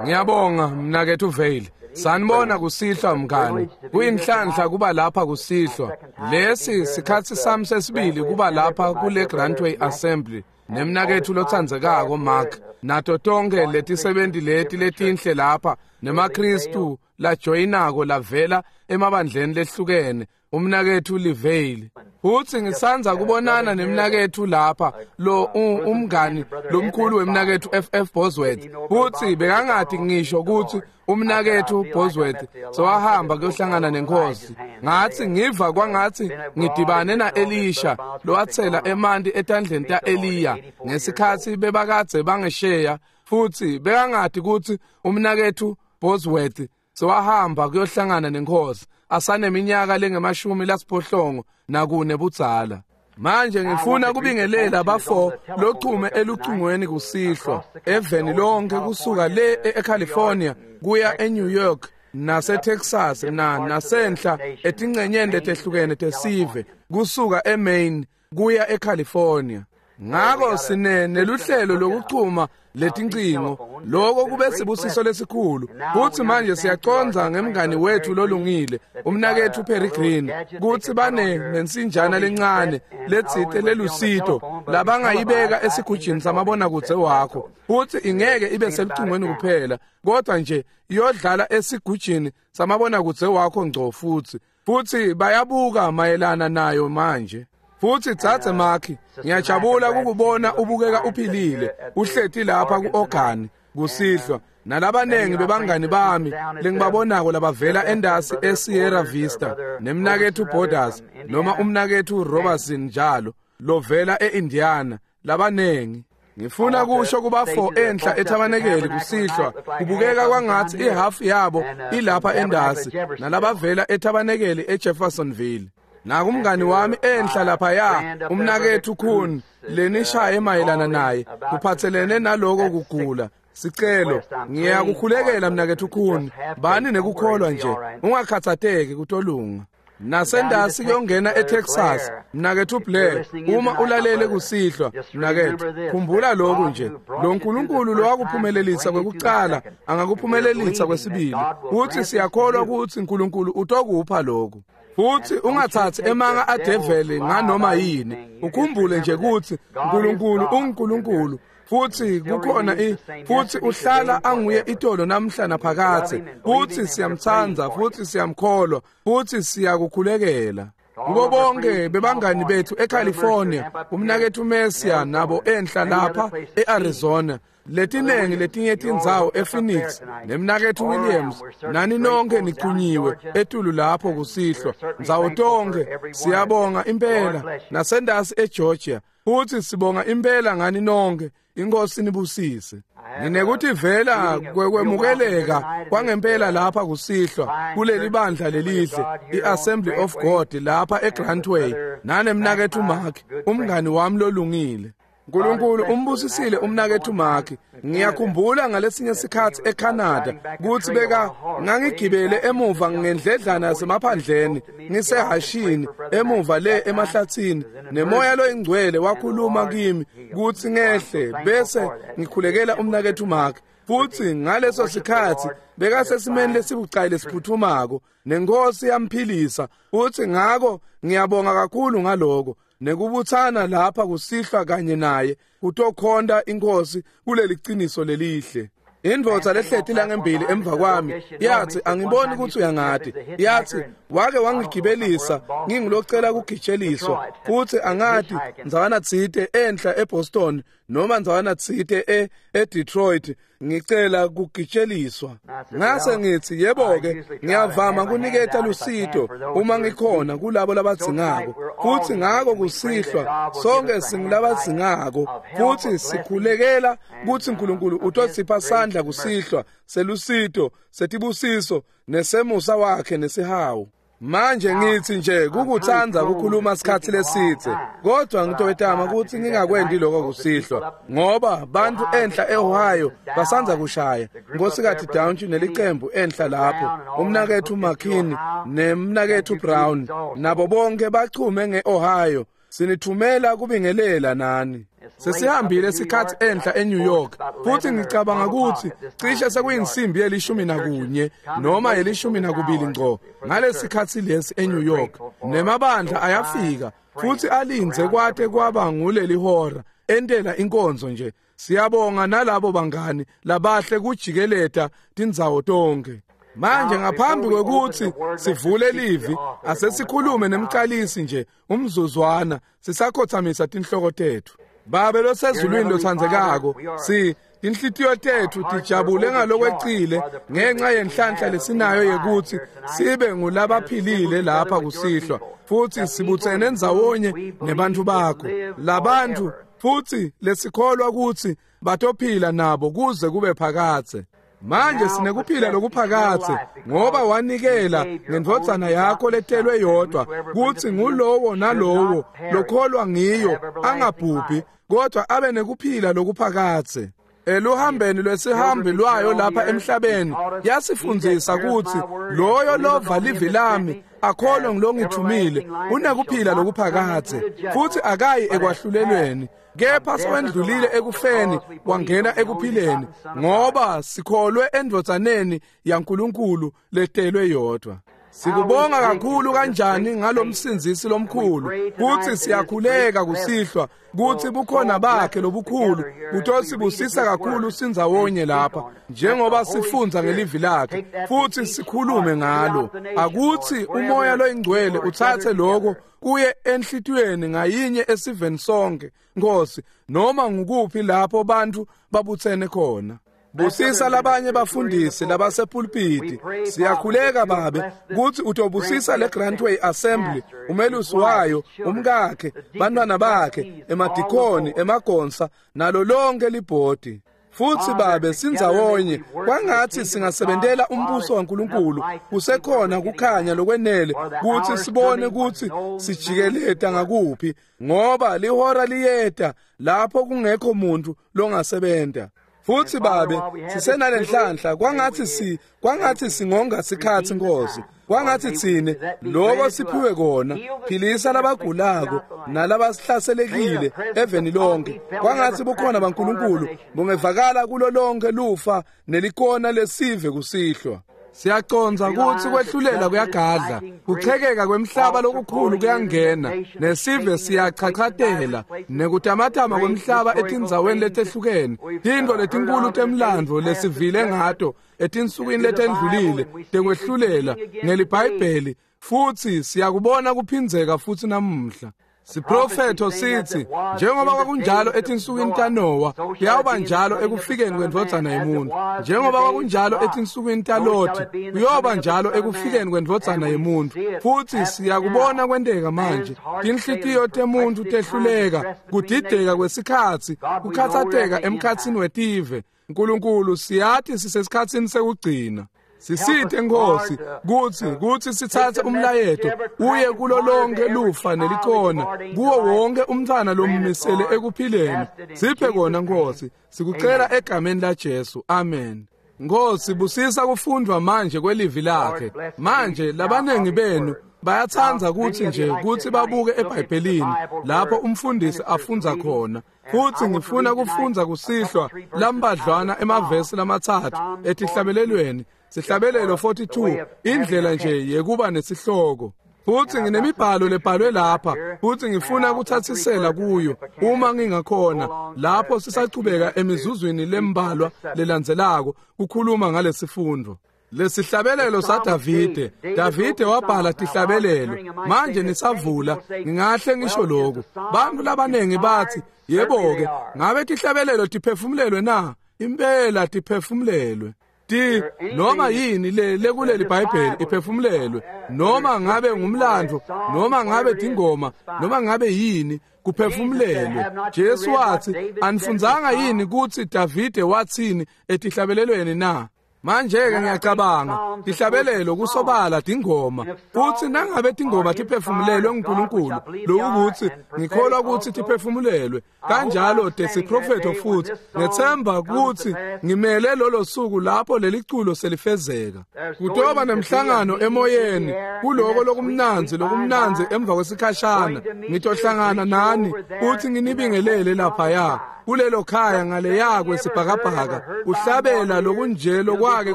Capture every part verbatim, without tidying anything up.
Ngiyabonga mnaketfu Vale. Sanibona kusihlwa mngani. Kuyinhlanhla kuba lapha kusihlwa. Lesi sikhatsi sami sesibili kuba lapha kule Grantway Assembly. Nemnaketfu lotsandzekako Mark nato tonkhe letisebenti leti letinhle lapha nemaKristu lajoyinako lavela emabandleni lehlukene umnaketfu Livale. Futsi ngisandza kubonana nemnaketfu lapha lo umngani lomkhulu wemnaketfu F F Bosworth. Futsi bekangati ngisho kutsi umnaketfu Bosworth sowahamba kuyohlangana nenkosi. Ngatsi ngiva kwangatsi ngidibane na Elisha lowatsela emanti etandleni ta Eliya ngesikhatsi bebakadze bangesheya. Futsi bekangati kutsi umnaketfu Bosworth sowahamba kuyohlangana nenkosi asaneminyaka lengemashumi lasiphohlongo nakune budzala. Manje ngifuna kubingelela bafo lochume elucingweni kusihlwa eveni lonke kusuka le eCalifornia kuya eNew York naseTexas na nasenhla etingcenyeni letehlukene tesive kusuka eMaine kuya eCalifornia. Ngako sine neluhlelo lokuchuma letincingo, lokho kube sibusiso lesikhulu. Futsi manje siyacondza ngemngani wethu lolungile umnaketfu Perry Green kutsi bane nensinjana lencane letsite lelusito labangayibeka esigujini samabonakudze wakho, futsi ingeke ibe selucingweni kuphela kodwa nje iyodlala esigujini samabonakudze wakho ngco. Futsi futsi bayabuka mayelana nayo manje. Futsi dzadze Mark, ngiyajabula ukubona ubukeka uphilile uhleti lapha ku-organi kusihlwa nalabanengi bebangani bami lengibabonako labavela endasi eSierra Vista nemnaketfu Borders noma umnaketfu Robertson njalo lovela eIndiana labanengi. Ngifuna kusho kubafo enhla ethabanekeli kusihlwa kubukeka kwangatsi ihafu yabo ilapha endasi nalabavela ethabanekeli eJeffersonville. Nakumngani wami enhla lapha ya umnaketfu Kuhn lenishaye mayelana naye kuphatselene naloko kugula. Sicelo ngiyakukhulekela mnaketfu Kuhn, bani nekukholwa nje ungakhathateki kutolunga. Nasendasi kuyongena eTexas mnaketfu Blair, uma ulalele kusihlwa mnaketfu khumbula lokhu nje, lo Nkulunkulu lowakuphumelelisa kwekucala angakuphumelelisa kwesibili. Futsi siyakholwa kutsi Nkulunkulu utokupha lokhu. Futsi ungathatsi emanga adeveli nganoma yini, ukhumbule nje kutsi Nkulunkulu unguNkulunkulu futsi kukhona i futsi uhlala anguye itolo namhla naphakadze. Futsi siyamtsandza futsi siyamkholwa futsi siyakukhulekela. Kubo bonke bebangani bethu eCalifornia, umnaketfu Messia nabo enhla lapha eArizona, letinengi letinye tindzawo ePhoenix nemnaketfu Williams, nani nonke nichunyiwe etulu lapho kusihlwa ndzawo tonke. Siyabonga impela nasendasi eGeorgia, futsi sibonga impela ngani nonke. Inkosi nibusise. Nginekutivela kwekwemukeleka kwangempela lapha kusihlwa kuleli bandla lelihle iAssembly of God lapha eGrantway nanemnaketfu Mark umngani wami lolungile. Nkulunkulu umbusisile umnaketfu Mark. Ngiyakhumbula ngalesinye sikhatsi eCanada kutsi beka ngangigibele emuva ngendledlana yasemaphandleni ngisehashini emuva le emahlatsini, nemoya loyingcwele wakhuluma kimi kutsi ngehle bese ngikhulekela umnaketfu Mark. Futsi ngaleso sikhatsi bekasesimeni lesibucayi lesiphuthumako nenkosi yamphilisa. Futsi ngako ngiyabonga kakhulu ngaloko nekubutsana lapha kusihlwa kanye naye kutokhonta inkosi kuleli qiniso lelihle. Indvodza lehleti la ngembili emva kwami yathi angiboni kutsi uyangati, yathi wake wangigibelisa ngingilocela kugitsheliswa, futsi angati ndzawana tsite enhla eBoston noma ndzawana tsite e eDetroit ngicela kugitsheliswa. Ngase ngithi yebo-ke ngiyavama kuniketa lusito uma ngikhona kulabo labadzingako. Futsi ngako kusihlwa sonke singulabadzingako futsi sikhulekela kutsi Nkulunkulu utosipha sandla kusihlwa selusito setibusiso nesemusa wakhe nesihawu. Manje ngithi nje kukutsandza kukhuluma sikhatsi lesidze, kodwa ngitowetama kutsi ngingakwendi lokho kusihlwa ngoba bantfu enhla eOhio basandza kushaya Nkosikazi Downey nelicembu enhla lapho, umnaketfu McKinney nemnaketfu Brown nabo bonke bachume ngeOhio. Sinithumela kubingelela nani. Sesihambile isikhathi enhla eNew York, futhi ngicabanga ukuthi cishe sekuyinsimbi yelishumi nakunye noma yelishumi nakubili ngco ngalesikhathi lesi eNew York. Nemabandla ayafika futhi alinze kwate kwaba nguleli hora entela inkonzo nje. Siyabonga nalabo bangani labahle kujikeleta tindzawo tonke. Manje ngaphambi kwekuthi sivule livi, asesikhulume nemqalisi nje umzuzwana sisakhothamisa tinhloko tethu. Babe losezulwini lothandzekako, si tinhlitiyo tethu tijabule ngalokwecile ngenxa yenhlanhla lesinayo yekuthi sibe ngulabaphilile lapha kusihlwa, futhi sibutsene ndzawonye nebantfu bakho labantu futhi lesikholwa ukuthi batophila nabo kuze kube phakadze. Manje sinekuphila lokuphakadze ngoba wanikela ngendvodzana yakho letelwe yodwa kuthi ngulowo nalowo lokholwa ngiyo angabhubhi kodwa abe nekuphila lokuphakadze. Eluhambeni lwesihambi lwayo lapha emhlabeni yasifundzisa ukuthi loyo lova livi lami akholwe ngilongithumile unekuphila lokuphakadze futhi akayi ekwahlulelweni, kepha sewendlulile ekufeni wangena ekuphileni ngoba sikholwe endvodzaneni yaNkulunkulu letelwe yodwa. Sikubonga kakhulu kanjani ngalomsindzisi lomkhulu, kuthi siyakhuleka kusihlwa kuthi bukhona bakhe lobukhulu butosibusisa kakhulu sindzawonye lapha njengoba sifundza ngelivi lakhe futhi sikhulume ngalo. Akuthi umoya loyingcwele uthathe lokho kuye enhlitiyweni ngayinye esiveni sonke, Nkosi, noma ngukuphi lapho bantu babutsene khona. Busisa labanye bafundisi labasepulpiti. Siyakhuleka Babe kuthi utobusisa le Grantway Assembly, umelusi wayo, umkakhe, bantwana bakhe, emadikoni, emagonsa nalo lonke libhodi. Futhi Babe sindzawonye kwangathi singasebentela umbuso waNkulunkulu kusekhona kukhanya lokwenele kuthi sibone kuthi sijikeleta ngakuphi, ngoba lihora liyeta lapho kungekho muntu longasebenta. Futhi Babe sisenalenhlanhla kwangathi si kwangathi singonga sikhathi Nkosi, kwangathi tsine lokho siphiwe kona. Philisa labagulako nalabasihlaselekile eveni lonke, kwangathi bukhona baNkulunkulu bungevakala kulo lonke lufa nelikona lesive kusihlwa. Siyaconza ukuthi kwehlulela kuyagadla, kuchekeka kwemhlaba lokukhulu kuyangena, nesive siyachachatela, nekutamatama kwemhlaba etindzaweni letehlukene, tintfo letinkulu temlandvo lesivile ngato etinsukwini letendlulile tekwehlulela ngeliBhayibheli, futhi siyakubona kuphindzeka futhi namuhla. Siprofetho sithi njengoba kwakunjalo etinsukwini taNowa, kuyawuba njalo ekufikeni kwendvodzana yemuntu. Njengoba kwakunjalo etinsukwini taLothi, kuyoba njalo ekufikeni kwendvodzana yemuntu. Futhi siyakubona kwenteka manje. Tinhlitiyo temuntu tehluleka, kudideka kwesikhatsi, kukhatsateka emkhatsini wetive. Nkulunkulu, siyathi sisesikhatsini sekugcina. Sisite Nkosi kuthi kuthi sithathe umlayeto uye kulo lonke lufa nelikona, kuwo wonke umntwana lommisele ekuphileni. Siphe kona Nkosi, sikucela egameni la Jesu. Amen. Nkosi, busisa kufundwa manje kwelivi lakhe. Manje labanengi benu bayatsandza kuthi nje kuthi babuke eBhayibhelini lapho umfundisi afundza khona. Futhi ngifuna kufundza kusihlwa lambadlwana emavesi lamatsatfu etihlabelelweni. Sihlabelelo forty-two, indlela nje yekuba nesihloko. Futhi nginemibhalo lebhalwe lapha, futhi ngifuna kuthathisela kuyo uma ngingakhona lapho sisachubeka emizuzwini lembalwa lelandzelako kukhuluma ngalesifundo. Lesihlabelelo saDavide. Davide wabhala tihlabelelo. Manje nisavula, ngingahle ngisho lokhu. Bantu labanengi bathi, yebo-ke, ngabe tihlabelelo tiphefumulelwe na? Impela tiphefumulelwe. Ti noma yini le lekuleli Bhayibheli iphefumulelwe, noma ngabe ngumlando, noma ngabe tingoma, noma ngabe yini, kuphefumulelwe. Jesu wathi, anifundzanga yini kutsi Davide wathini etihlabelelweni na? Manje-ke ngiyacabanga tihlabelelo kusobala tingoma, futsi nangabe tingoma tiphefumulelwe nguNkulunkulu, lokukuthi ngikholwa kutsi tiphefumulelwe kanjalo tesiprofetho, futhi ngethemba kutsi ngimele lolo suku lapho leliculo selifezeka. Kutoba nemhlangano emoyeni kuloko lokumnandzi lokumnandzi emva kwesikhashana. Ngitohlangana nani futhi nginibingelele laphaya kulelo khaya ngaleya kwesibhakabhaka, kuhlabela lokunje lokwake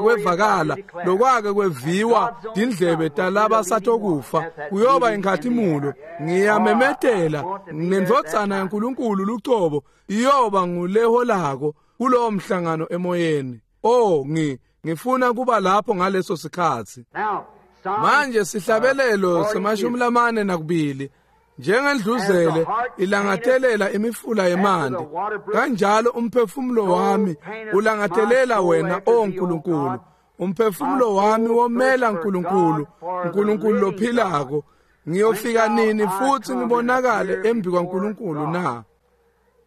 kwevakala lokwake kweviwa tindlebe talabasatokufa kuyoba inkhatimulo. Ngiyamemetela nendvodzana yaNkulunkulu lucobo iyoba nguleholako kulowo mhlangano emoyeni. Oh, ngi ngifuna kuba lapho ngaleso sikhatsi. Manje sihlabelelo semashumi lamane nakubili, njengendluzele ilangatelela imifula yemanti, kanjalo umphefumulo wami ulangatelela wena, o Nkulunkulu. Umphefumulo wami womela Nkulunkulu, Nkulunkulu lophilako. Ngiyofika nini futhi ngibonakale embi kwaNkulunkulu na?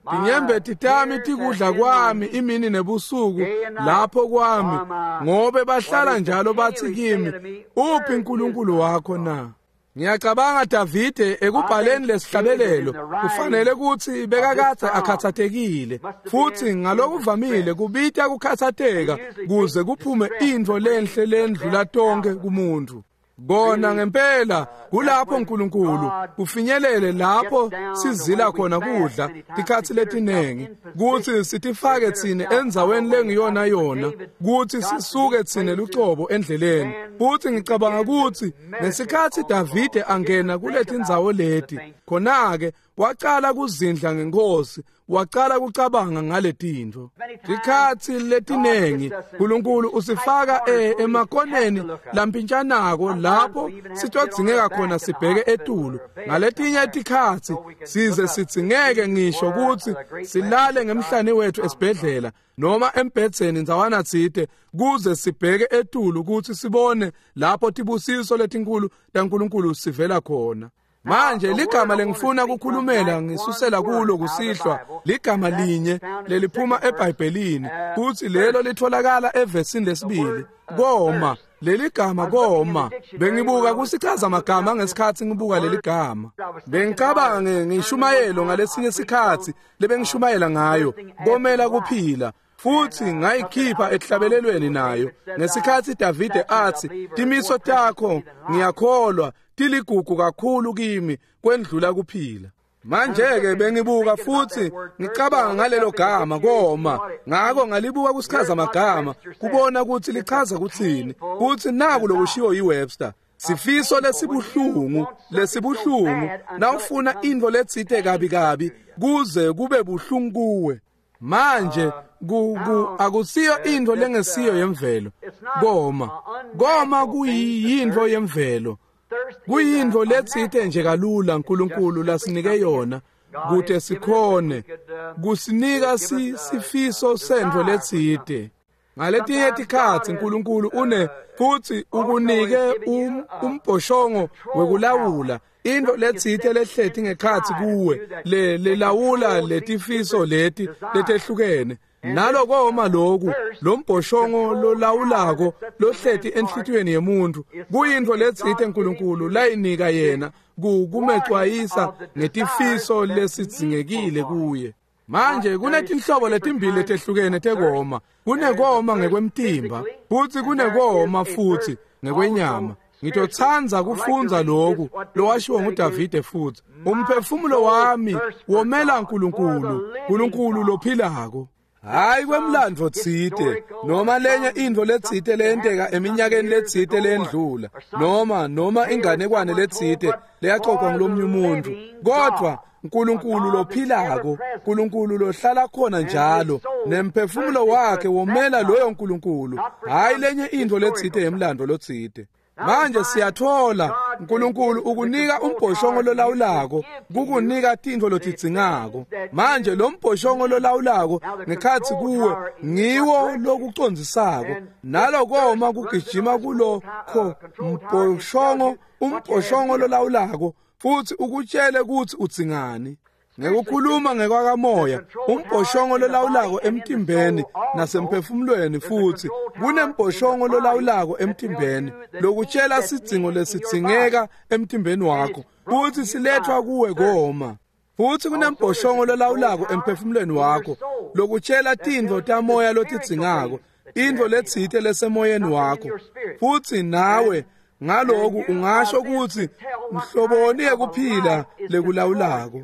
Tinyembeti tami tikudla kwami imini nebusuku lapho kwami, ngobe bahlala njalo bathi kimi, uphi uNkulunkulu wakho na? Ngiyacabanga Davide ekubhaleni lesihlabelelo kufanele kutsi bekakadze akhatsatekile, futhi ngalokuvamile kubita kukhatsateka kuze kuphume intfo lenhle lendlula tonke kumuntu. Kona ngempela kulapho uNkulunkulu kufinyelele lapho sizila khona kudla tikhatsi letinengi, kutsi sitifake tsine endzaweni lengiyona yona, kutsi sisuke tsine lucobo endleleni. Futhi ngicabanga kutsi ngesikhatsi Davide angena kuletindzawo leti, khona-ke wacala kuzindla ngenkosi, wacala kucabanga ngaletintfo. Tikhatsi letinengi uNkulunkulu usifaka emakoneni lampintshanako lapho sitodzingeka khona sibheke etulu. Ngaletinye tikhatsi size sidzingeke ngisho kutsi silale ngemhlane wethu esibhedlela noma embhedzeni ndzawana tsite, kuze sibheke etulu kutsi sibone lapho tibusiso letinkulu taNkulunkulu sivela khona. Manje ligama lengifuna kukhulumela ngisusela kulo kusihlwa ligama linye leliphuma eBhayibhelini, futhi lelo litholakala evesini lesibili, koma. Leligama koma, bengibuka kusichaza magama ngesikhatsi ngibuka leligama. Bengicabanga ngishumayelo ngalesinye sikhatsi lebengishumayela ngayo, komela kuphila, futhi ngayikhipha ehlabelelweni nayo ngesikhatsi Davide athi, timiso takho ngiyakholwa tiligugu kakhulu kimi kwendlula kuphila. Manje-ke bengibuka futhi ngicabanga ngalelo gama koma, ngako ngalibuka kusichaza magama kubona ukuthi lichaza kuthini. Futhi naku lokushiwo yiWebster, sifiso lesibuhlungu lesibuhlungu nawufuna intfo letsite kabi kabi kuze kube buhlungu kuwe. Manje ku akusiyo intfo lengesiyo yemvelo koma. Koma kuyintfo yemvelo, kuyintfo letsite nje kalula uNkulunkulu lasinike yona kute sikhone kusinika sifiso sentfo letsite. Ngaletinye tikhatsi uNkulunkulu une futhi ukunike umbhoshongo wekulawula intfo letsite lehleti ngekhatsi kuwe le lelawula letifiso leti letehlukene. Nalokoma loku lombhoshongo lolawulako lohleti enhlitiyweni yemuntu kuyintfo letsite uNkulunkulu layinika yena kumecwayisa ngetifiso lesidzingekile kuye. Manje kunetinhlobo letimbili letehlukene tekoma. Kunekoma ngekwemtimba futhi kunekoma futhi ngekwenyama. Ngitotsandza kufundza lokhu lowashiwo nguDavide futhi, umphefumulo wami womela uNkulunkulu, uNkulunkulu lophilako. Hayi kwemlandvo tsite noma lenye intfo letsite leyenteka eminyakeni letsite leyendlula, noma noma inganekwane letsite leyaxoxwa ngulomnye umuntu, kodwa uNkulunkulu lophilako, uNkulunkulu lohlala khona njalo, nemphefumulo wakhe womela loyo Nkulunkulu, hayi lenye intfo letsite yemlandvo lotsite. Manje siyathola uNkulunkulu ukunika umbhoshongo lolawulako, kukunika tintfo lotidzingako. Manje lo mbhoshongo lolawulako ngekhatsi kuwe ngiwo lokucondzisako, nalokoma kugijima kulokho mbhoshongo, umbhoshongo lolawulako, futhi ukutshele kutsi udzingani. Ngekukhuluma ngekwakamoya, umbhoshongo lolawulako emtimbeni nasemphefumulweni, futsi kunembhoshongo lolawulako emtimbeni lokutshela sidzingo lesidzingeka emtimbeni wakho, futsi silethwa kuwe koma. Futsi kunembhoshongo lolawulako emphefumulweni wakho lokutshela tintfo tamoya lotidzingako, intfo letsite lesemoyeni wakho. Futsi nawe ngaloku ungasho kutsi mhloboni yekuphila lekulawulako.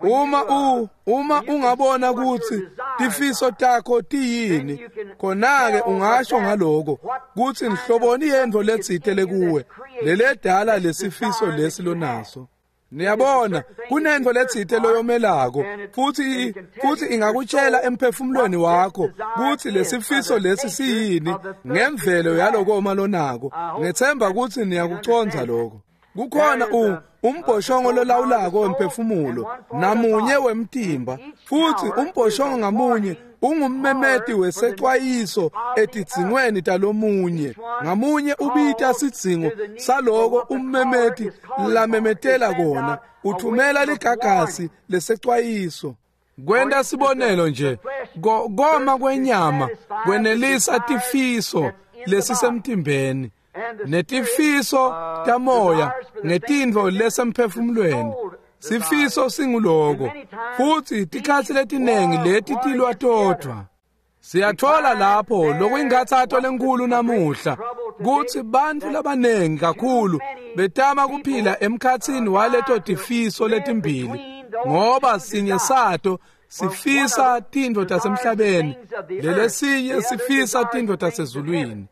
Uma u uma ungabona kutsi tifiso takho tiyini, khona-ke ungasho ngaloko kutsi mhloboni yentfo letsite lekuwe leledala lesifiso lesi lonaso. Niyabona, kunentfo letsite loyomelako, futsi futsi ingakutshela emphefumulweni wakho kutsi lesifiso lesi siyini ngemvelo yalokoma lonako. Ngethemba kutsi niyakucondza lokho. Kukhona u umbhoshongo lolawulako wemphefumulo namunye wemtimba, futsi umbhoshongo ngamunye ungummemeti wesecwayiso etidzingweni talomunye. Ngamunye ubita sidzingo saloko ummemeti lamemetela kona, uthumela ligagasi lesecwayiso. Kwenta sibonelo nje, koma kwenyama kwenelisa tifiso lesisemtimbeni, netifiso tamoya ngetintfo lesemphefumulweni. Sifiso singuloko, futsi tikhatsi letinengi leti tilwa todvwa. Siyathola lapho lokuyinkhatsato lenkulu namuhla kutsi bantfu labanengi kakhulu betama kuphila emkhatsini waleto tifiso letimbili, ngoba sinye sato sifisa tintfo tasemhlabeni, lelesinye sifisa tintfo tasezulwini.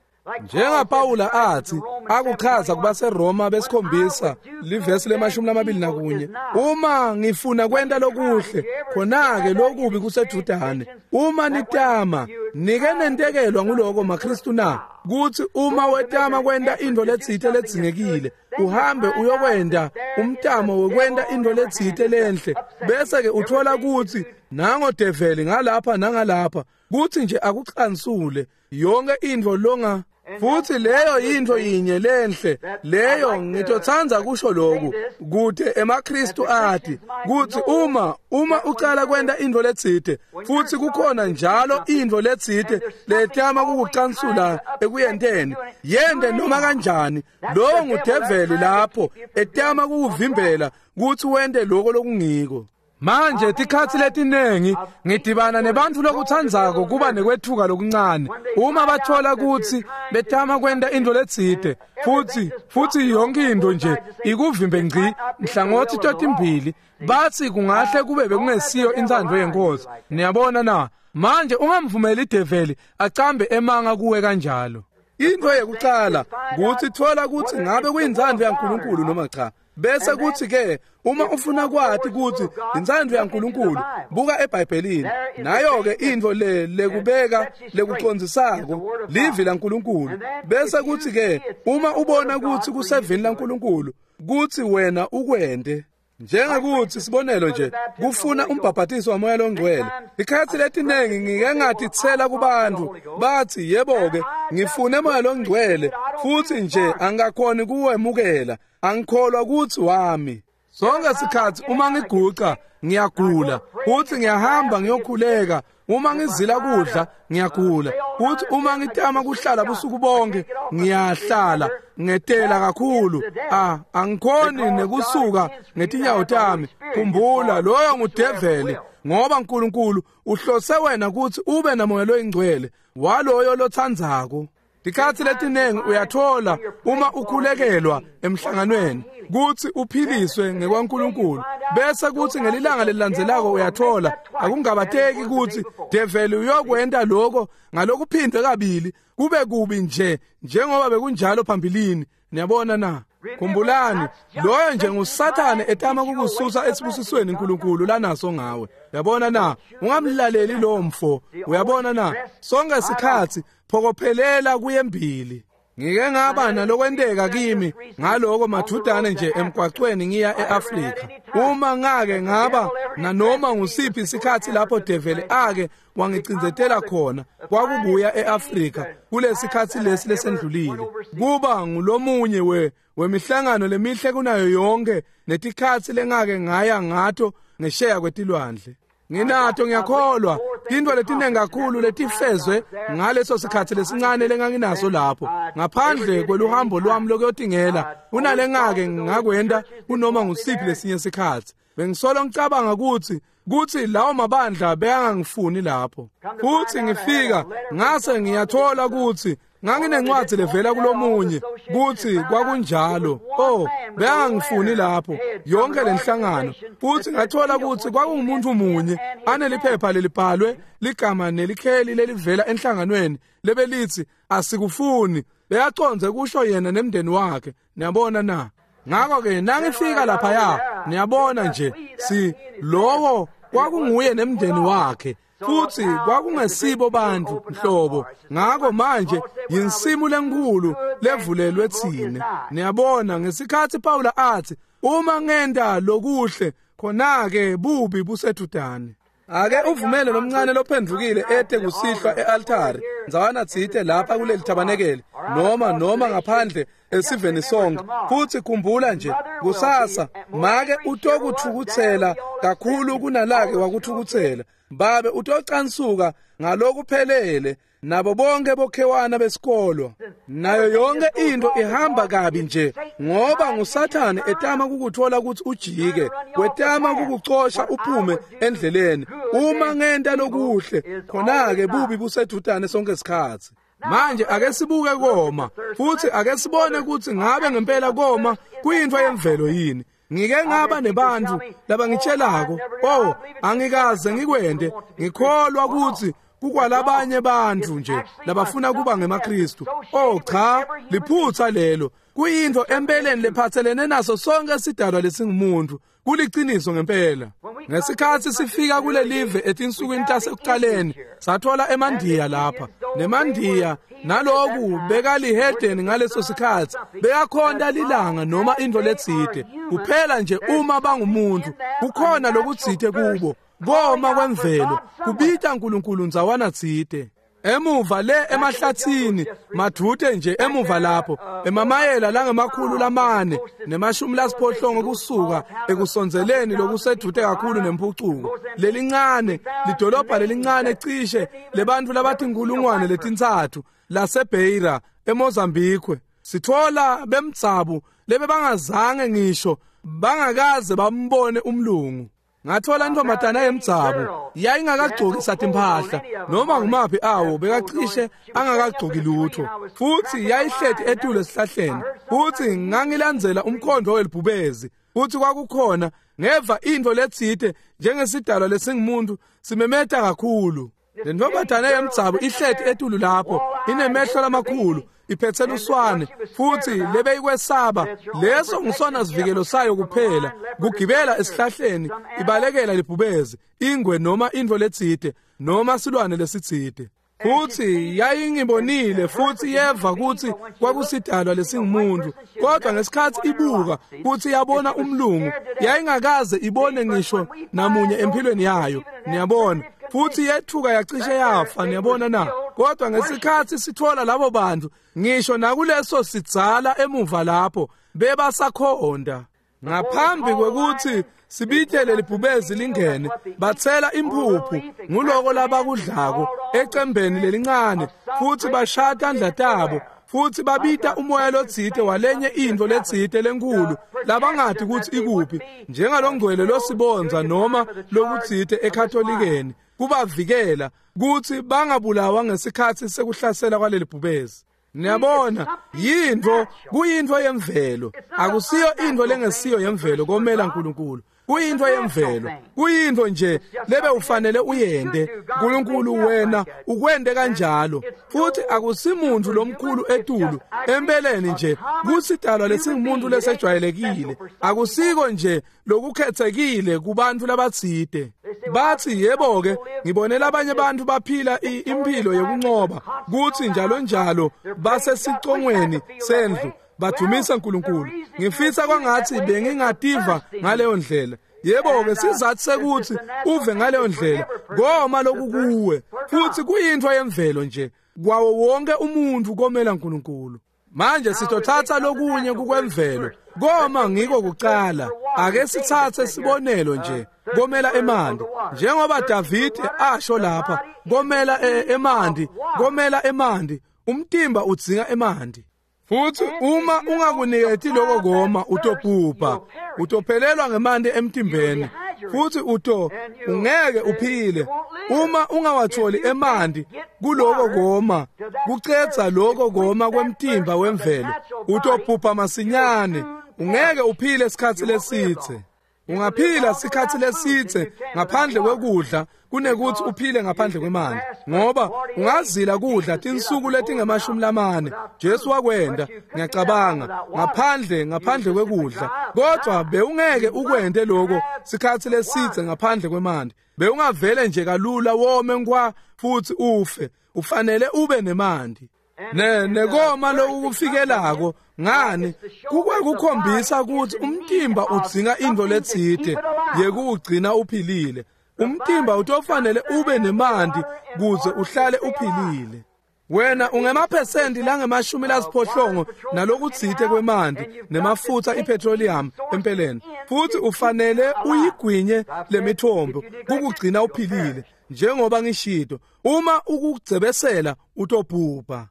NjengaPawula athi akuchaza kubaseRoma besikhombisa livesi lemashumi lamabili nakunye, uma ngifuna kwenta lokuhle, khona-ke lokubi kusedvudane. Uma nitama, nike nentekelwa nguloko maKristu na, kutsi uma wetama kwenta intfo letsite ledzingekile, uhambe uyokwenta umtamo wekwenta intfo letsite lenhle, bese-ke uthola kutsi nango develi ngalapha nangalapha, kutsi nje akucansule yonke intfo longa. Futsi leyo yintfo yinye lenhle leyo ngitotsandza kusho lokhu kute emaKristu ati kutsi uma uma ucala kwenta intfo letsite, futsi kukhona njalo intfo letsite letama kukucansula ekuyenteni, yente noma kanjani, lowo ngudeveli lapho etama kukuvimbela kutsi wente lokho lokungiko. Manje tikhatsi letinengi ngidibana nebantfu lokutsandzako kuba nekwetfuka lokuncane uma bathola kutsi betama kwenta intfo letsite, futsi futsi yonke intfo nje ikuvimbe ngci nhlangothi totimbili, batsi kungahle kube bekungesiyo intsandvo yeNkosi. Niyabona na? Manje ungamvumeli ideveli acambe emanga kuwe kanjalo. Intfo yekucala kutsi thola kutsi ngabe kuyintsandvo yaNkulunkulu noma cha. Bese kuthi ke uma ufuna kwati kutsi intsandvo yaNkulunkulu, buka eBhayibhelini. Nayo ke intfo le lekubeka lekucondzisako livi laNkulunkulu. Bese kuthi ke uma ubona kutsi kusevini laNkulunkulu kutsi wena ukwente. Njengekuthi sibonelo nje kufuna umbhabhatiso wamoya longcwele, ikhathi letinengi ngike ngatitsela kubantu bathi yebo ke ngifune moya longcwele, futsi nje angakhoni kuwemukela, angikholwa kutsi wami. Sonke sikhathi uma ngiguca ngiyagula, futhi ngiyahamba ngiyokhuleka. Uma ngizila kudla ngiyagula, futhi uma ngitama kuhlala busuku bonke ngiyahlala ngetela kakhulu. Ah, angikhoni nekusuka ngetinyawo tami. Khumbula, loyo ngudeveli, ngoba uNkulunkulu uhlose wena kutsi ube namoya loyingcwele waloyo lotsandzako. Tikhatsi letinengi uyathola uma ukhulekelwa emhlanganweni kutsi uphiliswe ngekwaNkulunkulu, bese kutsi ngelilanga lelilandzelako uyathola akungabateki kutsi develi uyokwenta lokho ngalokuphindwe kabili kube kubi nje njengoba bekunjalo phambilini. Niyabona na? Khumbulani, loyo nje nguSathane etama kukususa esibusisweni uNkulunkulu lanaso ngawe. Uyabona na? Ungamlaleli lo mfo. Uyabona na? Sonke sikhatsi phokophelela kuyembili. Ngike ngaba nalokwenteka kimi ngaloko mathudane nje emgwaqweni ngiya eAfrika. Uma ngake ngaba nanoma ngusiphi isikhathi lapho develi ake wangicindzetela khona, kwakubuya eAfrika kulesikhathi lesi lesendlulile. Kuba ngulomunye we wemihlangano lemihle kunayo yonke netikhatsi lengake ngaya ngato ngesheya kwetilwandle. Nginato ngiyakholwa tintfo letiningi kakhulu letifezwe ngaleso sikhatsi lesincane lenganginaso lapho ngaphandle kweluhambo lwami lokuyotingela kunalengake ngakwenta kunoma ngusiphi lesinye sikhatsi. Bengisolo ngicabanga kutsi kutsi lawo mabandla beyangangifuni lapho, futsi ngifika ngase ngiyathola kutsi nganginencwadi levela kulomunye kutsi kwakunjalo. Oh, beyangangifuni lapho yonke lenhlangano, futsi ngathola kutsi kwakungumuntu munye aneliphepha lelibhalwe ligama nelikheli lelivela enhlanganweni lebelithi asikufuni. Beyacondze kusho yena nemndeni wakhe. Niyabona na? Ngakho-ke nangifika laphaya, niyabona nje si lowo kwakunguye nemndeni wakhe, futsi kwakungesibo bantfu nhlobo. Ngakho manje yinsimu lenkulu levulelwe tsine. Niyabona, ngesikhatsi Pawula athi uma ngenta lokuhle khona-ke bubi busedudane. Ake uvumele lomncane lophendvukile ete kusihlwa e-altari ndzawana tsite lapha kuleli thabanekele noma noma ngaphandle esiveni sonke, futsi khumbula nje kusasa make utokutfukutsela kakhulu kunalake wakutfukutsela, babe utocansuka ngalokuphelele, nabo bonke bokhewana besikolwa, nayo yonke into ihamba kabi nje ngoba nguSathane etama kukuthola ukuthi ujike, wetama kukucosha uphume endleleni. Uma ngenta lokuhle khona-ke bubi busedudane sonke isikhatsi. Manje ake sibuke koma, futsi ake sibone kutsi ngabe ngempela koma kuyintfo yemvelo yini. Ngike ngaba nebantfu labangitshelako, oh, angikaze ngikwente, ngikholwa kutsi kukwalabanye bantfu nje labafuna kuba ngemaKristu. Oh cha, liphutsa lelo. Kuyintfo empeleni lephatselene naso sonke sidalwa lesingumuntu. Kuliciniso ngempela. Ngesikhatsi sifika kulelive etinsukwini tasekuqaleni, sathola emandiya lapha. Nemandiya naloku bekalihedeni ngaleso sikhatsi, beyakhonta lilanga noma intfo letsite. Kuphela nje uma bangumuntu, kukhona lokutsite kubo. Koma kwemvelo kubita uNkulunkulu ndzawana tsite. Emuva le emahlatsini madvute nje emuva lapho emamayela langemakhulu lamane nemashumi lasiphohlongo kusuka ekusondzeleni lokusedvute kakhulu nempucuko, lelincane lidolobha lelincane cishe lebantfu labatinkulungwane letintsatfu laseBeira eMozambique, sithola bemdzabu lebebangazange ngisho bangakaze bambone umlungu. Ngathola intombazana yemdzabu yayingakagcokisa timphahla noma ngumaphi awo, bekacishe angakagcoki lutho, futsi yayihleti etulu esihlahleni, futsi ngangilandzela umkhondo welibhubezi, futsi kwakukhona ngeva intfo letsite njengesidalwa lesingumuntu simemeta kakhulu. Le ntombazana yemdzabu ihleti etulu lapho inemehlo lamakhulu, iphetse luswane, futsi lebeyikwesaba leso ngisona sivikelo sayo kuphela, kugibela esihlahleni ibalekela libhubezi, ingwe noma intfo letsite noma silwane lesitsite. Futsi yayingibonile futsi yeva kutsi kwakusidalwa lesingumuntu, kodwa ngesikhatsi ibuka kutsi yabona umlungu, yayingakaze ibone ngisho namunye empilweni yayo. Niyabona, futsi yethuka yacishe yafa. Niyabona na? Kodwa ngesikhatsi sithola labo bantu ngisho nakuleso sidzala emuva lapho bebasakhonda. Ngaphambi kwekutsi sibitele libhubezi lingene, batsela imphuphu nguloko labakudlako ecembeni lelincane, futsi bashaya tandla tabo, futsi babita umoya lotsite walenye intfo letsite lenkhulu labangati kutsi ikuphi, njengalongcwele losibonza noma lokutsite eKatholikeni, kubavikela kutsi bangabulawa ngesikhatsi sekuhlasela kwaleli bhubezi. Niyabona, yintfo kuyintfo yemvelo, akusiyo intfo lengesiyo yemvelo komela uNkulunkulu. Kuyintfo yemvelo, kuyintfo nje lebe ufanele uyente. uNkulunkulu wena ukwente kanjalo, futhi akusimuntu lomkhulu etulu empeleni nje kusidalwa lesingumuntu lesejwayelekile, akusiko nje lokukhethekile kubantu labatsite. Bathi yebo ke, ngibone labanye abantu baphila impilo yokunqoba kuthi njalo njalo basesicongweni sendlu badumisa uNkulunkulu. Ngifisa kwangathi bengingativa ngaleyo ndlela. Yebo ke, sizathu sekuthi uve ngaleyo ndlela goma lokukuwe, futhi kuyintfo yemvelo nje kwawo wonke umuntu komela uNkulunkulu. Manje sitothatha lokunye kukwemvelo, koma ngiko kucala. Ake sitsatse sibonelo nje, komela emanti. Njengoba Davide asho lapha, komela emanti, komela emanti, umtimba udzinga emanti. Futhi uma ungakuniketi lokho koma utobhubha, utophelelwa ngemanti emtimbeni, futhi uto ungeke uphile. Uma ungawatholi emanti kuloko koma, kucedza lokho koma kwemtimba wemvelo, utobhubha masinyane, ungeke uphile isikhathi lesithe. Ungaphila sikhathi lesithe ngaphandle kwekudla kunekuthi uphile ngaphandle kwemanti, ngoba ungazila kudla tinsuku letingemashumi lamane. Jesu wakwenda, ngiyacabanga, ngaphandle ngaphandle kwekudla, kodwa bewungeke ukwente lokho sikhathi lesithe ngaphandle kwemanti. Bewungavele nje kalula wome nkwa futhi ufe. Ufanele ube nemanti. Ne nekoma lokufikelako ngani kukwekukhombisa ukuthi umtimba udzinga into letsite yekuwugcina uphilile. Umtimba utofanele ube nemanti kuze uhlale uphilile. Wena ungemaphesenti langemashumi lasiphohlongo nalokutsite kwemanti nemafutsa ipetroleum empeleni, futhi ufanele uyigwinye lemithombo kukugcina uphilile. Njengoba ngishito, uma ukugcebesela utobhubha.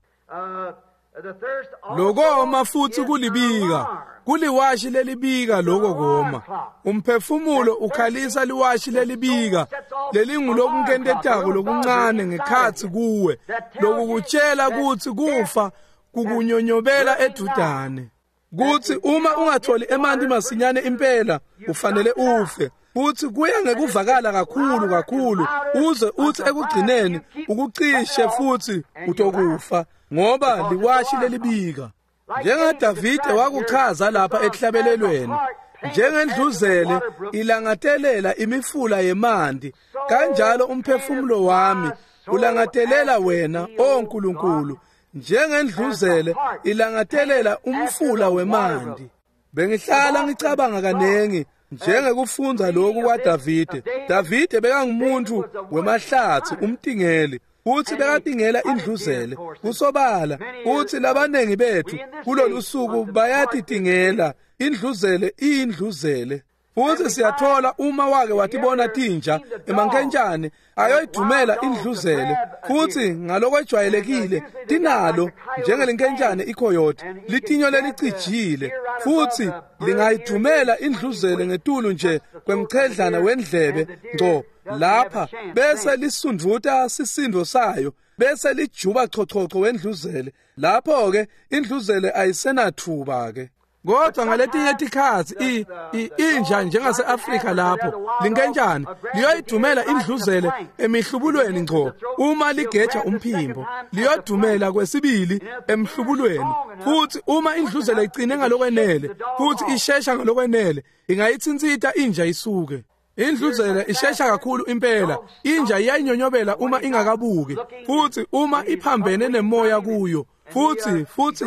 Lokoma futhi kulibika, kuliwashi lelibika lokho koma. Umphefumulo ukhalisa liwashi lelibika lelingulokunkentetako lokuncane ngekhatsi kuwe, lokukutshela kutsi kufa kukunyonyobela edudane. Kuthi uma ungatholi emanti masinyane impela ufanele ufe. Futhi kuya ngekuvakala kakhulu kakhulu uze uthi ekugcineni ukucishe futhi utokufa, ngoba liwashi lelibika. NjengaDavide wakuchaza lapha ekuhlabelelweni, njengendluzele ilangatelela imifula yemanti, kanjalo umphefumulo wami ulangatelela wena, o Nkulunkulu, njengendluzele ilangatelela umfula wemanti. Bengihlala ngicabanga kanengi njengekufundza lokhu kwaDavide. Davide bekangumuntu wemahlathi, umtingeli, futhi bekatingela indluzele. Kusobala uthi labanengi bethu kulolu suku bayatitingela indluzele, iyindluzele. Futhi siyathola uma wake watibona tinja emankentshane ayoyidumela indluzele, futhi ngalokwejwayelekile tinalo njengelinkentshane ikhoyote litinyo lelicijile, futhi lingayidumela indluzele ngetulu nje kwemchedlana wendlebe ngco lapha, bese lisundvuta sisindo sayo, bese lijuba chochocho wendluzele. Lapho ke indluzele ayisenathuba ke. Kodwa ngaletinye tikhatsi inja njengase-Afrika lapho linkentshane liyoyidumela indluzele emihlubulweni ngco uma ligeja umphimbo, liyodumela kwesibili emhlubulweni. Futhi uma indluzele igcine ngalokwenele futhi ishesha ngalokwenele, ingayithintsita inja isuke. Indluzele ishesha kakhulu impela, inja iyayinyonyobela uma ingakabuki, futhi uma iphambene nemoya kuyo, futhi futhi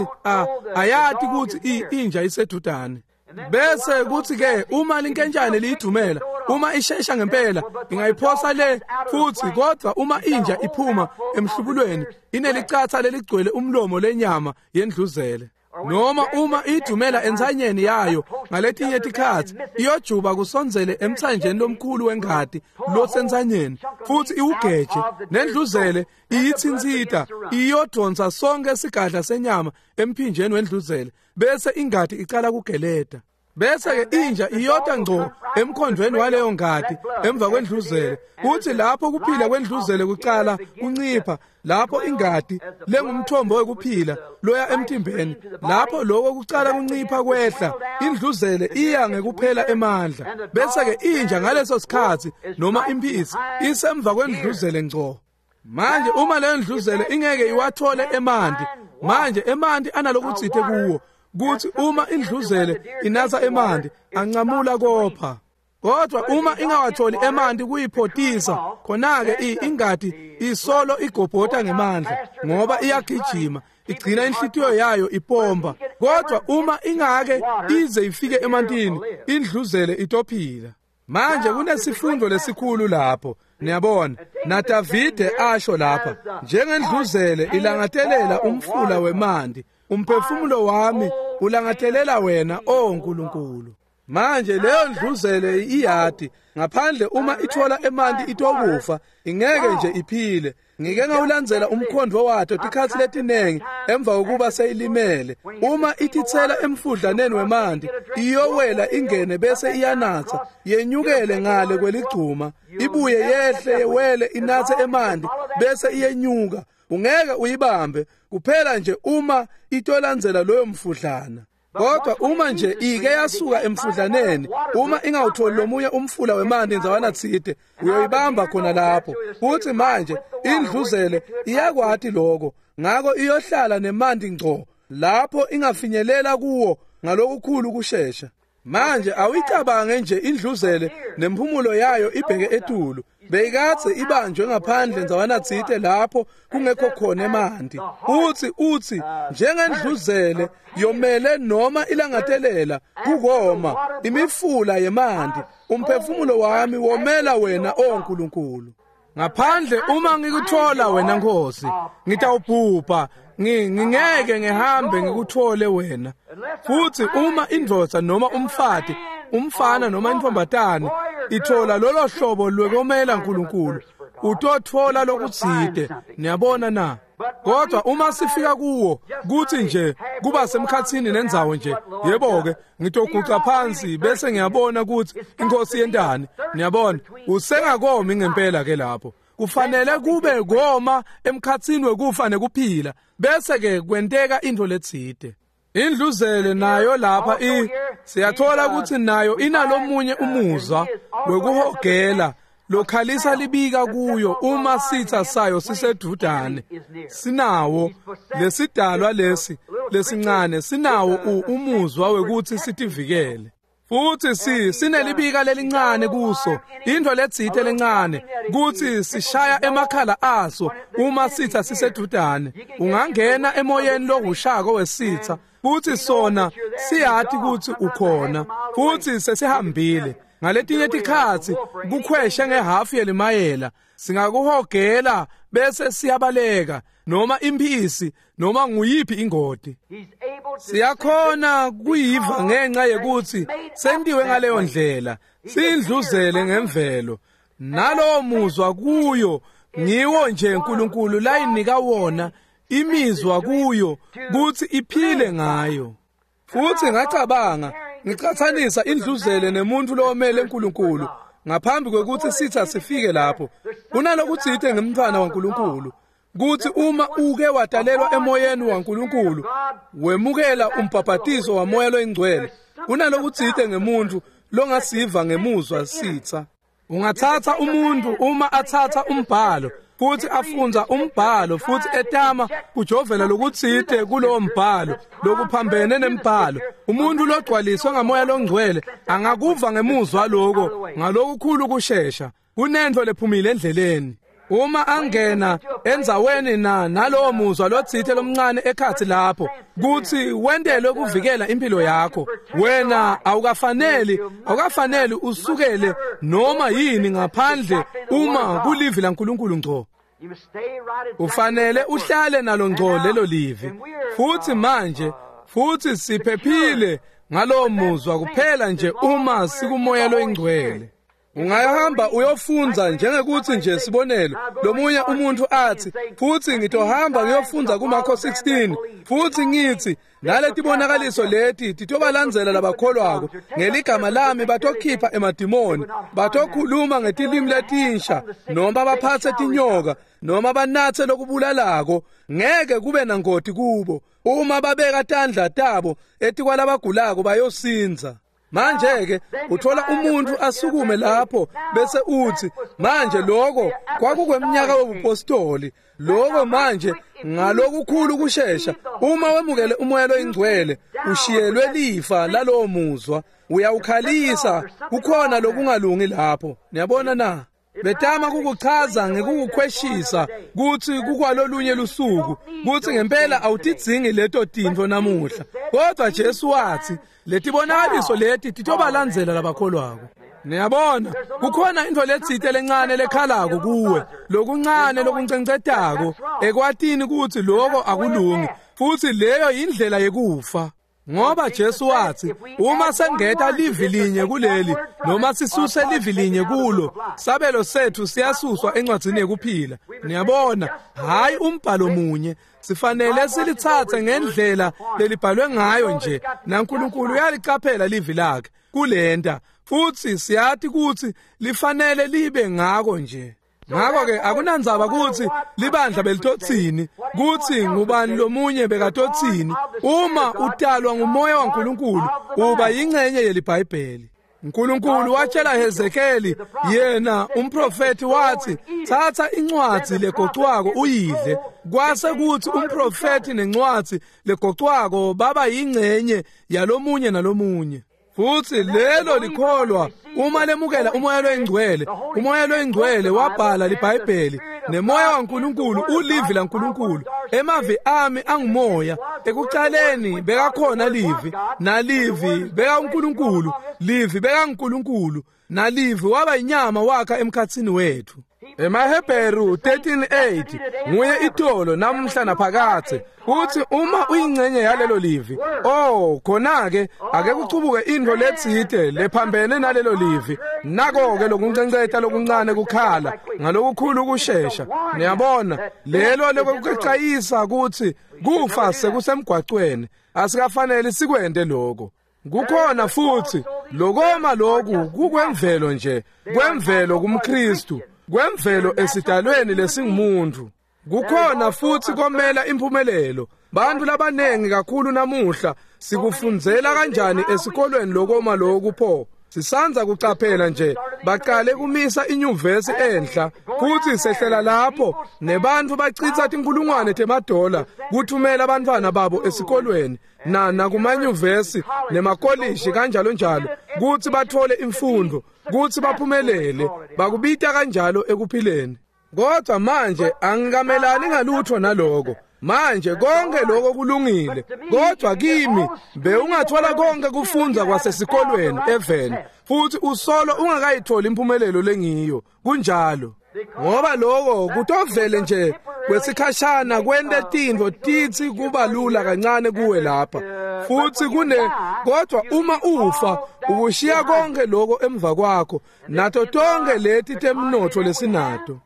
ayati ukuthi inja isedudane. Bese kuthi ke uma linkentshane liyidumela, uma ishesha ngempela ingayiphosa le futhi, kodwa uma inja iphuma emhlubulweni inelicatha leligcwele umlomo lenyama yendluzele. Noma uma idumela ensanyeni yayo ngaletinye tikhatsi iyojuba kusondzele emtsanjeni lomkhulu wengati losensanyeni, futhi iwugeje nendluzele iyithintsita, iyodonsa sonke sigadla senyama emphinjeni wendluzele, bese ingati icala kugeleta. Bese ke inja iyota ngco emkhondweni waleyo ngati emva kwendluzele, kuthi lapho kuphila kwendluzele kucala kuncipha, lapho ingati lengumthombo wekuphila loya emtimbeni, lapho lokho kucala kuncipha kwehla, indluzele iya ngekuphela emandla. Bese ke inja ngaleso sikhatsi noma imphisi isemva kwendluzele ngco. Manje uma leyo ndluzele ingeke iwathole emanti, manje emanti analokutsite kuwo, kuthi uma indluzele inatsa emanti ancamula kopha. Kodwa uma ingawatholi emanti kuyiphotisa, khona-ke ingati isolo igobhota ngemandla, ngoba iyagijima igcina inhlitiyo yayo ipompa. Kodwa uma ingake ize ifike emantini, indluzele itophila. Manje kunesifundo lesikhulu lapho, niyabona. NaDavide asho lapha, njengendluzele ilangatelela umfula wemanti, umphefumulo wami ulangatelela wena, o Nkulunkulu. Manje leyo ndluzele iyati ngaphandle uma ithola emanti itokufa, ingeke nje iphile. Ngike ngawulandzela umkhondvo wato tikhatsi letinengi emva kokuba seyilimele. Uma ititsela emfudlaneni wemanti, iyowela ingene bese iyanatsa, yenyukele ngale kweligcuma, ibuye yehle yewele inatse emanti bese iyenyuka. Ungeke uyibambe kuphela nje uma itolandzela loyo mfudlana. Kodwa uma nje ike yasuka emfudlaneni, uma ingawutholi lomunye umfula wemanti ndzawana tsite, uyoyibamba khona lapho. Futhi manje indluzele iyakwati lokho, ngako iyohlala nemanti ngco lapho ingafinyelela kuwo ngalokukhulu kushesha. Manje awuyicabange nje indluzele nemphumulo yayo ibheke etulu, beyikadze ibanjwe ngaphandle ndzawana tsite lapho kungekho khona emanti. Uthi uthi njengendluzele yomele noma ilangatelela kukoma imifula yemanti, umphefumulo wami womela wena, o Nkulunkulu. Ngaphandle uma ngikuthola wena Nkosi, ngitawubhubha, ngingeke ngihambe ngikuthole wena. Futhi uma indvodza noma umfati, umfana noma intombatane ithola lolo hlobo lwekomela uNkulunkulu, utothola lokutsite. Niyabona na? Kodwa uma sifika kuwo kuthi nje kuba semkhatsini nendzawo nje, yebo ke ngitoguca phansi bese ngiyabona ukuthi inkosi yentani. Niyabona, usengakomi ngempela ke lapho. Kufanele kube koma emkhatsini wekufa nekuphila, bese ke kwenteka into letsite. Indluzele nayo lapha i siyathola ukuthi nayo inalomunye umuzwa wekuhogela lokhalisa libika kuyo uma sitha sayo sisedudane. Sinawo lesidalwa lesi lesincane, sinawo umuzwa wekuthi sitivikele. Futhi si sinelibika lelincane kuso, into letsite lencane kuthi sishaya emakhala aso uma sitha sisedudane. Ungangena emoyeni lohushako wesitha, futhi sona siyati ukuthi ukhona, futhi sesihambile. Ngaletinye tikhatsi kukhweshe ngehafu yelimayela, singakuhogela bese siyabaleka, noma imphisi noma nguyiphi ingoti. Siyakhona kuyiva ngenxa yekuthi sentiwe ngaleyo ndlela, sindluzele ngemvelo. Nalowo muzwa kuyo ngiwo nje uNkulunkulu layinika wona imizwa kuyo kuthi iphile ngayo. Futhi ngacabanga ngicathanisa indluzele nemuntu lowomele uNkulunkulu ngaphambi kwekuthi sitha sifike lapho. Kunalokutsite ngemntwana waNkulunkulu kuthi uma uke wadalelwa emoyeni waNkulunkulu, wemukela umbhaphatiso wamoya loyingcwele, kunalokutsite ngemuntu longasiva ngemuzwa sitha. Ungathatha umuntu uma athatha umbhalo futhi afunza umbhalo futhi etama kujovela lokutsite kulowo mbhalo lokuphambene nembhalo, umuntu logcwaliswe ngamoya longcwele angakuva ngemuzwa lokho ngalokukhulu kushesha. Kunento lephumile endleleni. Uma angena endzaweni na nalowo muzwa lotsite lomncane ekhathi lapho kuthi wentelwe kuvikela impilo yakho, wena awukafaneli awukafaneli usukele noma yini ngaphandle uma kulivi laNkulunkulu ngco. Ufanele uhlale nalo ngco lelo livi. Futhi manje futhi siphephile ngalowo muzwa kuphela nje uma sikumoya loyingcwele. Ungahamba uyofunza njengekuthi nje sibonelo lomunye umuntu athi, futhi ngitohamba ngiyofunza kuMarko sixteen, futhi ngithi naletibonakaliso leti titobalandzela labakholwako ngeligama lami, batokhipha emadimoni, batokhuluma ngetilimi letinsha, noma baphatse tinyoka, noma banatse lokubulalako, ngeke kube nangoti kubo. Uma babeka tandla tabo etikwalabagulako bayosinza. Manje ke uthola umuntu asukume lapho bese uthi, manje lokho kwakukweminyaka wobupostoli, lokho manje ngalokukhulu kushesha uma wemukele umoya loyingcwele ushiyelwe lifa lalowo muzwa, uyawukhalisa kukhona lokungalungi lapho. Niyabona na? Betama kukuchaza ngekukukhweshisa kuthi kukwalolunye lusuku, kuthi ngempela awutidzingi leto tintfo namuhla. Kodwa Jesu wathi letibonakaliso leti titobalandzela labakholwako. Niyabona, kukhona intfo letsite lencane lekhalako kuwe, lokuncane lokuncencetako ekwatini kutsi lokho akulungi, futhi leyo indlela yekufa. Ngoba Jesu wathi uma sengeta livi linye kuleli noma sisuse livi linye kulo, sabelo sethu siyasuswa encwadzini yekuphila. Niyabona, hayi umbhalo munye, sifanele silitsatse ngendlela lelibhalwe ngayo nje, naNkulunkulu uyalicaphela livi lakhe kulenta, futhi siyati kutsi lifanele libe ngako nje. Ngakho-ke akunandzaba kutsi libandla belitotsini, kutsi ngubani lomunye bekatotsini, uma utalwa ngumoya waNkulunkulu uba yingcenye yeliBhayibheli. Nkulunkulu watshela Hezekeli, yena umprofeti, wathi thatha incwadzi legocwako uyidle. Kwase kuthi umprofeti nencwadzi legocwako baba yingcenye yalomunye nalomunye. Futhi lelo likholwa uma lemukela umoya loyingcwele, umoya loyingcwele wabhala liBhayibheli, nemoya waNkulunkulu ulivi laNkulunkulu. Emavi ami angumoya, ekucaleni bekakhona livi, nalivi beka uNkulunkulu, livi beka uNkulunkulu, nalivi waba inyama wakha emkhatsini wethu. EmaHebheru thirteen eight nguye itolo namhla naphakathe. Uthi uma uyingcenye yalelo livi, oh khona-ke ake kuchubuke intfo letsite lephambene nalelo livi, nako-ke lokuncenceta lokuncane kukhala ngalokukhulu ukushesha. Niyabona, lelo lokucayisa kutsi kufa sekusemgwacweni, asikafanele sikwente lokho. Kukhona futhi lokoma loku kukwemvelo nje, kwemvelo kumKristu, kwemvelo esidalweni lesingumuntu. Kukhona futhi komela impumelelo. Bantu labanengi kakhulu namuhla sikufundzela kanjani esikolweni lokoma lokhu pho? Sisanza kucaphela nje baqale kumisa inyuvesi enhla, futhi sehlela lapho nebantu bachitha tinkulungwane temadola kuthumela abantwana babo esikolweni na nakumanyuvesi nemakolishi kanjalo njalo, kuthi bathole imfundo, kuthi baphumelele, bakubita kanjalo ekuphileni. Kodwa manje angikamelani ngalutho naloko. Manje konke lokho kulungile, kodwa kimi bewungathola konke kufundza kwasesikolweni eveni, futhi usolo ungakayitholi impumelelo lengiyo. Kunjalo, ngoba lokho kutovele nje kwesikhashana kwente tintfo titsi kuba lula kancane kuwe lapha, futhi kune kodwa uma ufa ukushiya konke lokho emva kwakho nato tonke leti temnotfo lesinato.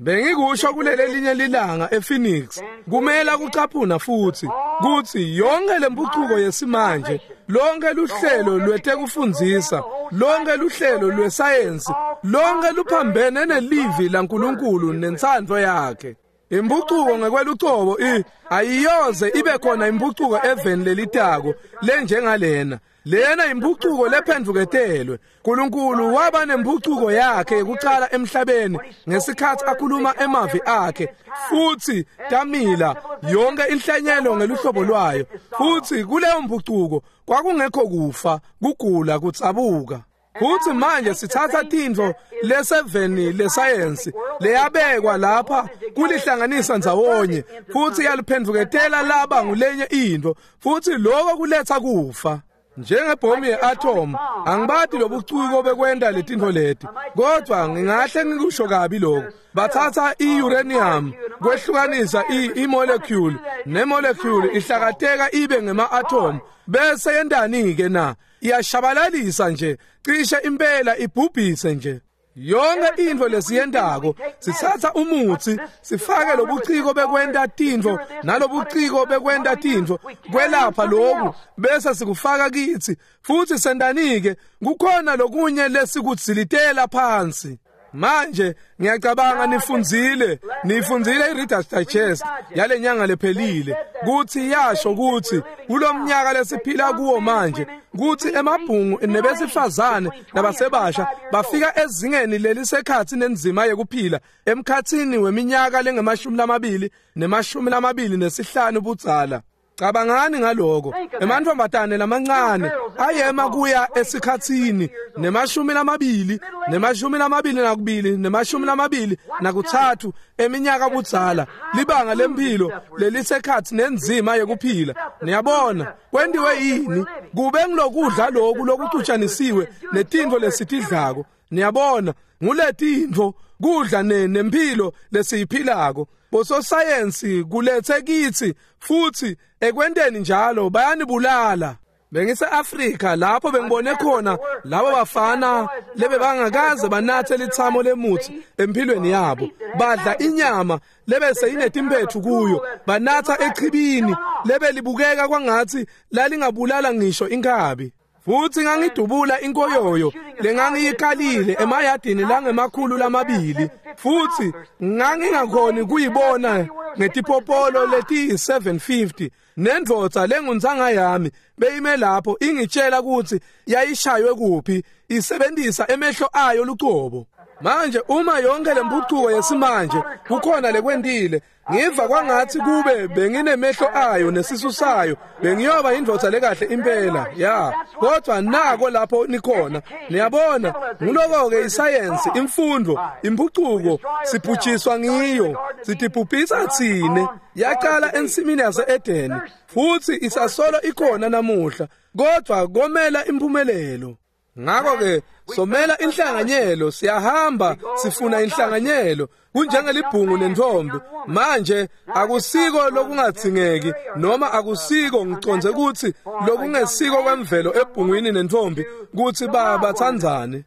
Bengikusho kulele linye lilanga ePhoenix, kumela kucaphuna futhi kuthi yonke lempucuko yesimanje, lonke luhlelo lwetekufundzisa, lonke luhlelo lwesayensi, lonke luphambene nelivi laNkulunkulu nentsandvo yakhe. Impucuko ngekwelucobo i ayiyoze ibe khona impucuko eveni lelitako lenjengalena. Lena impucuko lephendvuketelwe. Nkulunkulu waba nempucuko yakhe yekucala emhlabeni ngesikhathi akhuluma emavi akhe, futhi tamila yonke inhlanyelo ngeluhlobo lwayo. Futhi kuleyo mpucuko kwakungekho kufa, kugula, kutsabuka. Futhi manje sithatha tintfo leseveni lesayensi leyabekwa lapha kulihlanganisa ndzawonye, futhi yaliphendvuketela laba ngulenye intfo, futhi lokho kuletha kufa. Njengebhomu ye-atom, angibati lobuciko bekwenta letintfo leti, kodwa ngingahle ngikusho kabi lokho. Bathatha i-uranium kwehlukanisa i-molecule, ne-molecule ihlakateka ibe ngema-atom, bese yentani-ke na? Iyashabalalisa nje, cishe impela ibhubhise nje. Yonke intfo lesiyentako, sithatha umutsi, sifake lobuciko bekwenta tintfo nalobuciko bekwenta tintfo kwelapha lokhu, bese sikufaka kitsi, futhi sentanike kukhona lokunye lesikudzilitela phansi. Manje ngiyacabanga nifundzile, nifundzile iReader's Digest yale nyanga lephelile, kuthi yasho kuthi kulomnyaka lesiphila kuwo manje, kuthi emabhungu nebesifazane nabasebasha bafika ezingeni lelisekhathi nenzima yekuphila emkhathini weminyaka lengemashumi lamabili nemashumi lamabili nesihlanu budzala. Cabangani ngaloko. Emantfombatane lamancane ayema kuya esikhatsini nemashumi lamabili nemashumi lamabili nakubili nemashumi lamabili nakutsatfu eminyaka budzala, libanga lemphilo lelisekhathi nenzima yekuphila. Niyabona kwentiwe yini? Kube ngilokudla loku lokucutshanisiwe netintfo lesitidlako. Niyabona nguletintfo kudla nemphilo lesiyiphilako. Bososayensi kulethe kithi futhi ekwenteni njalo bayanibulala. Bengise Afrika lapho bengibone khona labo bafana lebe bangakaze banathe lithamo lemuthi empilweni yabo, badla inyama lebese inetimpethu kuyo, banatha echibini lebe libukeka kwangathi lalingabulala ngisho inkabi. Futhi ngangidubula inkoyoyo lengangiyikalile emayadini langemakhulu lamabili, futhi ngangingakhoni kuyibona ngetipopolo leti seven fifty. Nendvodza lenguntsanga yami beyime lapho ingitshela ukuthi yayishaywe kuphi isebenzisa emehlo ayo lucobo. Manje uma yonke lempucuko yesimanje kukhona lekwentile, ngiva kwangathi kube benginemehlo ayo nesisu sayo bengiyoba indvodza lekahle impela ya. Kodwa nako lapho nikhona, niyabona, nguloko-ke isayensi, imfundo, impucuko sibhujiswa ngiyo, sitibhubhisa tsine. Yaqala ensimini yase-Edeni futhi isasolo ikhona namuhla, kodwa komela impumelelo. Ngakho-ke somela inhlanganyelo, siyahamba sifuna inhlanganyelo kunjengelibhungu nentombi. Manje akusiko lokungathingeki noma akusiko ngiconze ukuthi lokungesiko kwemvelo ebhungwini nentombi kuthi babathandzane.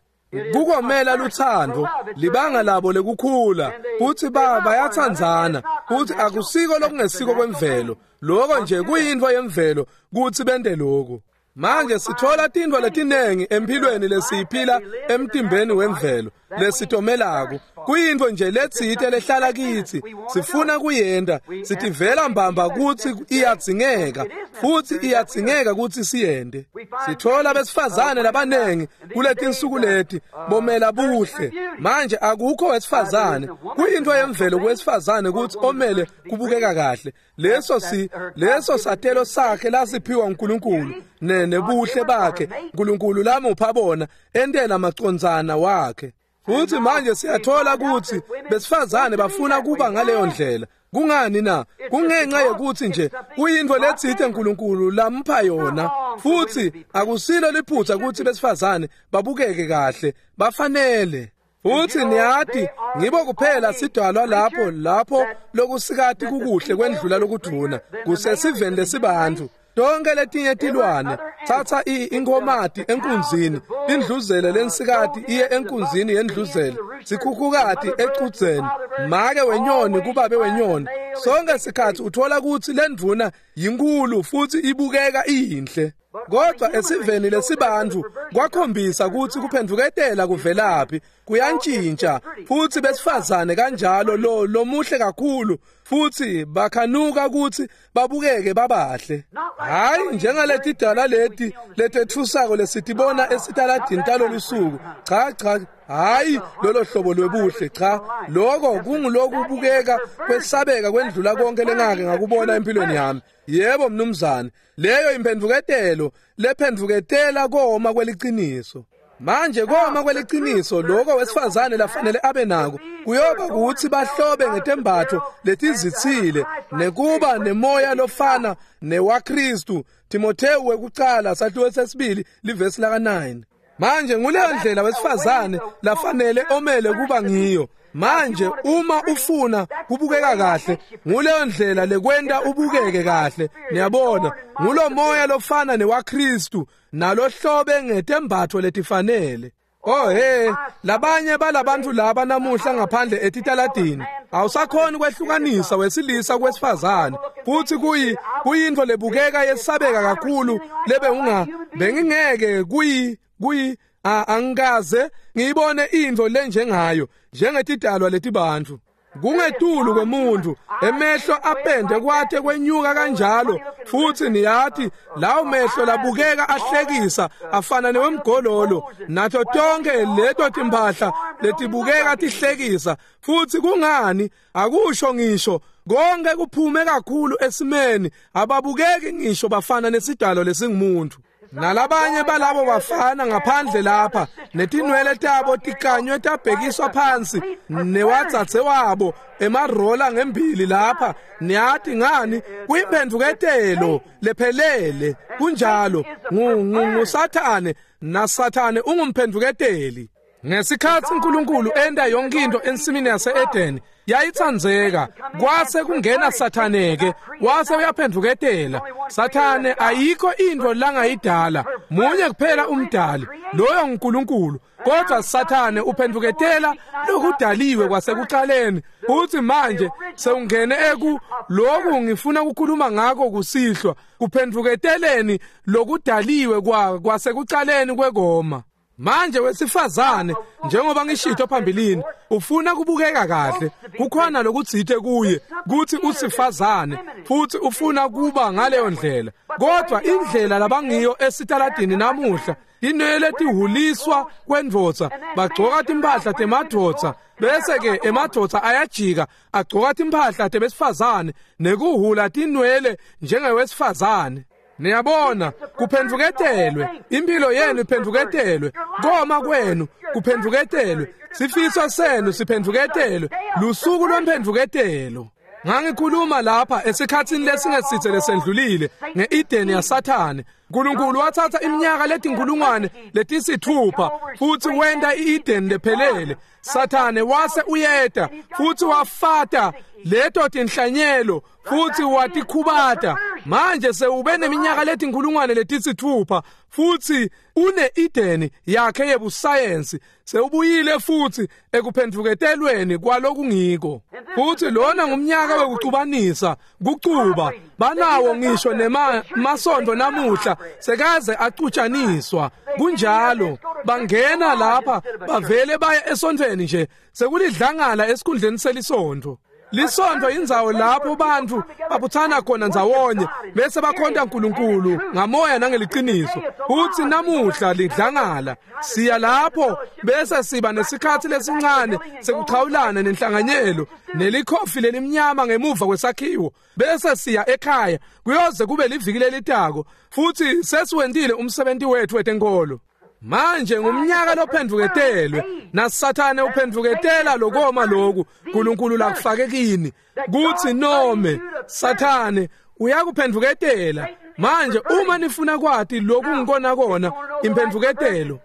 Kukomela luthando libanga labo lekukhula futhi bayathandzana, futhi akusiko lokungesiko kwemvelo. Lokho nje kuyinto yemvelo kuthi bende lokho. Manje sithola tintfo letinengi empilweni lesiyiphila emtimbeni wemvelo lesitomelako. Kuyintfo nje letsite lehlala kitsi, sifuna kuyenta, sitivela mbamba kutsi iyadzingeka futhi iyadzingeka kutsi siyente. Sithola besifazane labanengi kuletinsuku leti bomela buhle. Manje akukho wesifazane, kuyintfo yemvelo kuwesifazane kutsi omele kubukeka kahle. Leso si leso satelo sakhe lasiphiwa uNkulunkulu nebuhle bakhe uNkulunkulu lamupha bona entela macondzana wakhe. Futhi manje siyathola ukuthi besifazane bafuna kuba ngaleyo ndlela. Kungani na? Kungenxa yokuthi nje kuyintfo letsite uNkulunkulu lampha yona, futhi akusilo liphutha ukuthi besifazane babukeke kahle, bafanele. Futhi niyati ngibo kuphela sidalwa lapho lapho lokusikati kukuhle kwendlula lokudvuna kusesiveni lesibantu. Tonke letinye tilwane, thatha inkomati enkunzini, indluzele lensikati iye enkunzini yendluzele, sikhukhukati ecudzeni, make wenyoni kubabe wenyoni. Sonke sikhathi uthola ukuthi lendvuna yinkulu futhi ibukeka iyinhle. Kodwa esiveni lesibantu kwakhombisa ukuthi kuphenduketela kuvelaphi, kuyantshintsha futhi besifazane kanjalo lo lomuhle kakhulu futhi bakhanuka ukuthi babukeke babahle. Hayi njengaleti dala leti letethusako lesitibona esitaladini talolusuku. Cha cha, hayi lolo hlobo lwebuhle, cha. Lokho kungulokubukeka kwesabeka kwendlula konke lengake ngakubona empilweni yami. Yebo mnumzane, leyo imphendvuketelo lephendvuketela koma kweliciniso. Manje koma kweliciniso lokho wesifazane lafanele abe nako kuyoba ukuthi bahlobe ngetembatho letizitsile nekuba nemoya lofana newaKristu. Timotheo wekucala sahluko sesibili livesi laka nine. Manje nguleyo ndlela wesifazane lafanele omele kuba ngiyo. Manje uma ufuna kubukeka kahle, nguleyo ndlela lekwenta ubukeke kahle. Niyabona, ngulo moya lofana newaKristu nalohlobe ngetembatho letifanele. Oh hey, labanye balabantu laba namuhla ngaphandle etitaladini awusakhoni kwehlukanisa wesilisa kwesifazane, futhi kuyi kuyintfo lebukeka yesabeka kakhulu lebe unga bengingeke kuyi kuyi angikaze ngiyibone intfo lenjengayo njengetidalwa letibantu. Kungetulu kwemuntu, emehlo apende kwathe kwenyuka kanjalo, futhi niyathi lawo mehlo labukeka ahlekisa afana newemgololo, nato tonke leto timphahla letibukeka tihlekisa. Futhi kungani akusho ngisho konke kuphume kakhulu esimeni, ababukeki ngisho bafana nesidalo lesingumuntu. Nalabanye balabo bafana ngaphandle lapha netinwele tabo tikanywe tabhekiswa phansi newatsatse wabo emarola ngembili lapha. Niyathi ngani, kuyimphendvuketelo lephelele. Kunjalo, nguSathane, naSathane ungumphendvuketeli. Ngesikhatsi uNkulunkulu enta yonke into ensimini yase-Edeni yayitsandzeka, kwase kungena Sathane-ke wase uyaphendvuketela. Sathane ayikho intfo langayidala, munye kuphela umdali, loyo nguNkulunkulu. Kodwa Sathane uphendvuketela lokudaliwe kwasekuqaleni. Uthi manje sewungene eku lokhu ngifuna ukukhuluma ngako kusihlwa, kuphendvuketeleni lokudaliwe kwa kwasekuqaleni kwekoma. Manje wesifazane, njengoba ngishito phambilini, ufuna kubukeka kahle, kukhona lokutsite kuye kuthi usifazane futhi ufuna kuba ngaleyo ndlela. Kodwa indlela labangiyo esitaladini namuhla, tinwele tihuliswa kwendvodza, bagcoka timphahla temadvodza, bese ke emadvodza ayajika agcoka timphahla tebesifazane nekuhula tinwele njengewesifazane. Niyabona, kuphendvuketelwe, impilo yenu iphendvuketelwe, koma kwenu kuphendvuketelwe, sifiso senu siphendvuketelwe, lusuku lwemphendvuketelo. Ngangikhuluma lapha esikhatsini lesingesitse lesendlulile nge-Edeni yaSathane. uNkulunkulu wathatha iminyaka letinkulungwane letisithupha futhi wenta i-Edeni lephelele. Sathane wase uyeta futhi wafata leto tinhlanyelo futhi watikhubata. Manje sewube neminyaka letinkulungwane letisithupha futhi une-Edeni yakhe yebusayensi, sewubuyile futhi ekuphendvuketelweni kwalokungiko. Futhi lona ngumnyaka wekucubanisa, kucuba banawo ngisho nemasondo namuhla sekaze acutshaniswa. Kunjalo, bangena lapha bavele baya esontweni nje, sekulidlangala esikhundleni selisontfo. Lisontfo indzawo lapho bantfu babutsana khona ndzawonye bese bakhonta uNkulunkulu ngamoya nangeliciniso. Futhi namuhla lidlangala, siya lapho bese siba nesikhatsi lesincane sekuchawulana nenhlanganyelo nelikhofi lelimnyama ngemuva kwesakhiwo, bese siya ekhaya kuyoze kube liviki lelitako futhi sesiwentile umsebenzi wethu wetenkolo. Manje ngumnyaka lophendvuketelwe, naSathane uphendvuketela lokoma loku uNkulunkulu lakufake kini kuthi nome Sathane uyakuphendvuketela. Manje uma nifuna kwati lokhu ngikona kona imphendvuketelo,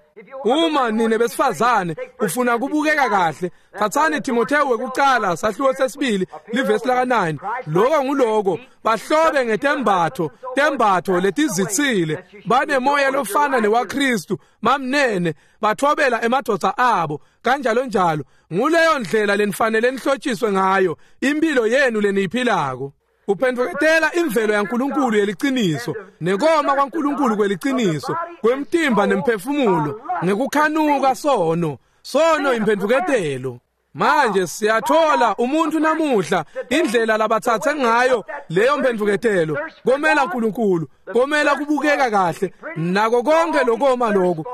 uma nine besifazane ufuna kubukeka kahle, thathani Timotheo wekuqala sahluko sesibili livesi laka nine. Lokho nguloko, bahlobe ngetembatho tembatho letizitsile, banemoya lofana newaKristu, mamnene, bathobela emadvodza abo kanjalo njalo. Nguleyo ndlela lenifanele nihlotshiswe ngayo impilo yenu leniyiphilako. Uphendvuketela imvelo yaNkulunkulu yeliciniso nekoma kwaNkulunkulu kweliciniso kwemtimba nemphefumulo ngekukhanuka sono. Sono imphendvuketelo. Manje siyathola umuntu namuhla indlela labatsatse ngayo leyo mphendvuketelo, komela uNkulunkulu, komela kubukeka kahle nako konke lokoma lokho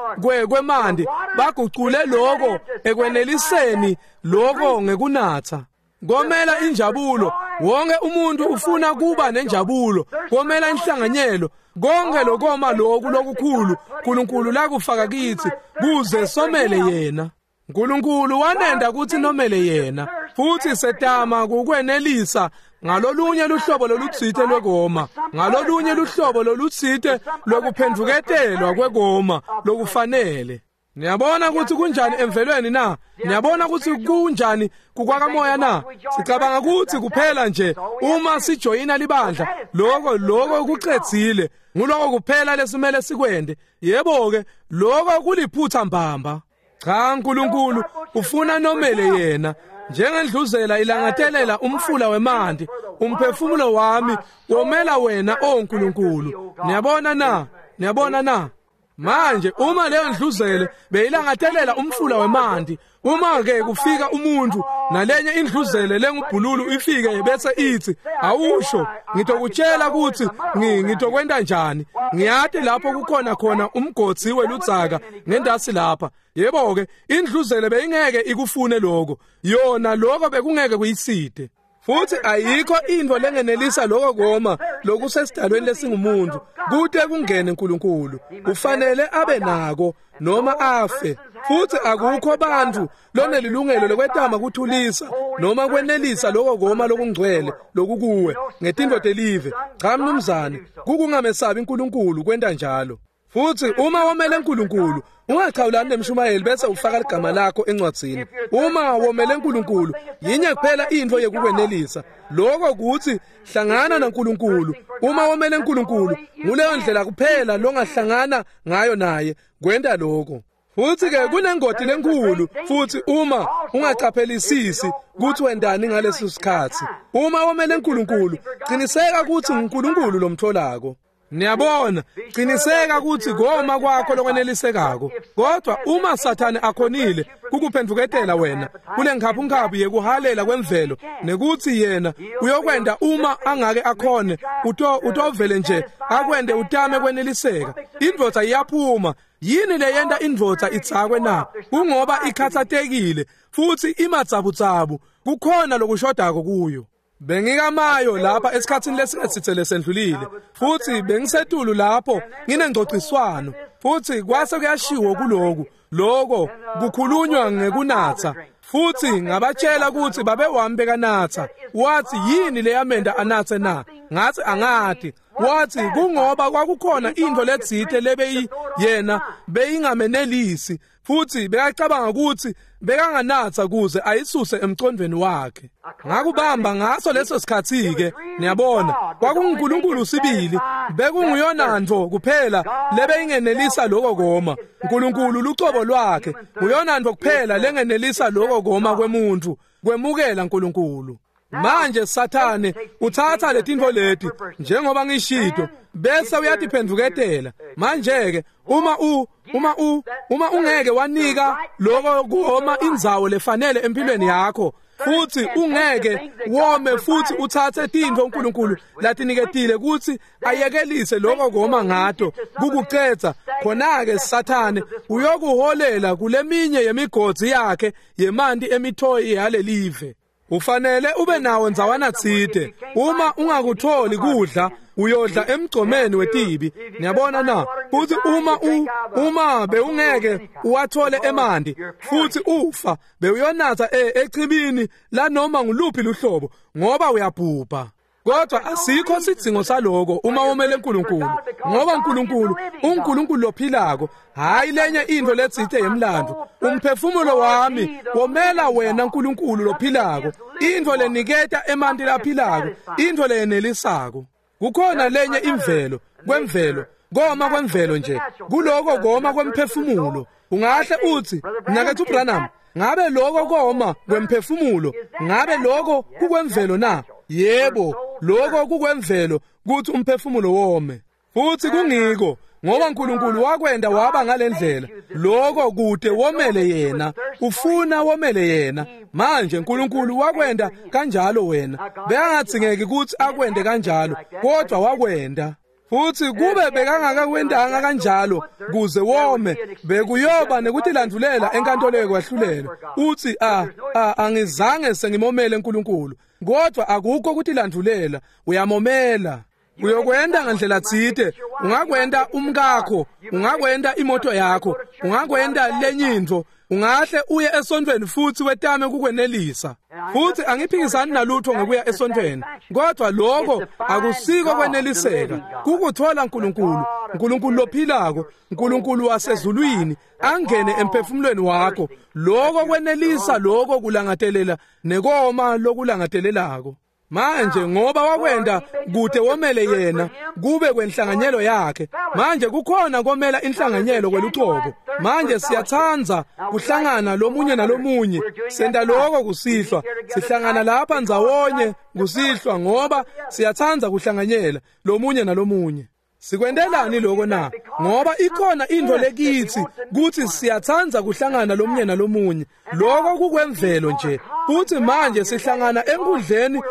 kwemandi, bagucule lokho ekweneliseni lokho ngekunatha. Komela injabulo, wonke umuntu ufuna kuba nenjabulo, komela inhlanganyelo, konke lokoma lokhu lokukhulu uNkulunkulu lakufaka kithi kuze somele yena. uNkulunkulu wanenda ukuthi nomele yena, futhi setama kukwenelisa ngalolunye luhlobo lolutsite lwekoma, ngalolunye luhlobo lolutsite lokuphendvuketelwa kwekoma lokufanele. Niyabona ukuthi kunjani emvelweni na? Niyabona ukuthi kunjani kukwakamoya na? Sicabanga ukuthi kuphela nje uma sijoyina libandla, lokho lokho kucedzile, nguloko kuphela lesimele sikwende. Yebo ke, lokho kuliphutha mbamba. Cha, uNkulunkulu ufuna nomele yena. Njengendluzela ilangatelela umfula wemanti, umphefumulo wami womela wena, o Nkulunkulu. Niyabona na? Niyabona na? Manje uma leyo ndluzele beyilangatelela umfula wemanti, uma ke kufika umuntu nalenye indluzele lengubhululu ifike bese ithi, awusho ngitokutshela ukuthi ngitokwenta njani, ngiyati lapho kukhona khona umgodzi weludzaka ngendasi lapha. Yebo ke, indluzele beyingeke ikufune lokho, yona lokho bekungeke kuyiside. Futhi ayikho into lengenelisa lokho koma lokusesidalweni lesingumuntu kute kungene uNkulunkulu. Kufanele abe nako noma afe. Futhi akukho bantu lonelilungelo lokwetama kuthulisa noma kwenelisa lokho koma lokungcwele lokukuwe ngetinto telive. Cha mnumzane, kukungamesabi uNkulunkulu kwenta njalo. Futhi uma womele uNkulunkulu, ungachawulani nemshumayeli bese ufaka ligama lakho encwadzini. Uma womele uNkulunkulu, yinye kuphela into yekukwenelisa. Lokho kuthi hlangana naNkulunkulu. Uma womele uNkulunkulu, nguleyo ndlela kuphela longahlangana ngayo naye, kwenta lokho. Futhi ke kunengoti lenkulu futhi uma ungaqaphelisisi ukuthi wendani ngaleso sikhathi. Uma womele uNkulunkulu, qiniseka ukuthi uNkulunkulu lomtholako. Niyabona, qiniseka ukuthi goma kwakho lokwenelisekako. Kodwa uma Sathane akhonile kukuphenduketela wena kule nkhaphunkhaphu yekuhalela kwemvelo, nekuthi yena uyokwenda uma angake akhone, uto utovele nje akwende utame kweneliseka. Indvodza iyaphuma. Yini leyenta indvodza itsakwe na? Kungoba ikhathatekile futhi imatsabutsabu, kukhona lokushodako kuyo. Bengikamayo lapha esikhatsini lesingesithe lesendlulile, futhi bengisetulu lapho nginengcociswano, futhi kwase kuyashiwo kuloku lokho kukhulunywa ngekunatha, futhi ngabatshela ukuthi babe wami bekanatha. Wathi yini leyamenda anathe na? Ngathi angati. Wathi kungoba kwakukhona into letsite lebeyi yena beyingamenelisi, futhi bekacabanga ukuthi bekanganatha kuze ayisuse emcondweni wakhe. Ngakubamba ngaso leso sikhathi ke, niyabona, kwakunguNkulunkulu sibili, bekunguyona nto kuphela lebeyingenelisa lokho koma. uNkulunkulu lucobo lwakhe nguyona nto kuphela lengenelisa lokho koma kwemuntu, kwemukela uNkulunkulu. Manje Sathane uthatha letinto leti njengoba ngishito bese uyatiphenduketela. Manje ke uma u uma u uma ungeke wanika lokho kuhoma indzawo lefanele empilweni yakho, futhi ungeke wome futhi uthathe tintfo uNkulunkulu latiniketile ukuthi ayekelise lokho koma ngato kukucetha, khona ke Sathane uyokuholela kuleminye yemigodzi yakhe yemanti emithoyi yalelive. Ufanele ube nawo ndzawana tsite. Uma ungakutholi kudla, uyodla emgcomeni wetibi. Niyabona na? Futhi uma u uma bewungeke uwathole emanti futhi ufa, bewuyonatha echibini lanoma nguluphi luhlobo ngoba uyabhubha. Kodwa asikho sidzingo saloko uma womele uNkulunkulu, ngoba uNkulunkulu uNkulunkulu lophilako, hayi lenye into letsite yemlando. Umphefumulo wami womela wena uNkulunkulu lophilako, into leniketa emanti laphilako, into leyenelisako. Kukhona lenye imvelo kwemvelo, koma kwemvelo nje, kuloko koma kwemphefumulo. Ungahle uthi, mnaketfu Branham, ngabe lokho koma kwemphefumulo, ngabe lokho kukwemvelo na? Yebo, lokho kukwemvelo kuthi umphefumulo wome. Futhi kungiko ngoba uNkulunkulu wakwenda waba ngalendlela, lokho kude womele yena, ufuna womele yena. Manje uNkulunkulu wakwenda kanjalo wena, bekangatsingeki ukuthi akwende kanjalo, kodwa wakwenda. Futhi kube bekangakakwendanga kanjalo kuze wome, bekuyoba nekutilandvulela enkantolo yokwahlulela. Uthi a angizange sengimomele uNkulunkulu, kodwa akukho ukutilandvulela, uyamomela. Uyokwenda ngandlela tsite, ungakwenda umkakho, ungakwenda imoto yakho, ungakwenda lenye intfo, ungahle uye esontweni futhi wetame kukwenelisa. Futhi angiphikisani nalutho ngokuya esontweni, kodwa lokho akusiko kweneliseka, kukuthola uNkulunkulu, uNkulunkulu lophilako, uNkulunkulu wasezulwini angene emphefumulweni wakho. Lokho kwenelisa, lokho kulangatelela nekoma lokulangatelelako. Manje ngoba wakwenda kude womele yena kube kwenhlanganyelo yakhe. Manje kukhona komela inhlanganyelo kwelucobo. Manje siyatsandza kuhlangana lomunye nalomunye, senta lokho kusihlwa, sihlangana lapha ndzawonye kusihlwa ngoba siyatsandza kuhlanganyela lomunye nalomunye. Sikwentelani lokho na? Ngoba ikhona into lekithi kuthi siyatsandza kuhlangana lomunye nalomunye. Lokho kukwemvelo nje. Futhi manje sihlangana enkundleni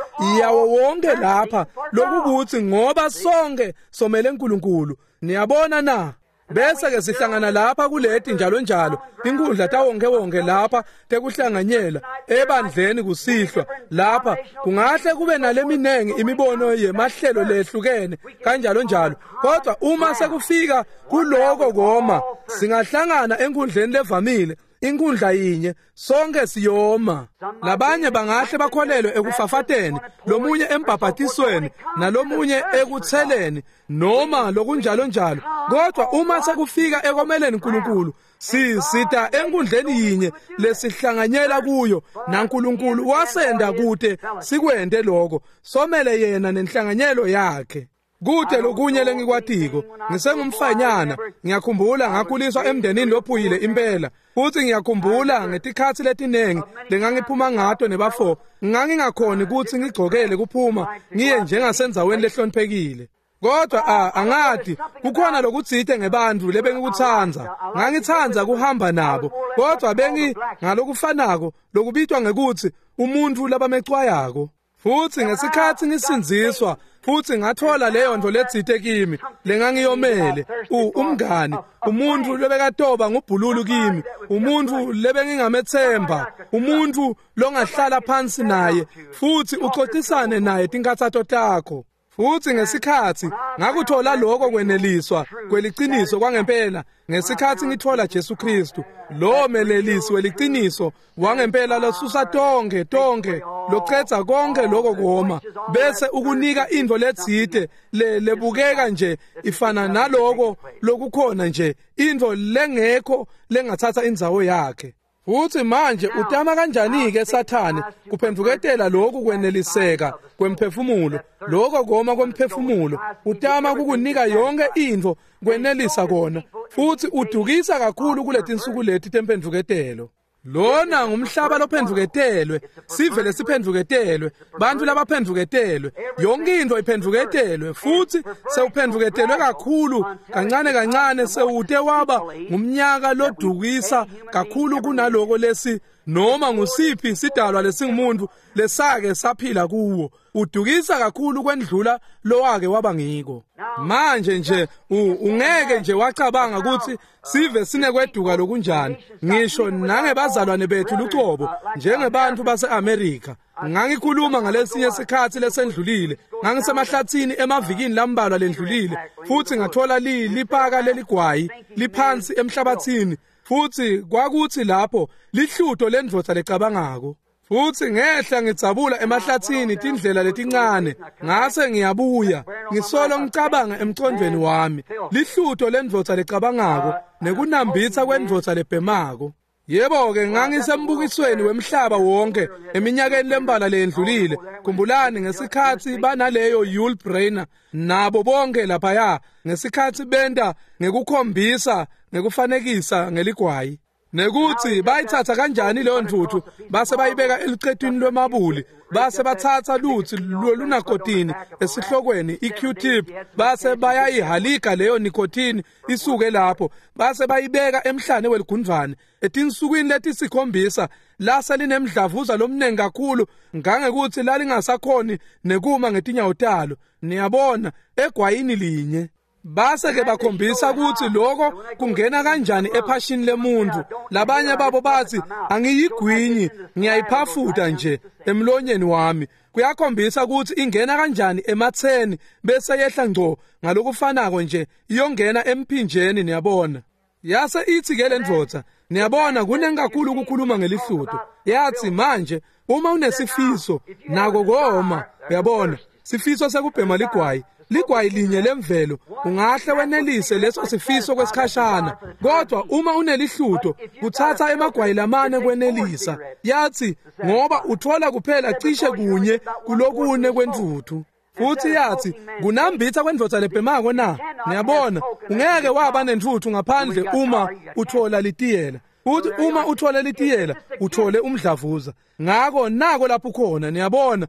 yawo wonke lapha, lokukuthi ngoba sonke somele uNkulunkulu. Niyabona na? Bese ke sihlangana lapha kuleti njalo njalo, inkundla tawonke wonke lapha tekuhlanganyela ebandleni kusihlwa lapha. Kungahle kube naleminengi imibono yemahlelo lehlukene kanjalo njalo, kodwa uma sekufika kuloko koma, singahlangana enkundleni levamile Inkundla yinye, sonke siyoma. Labanye bangahle bakholelwe ekufafateni, lomunye embhabhatisweni, nalomunye ekutheleni, noma lokunjalo njalo. Kodwa uma sekufika ekomeleni uNkulunkulu, sisita enkundleni yinye lesihlanganyela kuyo, naNkulunkulu wasenda kude sikwente lokho, somele yena nenhlanganyelo yakhe. Kude lokunye lengikwatiko, ngisengumfanyana, ngiyakhumbula ngakhuliswa emndenini lophuyile impela, futhi ngiyakhumbula ngetikhatsi letinengi lengangiphuma ngato nebafo, ngangingakhoni kutsi ngigcokele kuphuma ngiye njengasendzaweni lehloniphekile. Kodwa a angati kukhona lokutsite ngebantfu lebengikutsandza, ngangitsandza kuhamba nabo, kodwa bengi ngalokufanako lokubitwa ngekutsi umuntfu labamecwayako. Futhi ngesikhatsi ngisindziswa futhi ngathola leyo nto letsite kimi lengangiyomele, umngani, umuntu lobekatoba ngubhululu kimi, umuntu lebengingamethemba, umuntu longahlala phansi naye futhi uxoxisane naye tinkhatsato takho. Futhi ngesikhatsi ngakuthola lokho kweneliswa kweliciniso kwangempela, ngesikhatsi ngithola Jesu Kristu, lo melelisi weliciniso wangempela losusa tonke tonke locetsa konke lokho koma, bese ukunika intfo letsite le lebukeka nje ifana naloko lokukhona nje, intfo lengekho lengathatha indzawo yakhe. Futhi manje utama kanjani ke Sathane kuphendvuketela lokhu kweneliseka kwemphefumulo, lokho koma kwemphefumulo, utama kukunika yonke intfo kwenelisa kona, futhi udukisa kakhulu kuletinsuku leti temphendvuketelo. Lona ngumhlaba lophendvuketelwe, sive lesiphendvuketelwe, bantfu labaphendvuketelwe, yonke intfo iphendvuketelwe, futhi sewuphendvuketelwe kakhulu kancane kancane sewute waba ngumnyaka lodukisa kakhulu kunaloko lesi noma ngusiphi sidalwa lesingumuntu lesake saphila kuwo. Udukisa kakhulu kwendlula lowake waba ngiko. Manje nje ungeke nje wacabanga ukuthi sive sinekweduka lokunjani, ngisho nangebazalwane bethu lucobo njengebantu base-Amerika. Ngangikhuluma ngalesinye sikhatsi lesendlulile, ngangisemahlathini emavikini lambalwa lendlulile, futhi ngathola li lipaka leligwayi liphansi emhlabathini, futhi kwakuthi lapho lihluto lendvodza lecabangako. Futhi ngehla ngidzabula emahlathini tindlela letincane, ngase ngiyabuya ngisolo ngicabanga emcondvweni wami, lihluto lendvodza lecabangako nekunambitsa kwendvodza lebhemako. Yebo-ke ngangisembukisweni wemhlaba wonke eminyakeni lembala leyendlulile. Khumbulani ngesikhatsi banaleyo Yul Brynner nabo bonke laphaya, ngesikhatsi benta ngekukhombisa ngekufanekisa ngeligwayi, nekuthi bayithatha kanjani leyo ntfutfu base bayibeka elucetwini lwemabuli, base batsatsa lutsi lolunakotini esihlokweni i-Q-tip, base bayayihalika leyo nikotini isuke lapho, base bayibeka emhlane weligundvwane. Etinsukwini letisikhombisa lase linemdlavuza lomnengi kakhulu ngangekuthi lalingasakhoni nekuma ngetinyawo talo, niyabona, egwayini linye. Base ke bakhombisa ukuthi lokho kungena kanjani ephashini lemuntu. Labanye babo bathi angiyigwinyi, ngiyayiphafuta nje emlonyeni wami. Kuyakhombisa ukuthi ingena kanjani ematheni bese yehla ngco ngalokufanako nje iyongena emphinjeni, niyabona. Yase ithi ke lendvodza, niyabona kunengi kakhulu ukukhuluma ngelihluto. Yathi manje uma unesifiso nako koma, uyabona, sifiso sekubhema ligwayi, ligwayi linye lemvelo, ungahle wenelise leso sifiso kwesikhashana, kodwa uma unelihluto kuthatha emagwayi lamane kwenelisa. Yathi ngoba uthola kuphela cishe kunye kulokune kwentfutfu. Futhi yathi kunambitha kwendvodza lebhemako na, niyabona, ungeke waba nentfutfu ngaphandle uma uthola litiyela. Futhi uma uthole litiyela uthole umdlavuza. Ngako nako lapho khona, niyabona,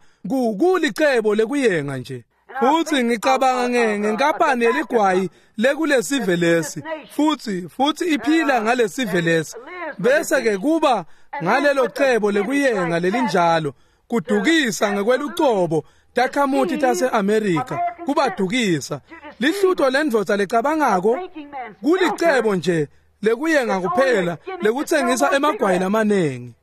kulicebo lekuyenga nje. Futhi ngicabanga ngenkampani yeligwayi lekulesive lesi, futhi futhi iphila ngalesive lesi, bese ke kuba ngalelo cebo lekuyenga lelinjalo kudukisa ngekwelucobo takhamuti tase-Amerika, kubadukisa. Lihluto lendvodza lecabangako kulicebo nje lekuyenga kuphela lekutsengisa emagwayi lamanengi.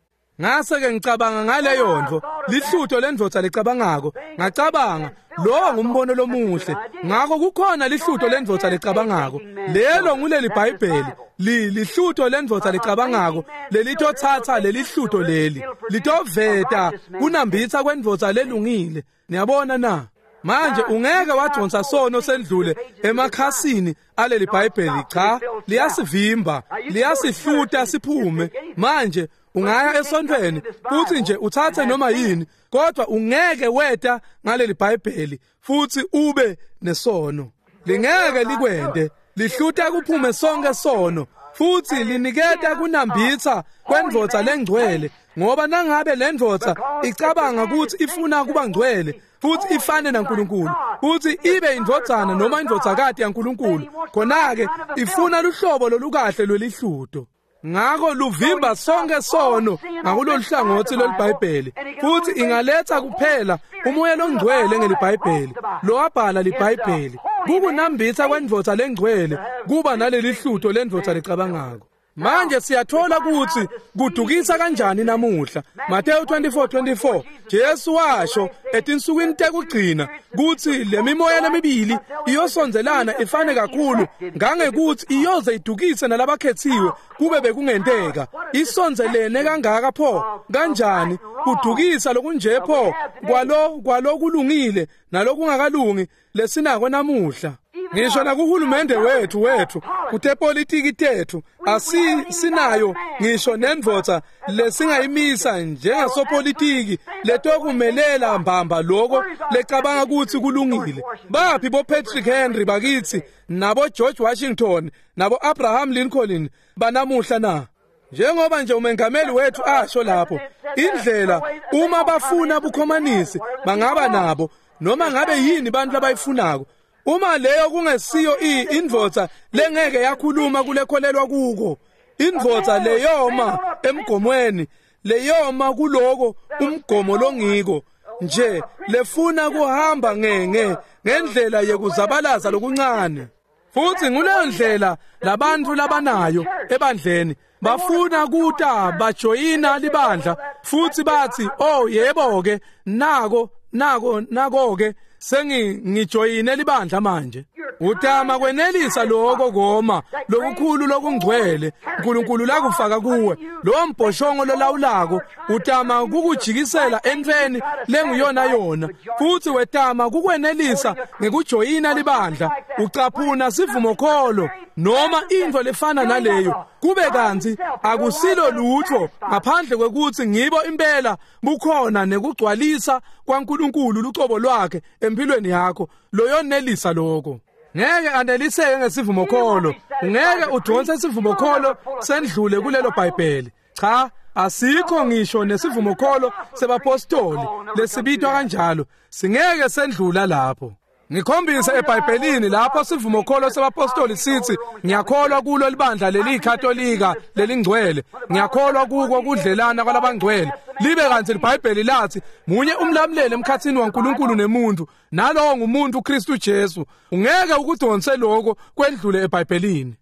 Ngase ke ngicabanga ngaleyo nto, lihluto lendvodza lecabangako. Ngacabanga, lowo ngumbono lomuhle. Ngakho kukhona lihluto lendvodza lecabangako. Lelo nguleli Bhayibheli. Li lihluto lendvodza lecabangako lelitotsatsa lelihluto leli. Litoveta kunambitsa kwendvodza lelungile. Niyabona na? Manje ungeke wadonsa sono sendlule emakhasini aleli Bhayibheli. Cha, liyasivimba, liyasihluta siphume. Manje ungaya esontweni futhi nje uthathe noma yini, kodwa ungeke weta ngaleli Bhayibheli futhi ube nesono. Lingeke likwende, lihluta kuphume sonke sono futhi liniketa kunambitsa kwendvodza lengcwele, ngoba nangabe lendvodza icabanga ukuthi ifuna kuba ngcwele futhi ifane naNkulunkulu futhi ibe indvodzana noma indvodzakati yaNkulunkulu, khona-ke ifuna luhlobo lolukahle lwelihluto. Ngakho luvimba sonke sono ngakulolu hlangothi lweliBhayibheli, futhi ingaletha kuphela umoya longcwele ngeliBhayibheli lowabhala liBhayibheli. Kukunambitsa kwendvodza lengcwele kuba naleli hluto lendvodza lecabangako. Manje siyathola ukuthi kudukisa kanjani namuhla. Mateyu twenty-four twenty-four, Jesu washo etinsukwini tekugcina kutsi lemimoya lemibili iyosondzelana ifane kakhulu ngangekuthi iyoze idukise nalabakhethiwe kube bekungenteka. Isondzelene kangaka pho kanjani kudukisa lokunje pho kwalo kwalokulungile nalokungakalungi lesinako namuhla. Ngisho nakuhulumende wethu wethu kutepolitiki tethu asi sinayo ngisho nendvodza lesingayimisa njengasopolitiki letokumelela mbamba lokho lecabanga ukuthi kulungile. Baphi bo Patrick Henry bakithi nabo George Washington nabo Abraham Lincoln banamuhla na? Njengoba nje umengameli wethu asho lapho, indlela uma bafuna bukhomanisi bangaba nabo noma ngabe yini bantu abayifunako. Uma leyo kungesiyo indvodza lengeke yakhuluma kulekholelwa kuko, indvodza leyoma emgomweni, leyoma kuloko umgomo longiko nje, lefuna kuhamba ngenge ngendlela yekuzabalaza lokuncane. Futhi nguleyo ndlela labantu labanayo ebandleni, bafuna kuta bajoyina libandla futhi bathi, oh yebo ke, nako nako nako ke sengi ngijoyine libandla manje. Utama kwenelisa lokho koma lokukhulu lokungcwele uNkulunkulu lakufaka kuwe, lo mbhoshongo lolawulako utama kukujikisela entweni lenguyona yona, futhi wetama kukwenelisa ngekujoyina libandla, ucaphuna sivumokholo noma into lefana naleyo, kube kantsi akusilo lutho ngaphandle kwekuthi ngibo impela bukhona nekugcwalisa kwaNkulunkulu lucobo lwakhe empilweni yakho loyonelisa lokho. Ngeke aneliseke ngesivumokholo, ungeke udonse isivumokholo sendlule kulelo Bhayibheli. Cha, asikho ngisho nesivumokholo sebapostoli lesibitwa kanjalo, singeke sendlula lapho. Ngikhombisa eBhayibhelini lapho sivumokholo sebapostoli sithi ngiyakholwa kulo libandla leliKatolika lelingcwele, ngiyakholwa kuko kudlelana kwalabangcwele, libe kanti iBhayibheli lathi munye umlamuleli emkhathini waNkulunkulu nemuntu, nalowo ngumuntu uKristu Jesu. Ungeke ukudonse lokho kwendlule eBhayibhelini.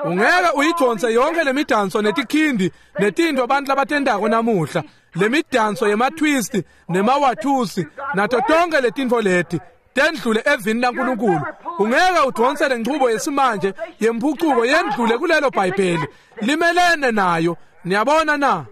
Ungeke uyidonse yonke lemidanso netikhindi netinto abantu labatendako namuhla, lemidanso yematwist nemawathusi nato tonke letinto leti tendlule evini laNkulunkulu. Ungeke udonse lenchubo yesimanje yemphucuko yendlule kulelo Bhayibheli, limelene nayo. Niyabona na?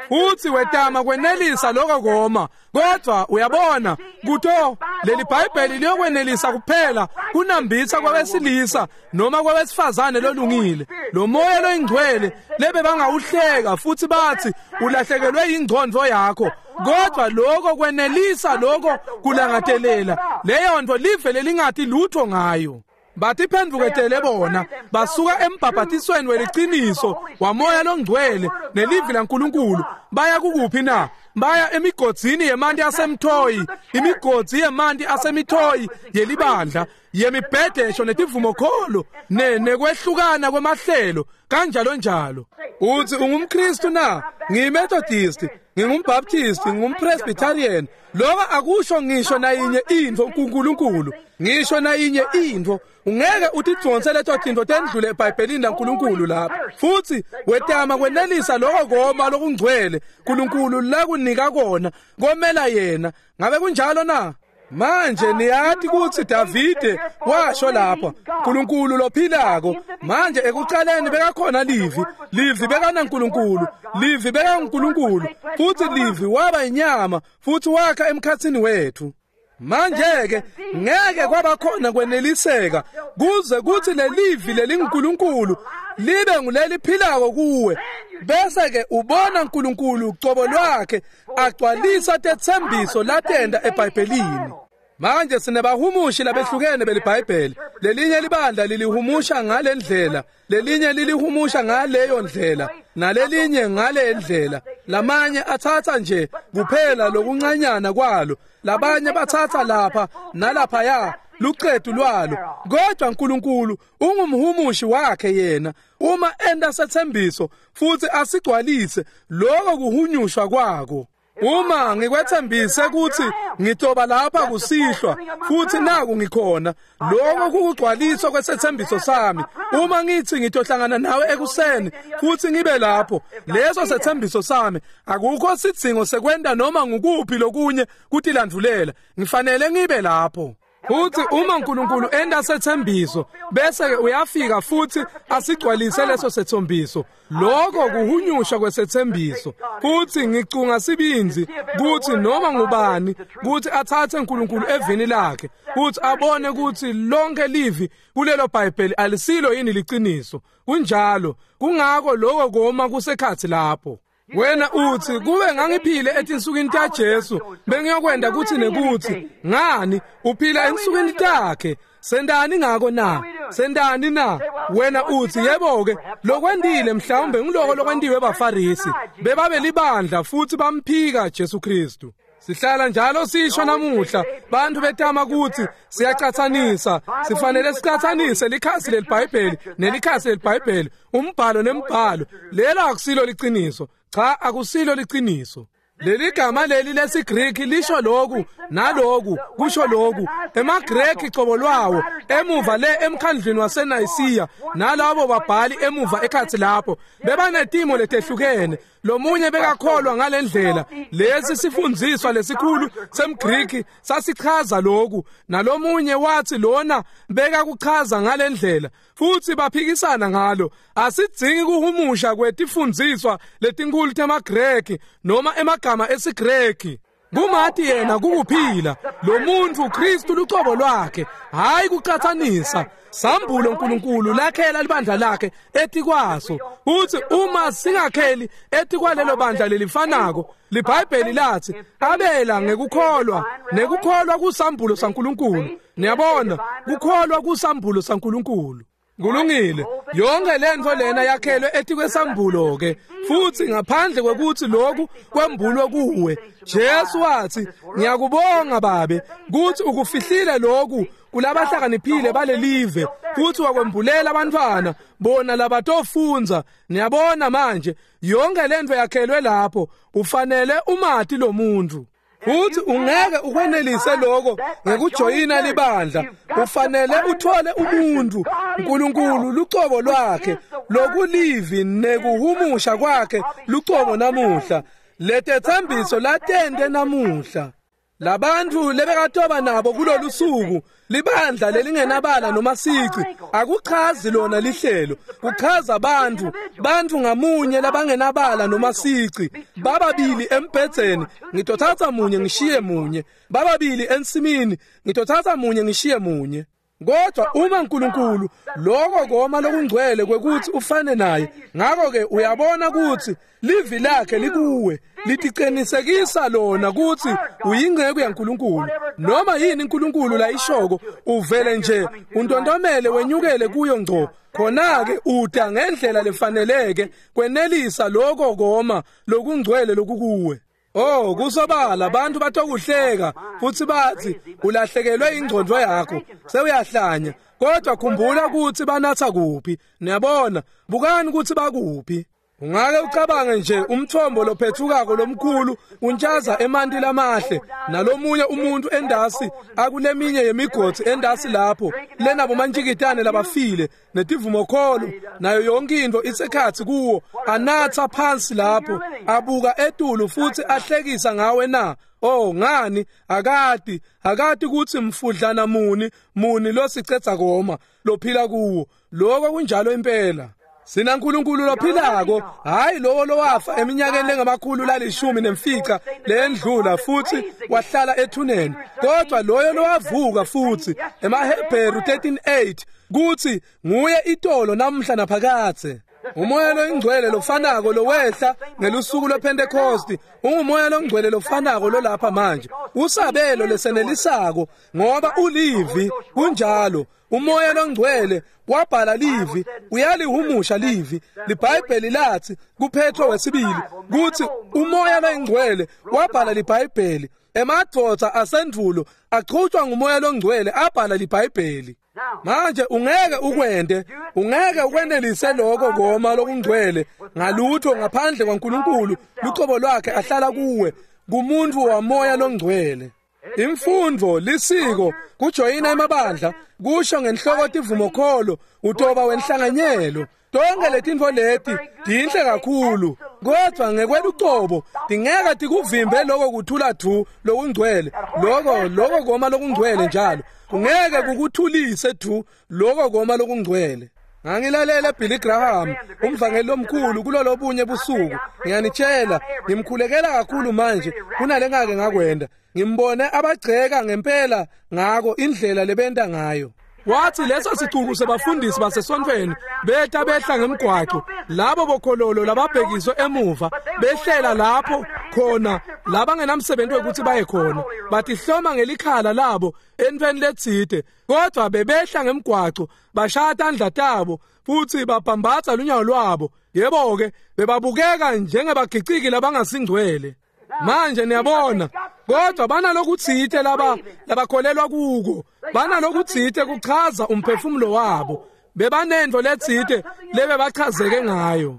Futhi wetama kwenelisa lokho koma, kodwa uyabona kuto leli Bhayibheli liyokwenelisa kuphela kunambitsa kwabesilisa noma kwabesifazane lolungile. Lo moya loyingcwele lebe bangawuhleka futhi bathi ulahlekelwe ingqondo yakho, kodwa lokho kwenelisa lokho kulangatelela leyo nto live lelingathi lutho ngayo. Batiphendvuketele bona basuka embhabhatisweni weliciniso wamoya longcwele nelivi laNkulunkulu. Baya kukuphi na? Baya emigodzini yemanti asemthoyi, imigodzi yemanti asemithoyi yelibandla yemibhedesho netivumokholo ne nekwehlukana kwemahlelo kanjalo njalo. Uthi ungumKristu na? NgiyiMethodist, ngingumBaptist, ngingumPresbyterian. Lokho akusho ngisho nayinye intfo kuNkulunkulu, ngisho nayinye intfo. Ungeke utidvonse leto tintfo tendlule eBhayibhelini laNkulunkulu lapha. Futhi wetama kwenelisa lokho koma lokungcwele uNkulunkulu lakunika kona komela yena. Ngabe kunjalo na? Manje niyati kutsi Davide washo lapha, uNkulunkulu lophilako. Manje ekucaleni bekakhona Livi, Livi bekanaNkulunkulu, Livi bekaNkulunkulu, futhi Livi waba inyama futhi wakha emkhatsini wethu. Manje ke ngeke kwaba khona kweneliseka kuze kuthi lelivi lelinguNkulunkulu libe nguleliphilako kuwe, bese ke ubona uNkulunkulu ucobo lwakhe agcwalisa tetsembiso latenda eBhayibhelini. Manje sinebahumushi labehlukene beliBhayibheli. Lelinye libandla lilihumusha ngale ndlela, lelinye lilihumusha ngaleyo ndlela, nalelinye ngale ndlela. Lamanye athatha nje kuphela lokuncanyana kwalo, labanye bathatha lapha nalaphaya luqedu lwalo. Kodwa uNkulunkulu ungumhumushi wakhe yena. Uma enda sethembiso futhi asigcwalise lokho kuhunyushwa kwako. Uma ngikwethembise ukuthi ngitoba lapha kusihlwa futhi naku ngikhona, lokho kukugcwaliswa kwesethembiso sami. Uma ngithi ngitohlangana nawe ekuseni futhi ngibe lapho, leso sethembiso sami. Akukho sidzingo sekwenta noma ngukuphi lokunye kutilandvulela, ngifanele ngibe lapho. Futhi uma uNkulunkulu enda sethembiso bese ke uyafika futhi asigcwalise leso sethembiso, lokho kuhunyushwa kwesethembiso. Futhi ngicunga sibinzi kuthi noma ngubani kuthi athathe uNkulunkulu evini lakhe futhi abone ukuthi lonke livi kulelo Bhayibheli alisilo yini liqiniso. Kunjalo, kungako lokho koma kusekhathi lapho. Wena uthi kube ngangiphile etinsukwini taJesu bengiyokwenda kuthi nekuthi. Ngani uphila ensukwini takhe? Sendani ngako na? Sendani na? Wena uthi yebo ke lokwendile mhlawumbe ngiloko lokwentiwe baFarisi, bebabe libandla futhi bamphika Jesu Kristu. Sihlala njalo sisho namuhla bantu betama ukuthi siyacathanisa, sifanele sicathanise likhasi leliBhayibheli nelikhasi leliBhayibheli, umbhalo nembhalo. Lelo akusilo liqiniso. Cha, akusilo liqiniso. Leli gama leli lesiGreki lisho lokhu naloku kusho lokhu. EmaGreki cobo lwawo emuva le emkhandlwini waseNayisiya nalabo babhali emuva ekhathi lapho bebanetimo letehlukene. Lomunye bekakholwa ngalendlela, lesi sifundziswa lesikhulu semGreki sasichaza lokhu, nalomunye wathi lona bekakuchaza ngalendlela, futhi baphikisana ngalo. Asidzingi kuhumusha kwetifundziswa letinkulu temaGreki noma emagama esiGreki. Kumati yena kukuphila lo muntu Kristu lucobo lwakhe, hayi kucathanisa. Sambulo uNkulunkulu lakhela libandla lakhe etikwaso. Uthi uma singakheli etikwalelo bandla lelifanako, liBhayibheli lathi abela ngekukholwa, nekukholwa kusambulo saNkulunkulu. Niyabona, kukholwa kusambulo saNkulunkulu. Kulungile, yonke lento lena yakhelwe etikwesambulo ke, futhi ngaphandle kwekuthi lokhu kwembulwe kuwe. Jesu wathi, ngiyakubonga Babe kuthi ukufihlile lokhu kulabahlakaniphile balelive futhi wakwembulela abantwana bona labatofundza. Niyabona manje yonke lento yakhelwe lapho, ufanele umati lo muntu. Futhi ungeke ukwenelise lokho ngekujoyina libandla. Ufanele uthole umuntu uNkulunkulu lucobo lwakhe lokulivi nekuhumusha kwakhe lucobo namuhla. Letethembiso latende namuhla. Labantu lebekatoba nabo kulolu suku, libandla lelingenabala noma sici, akuchazi lona lihlelo, kuchaza abantu, bantu ngamunye labangenabala noma sici, bababili embhedzeni, ngitothatha munye ngishiye munye, bababili ensimini, ngitothatha munye ngishiye munye. Kodwa uma uNkulunkulu lokho koma lokungcwele kwekuthi ufane naye, ngakho ke uyabona ukuthi livi lakhe likuwe, litiqinisekisa lona ukuthi uyingceku yaNkulunkulu. Noma yini uNkulunkulu la ishoko, uvele nje untontomele wenyukele kuyo ngco. Khona ke uda ngendlela lefaneleke kwenelisa lokho koma lokungcwele lokukuwe. Oh, kusobala abantu batokuhleka futhi bathi ulahlekelwe ingqondo yakho, sewuyahlanya. Kodwa khumbula ukuthi banatha kuphi. Niyabona, bukani ukuthi bakuphi. Ungake ucabange nje umthombo lophethukako lomkhulu untshaza emanti lamahle nalomunye umuntu endasi akuleminye yemigodi endasi lapho lenabo mantshikitane labafile netivumokholo nayo yonke into isekhathi kuwo anatha phansi lapho abuka etulu futhi ahlekisa ngawe na. Oh, ngani akati akati ukuthi mfudlana muni muni losicetha koma lophila kuwo. Lokho kunjalo impela. Sina nkulunkulu lophilako, hayi lowo lowafa eminyakeni lengamakhulu lalishumi nemfica lendlula futhi wahlala ethuneni, kodwa loyo lowavuka futhi emaHebheru thirteen eight kuthi nguye itolo namhla naphakathe. Umoya loyingcwele lofanako lowehla ngelusuku lwePentecost ungumoya longcwele lofanako lolapha manje, usabelo lesenelisako ngoba ulivi. Kunjalo, umoya longcwele wabhala livi, uyalihumusha livi. LiBhayibheli lathi kuPetro wesibili kuthi umoya longcwele wabhala liBhayibheli. Emadvodza asendvulo achutshwa ngumoya longcwele abhala liBhayibheli. Manje ungeke ukwende, ungeke ukwenelise lokho koma lokungcwele ngalutho ngaphandle kwaNkulunkulu lucobo lwakhe ahlala kuwe kumuntu wamoya longcwele. Imfundo lisiko kujoyina emabandla kusho ngenhloko tivumokholo utoba wenhlanganyelo. Tonke letintfo leti tinhle kakhulu, kodwa ngekwelucobo tingeke tikuvimbe lokho kuthula thu lokungcwele, lokho lokho koma lokungcwele njalo kungeke kukuthulise thu lokho koma lokungcwele. Ngangilalele Billy Graham umvangeli omkhulu kulolobunye busuku. Ngiyanitshela, ngimkhulekela kakhulu manje kunalengake ngakwenda. Ngimbone abagceka ngempela ngako indlela lebenta ngayo. Wathi leso sicuku sebafundisi basesontweni betha behla ngemgwaco, labo bokhololo lababhekiswe emuva behlela lapho khona labangenamsebenzi wekuthi baye khona, batihloma ngelikhala labo entweni letsite, kodwa bebehla ngemgwaco bashaya tandla tabo futhi babhambatha lunyawo lwabo. Yebo ke, bebabukeka njengebagiciki labangasingcwele. Manje niyabona, kodwa banalokutsite laba labakholelwa kuko, banalokutsite kuchaza umphefumulo wabo, bebanento letsite lebebachazeke ngayo.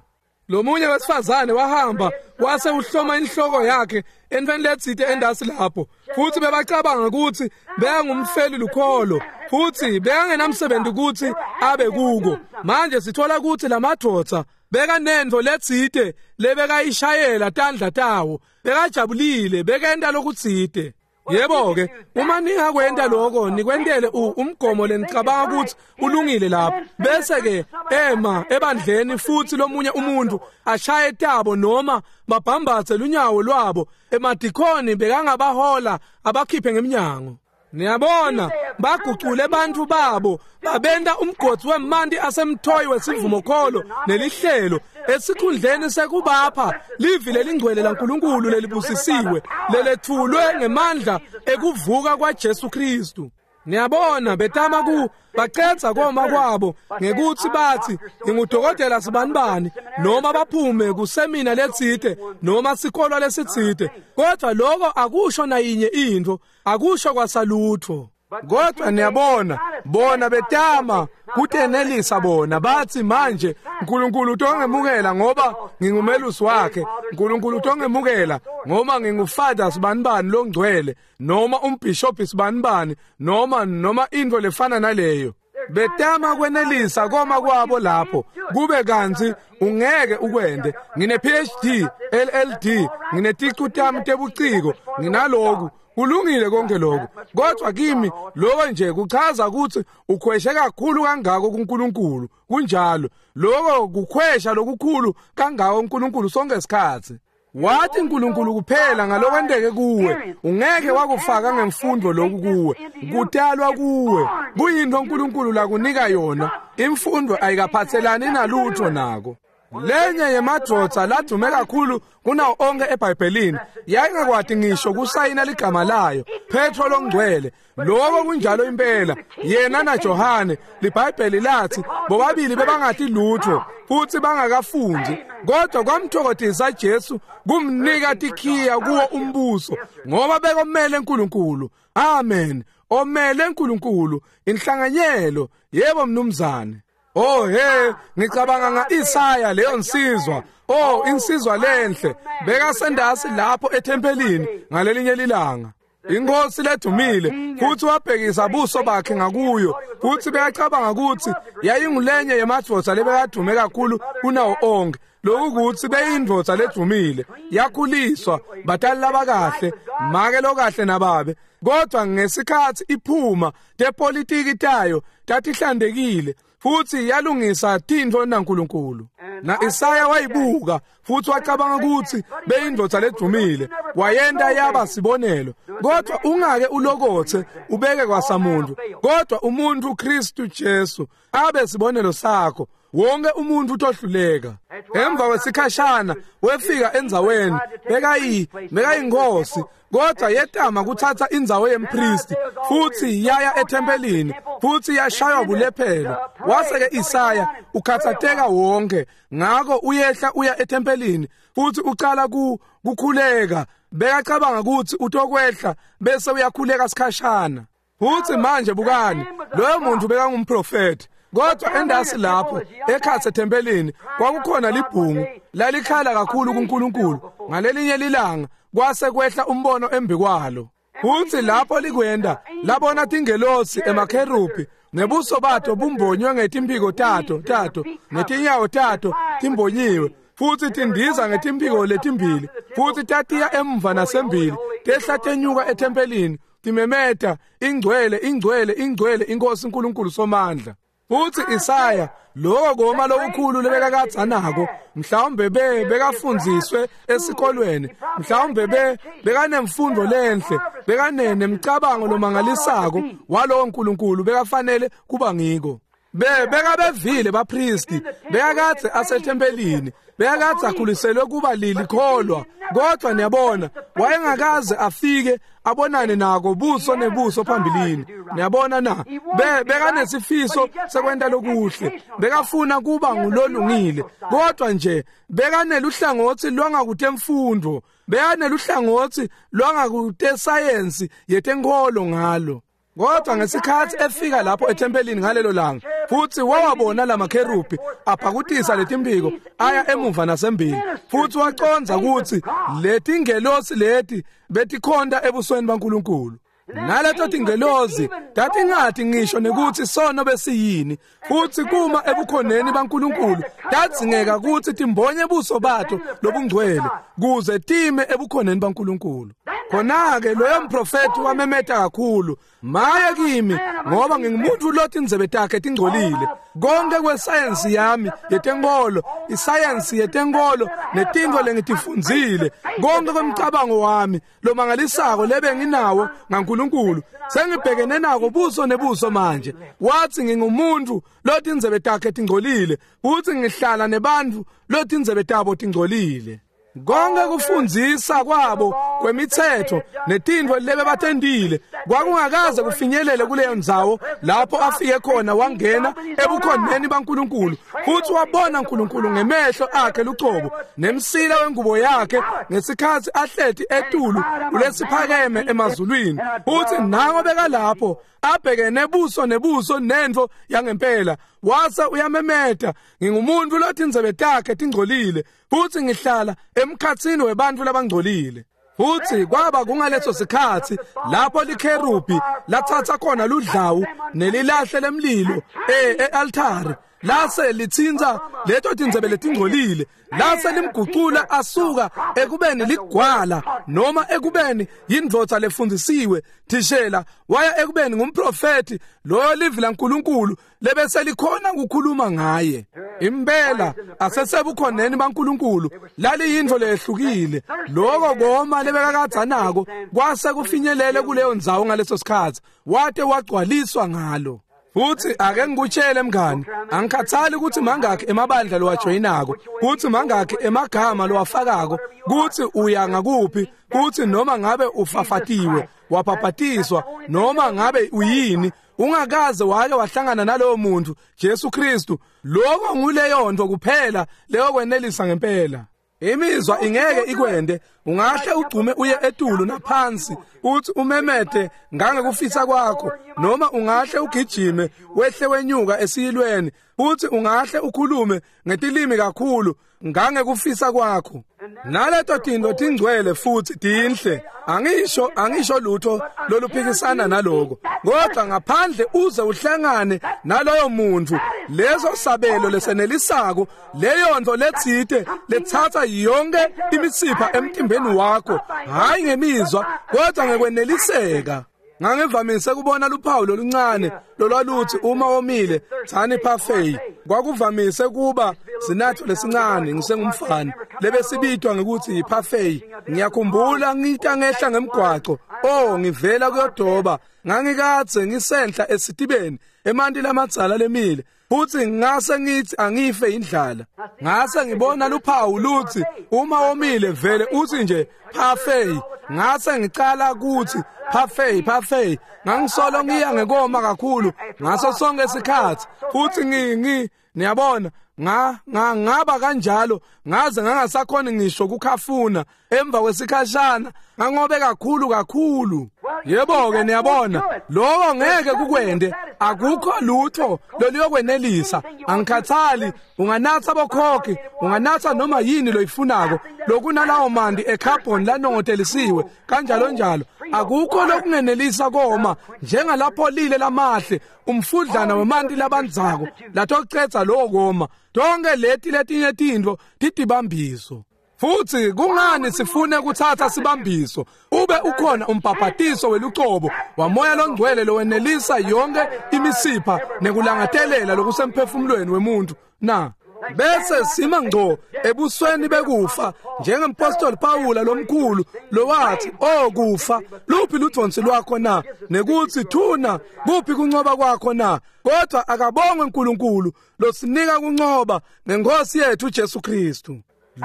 Lomunye wesifazane wahamba wase uhloma inhloko yakhe entweni letsite endasi lapho, futhi bebacabanga ukuthi beyangumfeli lukholo futhi beyangenamsebenzi ukuthi abe kuko. Manje sithola ukuthi lamadvodza bekanento letsite lebekayishayela tandla tawo, bekajabulile, bekenta lokutsite. Yebo ke, uma ningakwenta lokho nikwentele umgomo lenicabanga ukuthi ulungile lapho, bese ke ema ebandleni futhi lomunye umuntu ashaye tabo noma babhambathe lunyawo lwabo, emadikoni bekangabahola abakhiphe ngeminyango. Niyabona, bagucule bantu babo babenta umgodi wemanti asemthoyi wesivumokholo nelihlelo esikhundleni sekubapha livi lelingcwele laNkulunkulu lelibusisiwe lelethulwe ngemandla ekuvuka kwaJesu Kristu. Niyabona, betama ku bacetha koma kwabo ngekuthi bathi ngingudokotela sibanibani noma baphume kusemina letsite noma sikolwa lesitsite, kodwa lokho akusho nayinye into, akusho kwasalutho. Kodwa niyabona, bona betama kutenelisa bona bathi manje uNkulunkulu utongemukela ngoba ngingumelusi wakhe, uNkulunkulu utongemukela ngoba ngingufada sibanibani longcwele noma umbishop sibanibani noma noma into lefana naleyo. Betama kwenelisa koma kwabo lapho kube kantsi ungeke ukwende. Ngine P H D, L L D, ngineticu tami tebuciko, nginaloku kulungile konke lokho, kodwa kimi lokho nje kuchaza ukuthi ukhweshe kakhulu kangako kuNkulunkulu. Kunjalo, lokho kukhwesha lokukhulu kangako uNkulunkulu sonke isikhathi. Wathi uNkulunkulu kuphela ngalokwenteke kuwe, ungeke wakufaka ngemfundo lokhu kuwe, kutalwa kuwe, kuyinto uNkulunkulu lakunika yona. Imfundo ayikaphathelani nalutho nako. Lenye yemadvodza ladume kakhulu kunawo onke eBhayibhelini yayingakwati ngisho kusayina ligama layo, Petro longcwele. Lokho kunjalo impela. Yena naJohane, liBhayibheli lathi bobabili bebangati lutho futhi bangakafundi, kodwa kwamthokozisa Jesu kumnika tikhiya kuwo umbuso, ngoba bekomele uNkulunkulu. Amen. Omele uNkulunkulu, inhlanganyelo. Yebo mnumzane. Oh he, ngicabanga ngaIsaya leyo nsizwa. Oh, insizwa lenhle bekasendasi lapho ethempelini ngalelinye lilanga. Inkosi ledumile, futhi wabhekisa buso bakhe ngakuyo, futhi bekacabanga ukuthi yayingulenye yemadvodza lebekadume kakhulu kunawo onke. Lokukuthi beyindvodza ledumile, yakhuliswa batali labakahle, make lokahle nababe, kodwa ngesikhathi iphuma tepolitiki tayo tatihlandekile futhi yalungisa tintfo naNkulunkulu. Na Isaya wayibuka futhi wacabanga ukuthi beyindvodza ledumile, wayenta yaba sibonelo. Kodwa ungake ulokothe ubeke kwasamuntu, kodwa umuntu Kristu Jesu abe sibonelo sakho. Wonke umuntu utohluleka. Emva kwesikhashana wefika endzaweni bekayi bekayinkosi, kodwa yetama kuthatha indzawo yempristi futhi yaya ethempelini futhi yashaywa bulephelo. Wase-ke Isaya ukhathatheka wonke, ngakho uyehla uya ethempelini futhi uqala ku kukhuleka. Bekacabanga ukuthi utokwehla bese uyakhuleka sikhashana. Futhi manje bukani, loyo muntu bekangumprofeti. Kodwa endasi lapho ekhathe ethempelini kwakukhona libhungu lalikhala kakhulu kuNkulunkulu. Ngalelinye lilanga kwase kwehla umbono embikwalo. Futhi lapho likwenda labona tingelosi emakherubi nebuso bato bumbonywe ngetimphiko tato tato netinyawo tato timbonyiwe, futhi tindiza ngetimphiko letimbili, futhi tatiya emva nasembili tehla tenyuka ethempelini timemeta, ingcwele ingcwele ingcwele inkosi uNkulunkulu somandla. Futhi Isaya lokho koma lokukhulu lebekakadza nako, mhlawumbe be bekafundziswe esikolweni, mhlawumbe be bekanemfundo lenhle, bekanemcabango lomangalisako walowo nkulunkulu bekafanele kuba ngiko. Be bekabevile bapristi, bekakadze asethempelini, bekakadze akhuliselwe kuba lilikholwa, kodwa niyabona wayengakaze afike abonane nako buso nebuso phambilini. Niyabona na, be bekanesifiso sekwenta lokuhle, bekafuna kuba ngulolungile, kodwa nje bekaneluhlangothi lwangakutemfundo, bekaneluhlangothi lwangakutesayensi yetenkolo ngalo. Kodwa ngesikhathi efika lapho ethempelini ngalelo langa, futhi wawabona lamakherubi aphakutisa letimpiko aya emuva nasembili, futhi waqonza ukuthi letingelosi leti betikhonta ebusweni baNkulunkulu. Naleto tingelosi tatingathi ngisho nekuthi sono besiyini, futhi kuma ebukhoneni baNkulunkulu tadzingeka ukuthi timbonye buso bato lobungcwele kuze time ebukhoneni baNkulunkulu. Khona-ke loyo mprofethi wamemeta kakhulu, maye kimi, ngoba ngingumuntu lothi indzebe takhe tingcolile. Konke kwesayensi yami yetenkolo, isayensi yetenkolo netintfo lengitifundzile, konke kwemcabango wami lomangalisako lebe nginawo ngaNkulunkulu, sengibhekene nako buso nebuso manje. Wathi ngingumuntu lothi indzebe takhe tingcolile, futhi ngihlala nebantfu lothi indzebe tabo tingcolile. Konke kufundzisa kwabo kwemithetho netintfo lebe batendile kwakungakaze kufinyelele kuleyo ndzawo lapho afike khona wangena ebukhoneni baNkulunkulu, futhi wabona uNkulunkulu ngemehlo akhe lucobo nemsila wengubo yakhe ngesikhathi ahleti etulu kulesiphakeme emazulwini. Futhi nango bekalapho abhekene buso nebuso nentfo yangempela, wase uyamemeta, ngingumuntu lothi indzebe takhe tingcolile, futhi ngihlala emkhatsini webantfu labangcolile. Futhi kwaba kungaleso sikhathi lapho likherubi lathatha khona ludlawu nelilahle lemlilo e-altare, lase lithinta leto tindzebe letingcolile, lase limgucula asuka ekubeni ligwala noma ekubeni yindvodza lefundisiwe thishela, waya ekubeni ngumprofeti loyo livi laNkulunkulu lebese likhona ukukhuluma ngaye. Impela asesebukhoneni baNkulunkulu laliyintfo lehlukile. Lokho koma lebekakadza nako kwase kufinyelele kuleyo ndzawo ngaleso sikhathi, wate wagcwaliswa ngalo. Futhi ake ngikutshele mngani, angikhathali ukuthi mangakhi emabandla lowajoyinako, kuthi mangakhi emagama lowafakako, kuthi uya ngakuphi, kuthi noma ngabe ufafatiwe, wabhabhatiswa, noma ngabe uyini, ungakaze wake wahlangana nalowo muntu Jesu Kristu, lokho nguleyo nto kuphela leyo kwenelisa ngempela. Imizwa ingeke ikwende. Ungahle ugcume uye etulu naphansi uthi umemete ngangekufisa kwakho, noma ungahle ugijime wehle wenyuka esiyilweni, uthi ungahle ukhulume ngetilimi kakhulu ngangekufisa kwakho. Naleto tinto tingcwele futhi tinhle, angisho angisho lutho loluphikisana naloko, kodwa ngaphandle uze uhlangane naloyo muntu, leso sabelo lesenelisako, leyo nto letsite lethatha yonke imisipha emtimbeni wakho, hayi ngemizwa kodwa ngekweneliseka. Ngangivamise kubona luphawu loluncane lolwaluthi uma womile thani parfait. Kwakuvamise kuba sinatho lesincane ngisengumfana lebesibitwa ngekuthi yiparfait. Ngiyakhumbula ngita ngehla ngemgwaco, oh ngivela kuyodoba, ngangikadze ngisenhla esitibeni emanti lamadzala lemile, futhi ngase ngithi angife indlala. Ngase ngibona luphawu luthi uma womile vele uthi nje parfait. Ngase ngicala kuthi parfait parfait. Ngangisolo ngiya ngekoma kakhulu ngaso sonke isikhathi, futhi ngi ngi niyabona nga ngaba kanjalo ngaze ngangasakhona ngisho kukhafuna. Emva kwesikhashana ngangobe kakhulu kakhulu. Yebo ke niyabona, lokho ngeke kukwende, akukho lutho loluyokwenelisa. Angikhathali unganatha bokhokhi, unganatha noma yini loyifunako, lokunalawo mandi ecarbon lanongotelisiwe kanjalo njalo, akukho lokungenelisa koma njengalapho lile lamahle umfudlana wemanti labandzako latocetsa lowo koma. Tonke leti letinye tintfo titibambiso. Futhi kungani sifune kuthatha sibambiso ube ukhona umbhabhatiso welucobo wamoya longcwele lowenelisa yonke imisipha nekulangatelela lokusemphefumulweni wemuntu na? Bese sima ngco ebusweni bekufa njengempostoli Pawula lomkhulu lowathi, "Oh kufa, luphi ludvonsi lwakho na? Nekuthi thuna, kuphi kuncoba kwakho na?" Kodwa akabongwe uNkulunkulu losinika kuncoba ngenkosi yethu Jesu Kristu.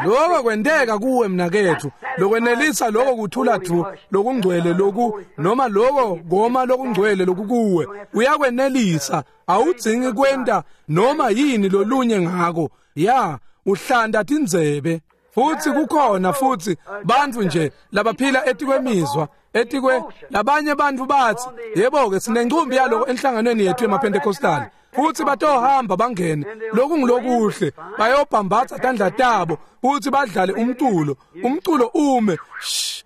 Lokho kwenteka kuwe mnakethu, lokwenelisa lokho kuthula dvu lokungcwele loku, noma lokho goma lokungcwele lokukuwe, uyakwenelisa. Awudzingi kwenta noma yini lolunye ngako. Ya, uhlanda tindzebe. Futhi kukhona futhi bantfu nje labaphila etikwemizwa, etikwe labanye bantfu bathi, yebo ke sinencumbi yaloko enhlanganweni yethu yemaPentecostal. Futhi batohamba bangene lokungulokuhle, bayobhambatha tandla tabo futhi badlale umculo, umculo ume shh,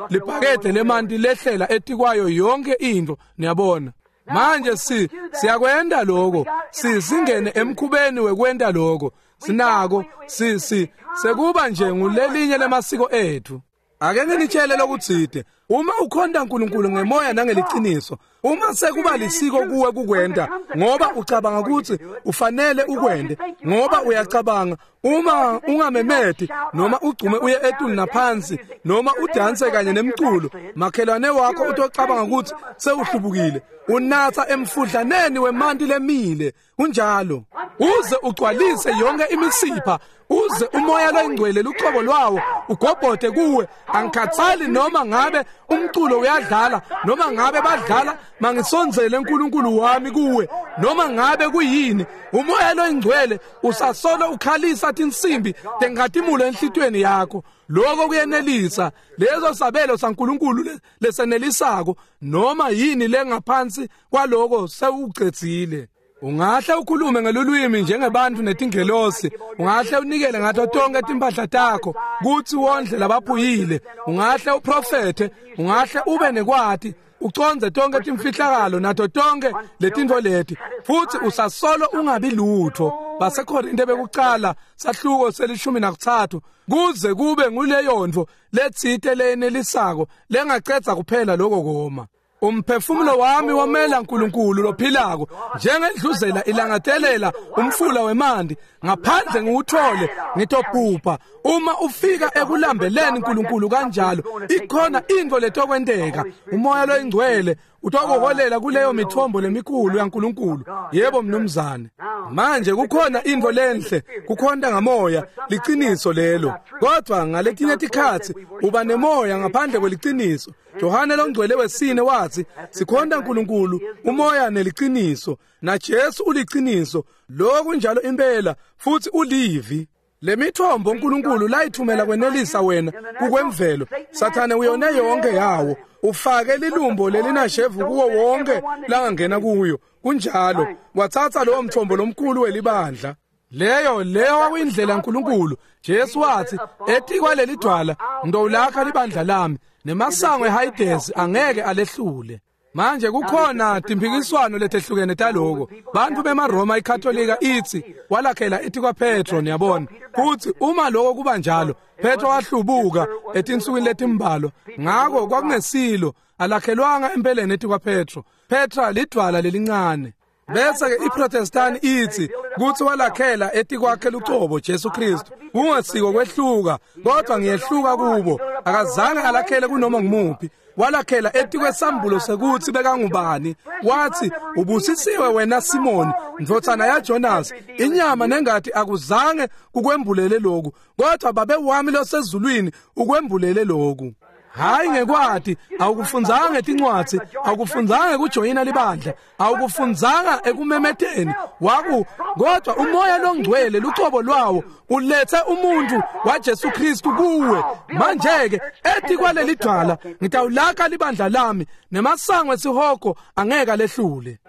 libhakede lemanti lehlela etikwayo yonke into. Niyabona manje si siyakwenda lokho, si singene emkhubeni wekwenda lokho, sinako si si sekuba nje ngulelinye lemasiko ethu. Ake nginitshele lokutsite, uma ukhonta uNkulunkulu ngemoya nangeliciniso, uma sekuba lisiko kuwe kukwenda ngoba ucabanga ukuthi ufanele ukwende, ngoba uyacabanga uma ungamemeti noma ugcume uye etulu naphansi noma udanse kanye nemculo, makhelwane wakho utocabanga ukuthi sewuhlubukile. Unatha emfudlaneni wemanti lemile kunjalo, uze ugcwalise yonke imisipha, uze umoya loyingcwele lucobo lwawo ugobhode kuwe. Angikhathali noma ngabe umculo uyadlala noma ngabe badlala mangisondzele uNkulunkulu wami kuwe, noma ngabe kuyini, umoya loyingcwele usasolo ukhalisa tinsimbi tenkhatimulo enhlitiyweni yakho. Lokho kuyenelisa lezo sabelo saNkulunkulu lesenelisako. Noma yini lengaphansi kwaloko sewucedzile. Ungahle ukhulume ngelulwimi njengebantu netingelosi, ungahle unikele ngato tonke timpahla takho kuthi wondle labaphuyile, ungahle uprofethe, ungahle ube nekwati uconze tonke timfihlakalo nato tonke letintfo leti, futhi usasolo ungabi lutho. BaseKorinte bekucala sahluko selishumi nakutsatfu kuze kube nguleyo ntfo letsite leyenelisako lengacedza kuphela lokho koma. Umphefumulo wami womela uNkulunkulu lophilako njengendluzela ilangatelela umfula wemanti ngaphandle ngiwuthole ngitobhubha. Uma ufika ekulambeleni uNkulunkulu kanjalo ikhona into letokwenteka. Umoya loyingcwele utokuholela kuleyo mithombo lemikhulu yaNkulunkulu. Yebo mnumzane. Manje kukhona into lenhle kukhonta ngamoya, liciniso lelo, kodwa ngaletinye tikhatsi uba nemoya ngaphandle kweliciniso. Johane longcwele wesine wathi sikhonta uNkulunkulu umoya neliciniso, na Jesu uliciniso. Lokhu njalo impela futhi ulivi. Lemithombo uNkulunkulu layithumela kwenelisa wena kukwemvelo, Sathane uyone yonke yawo, ufake lilumbo lelinashevu kuwo wonke langangena kuyo. Kunjalo, wathatha lowo mthombo lomkhulu welibandla. Leyo leyo kwakuyindlela uNkulunkulu. Jesu wathi etikwa leli dwala ngidowulakha libandla lami, nemasango eHayidesi angeke alehlule. Manje kukhona timphikiswano letehlukene taloko. Bantu bemaRoma iKatolika ithi walakhela etikwa Petro, niyabona. Futhi uma lokho kuba njalo, Petro wahlubuka etinsukwini letimbalwa. Ngako kwakungesilo, alakhelwanga empeleni etikwa Petro. Petra lidwala lelincane. Bese ke iProtestant ithi kuthi walakhela etikwakhe lucobo Jesu Kristu. Kungasiko kwehluka, kodwa ngiyehluka kubo. Akazange alakhele kunoma ngumuphi. Walakhela etikwesambulo sekuthi bekangubani. Wathi ubusisiwe wena Simoni ndvodzana yaJonas, inyama nengati akuzange kukwembulele lokhu, kodwa babe wami losezulwini ukwembulele lokhu. Hayi ngekwati, awukufundzanga etincwadzi, awukufundzanga kujoyina libandla, awukufundzanga ekumemeteni waku, kodwa umoya longcwele lucobo lwawo ulethe umuntu waJesu Kristu kuwe. Manje ke ethi kwaleli dwala ngitawulakha libandla lami, nemasango esihogo angeke lehlule.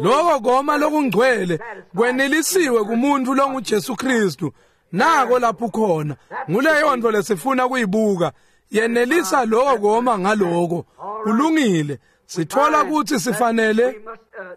Lokho koma lokungcwele kwenelisiwe kumuntu longuJesu Kristu. Nako lapho khona nguleyo nto lesifuna kuyibuka. Yenelisa lokho koma ngaloko kulungile. Sithola ukuthi sifanele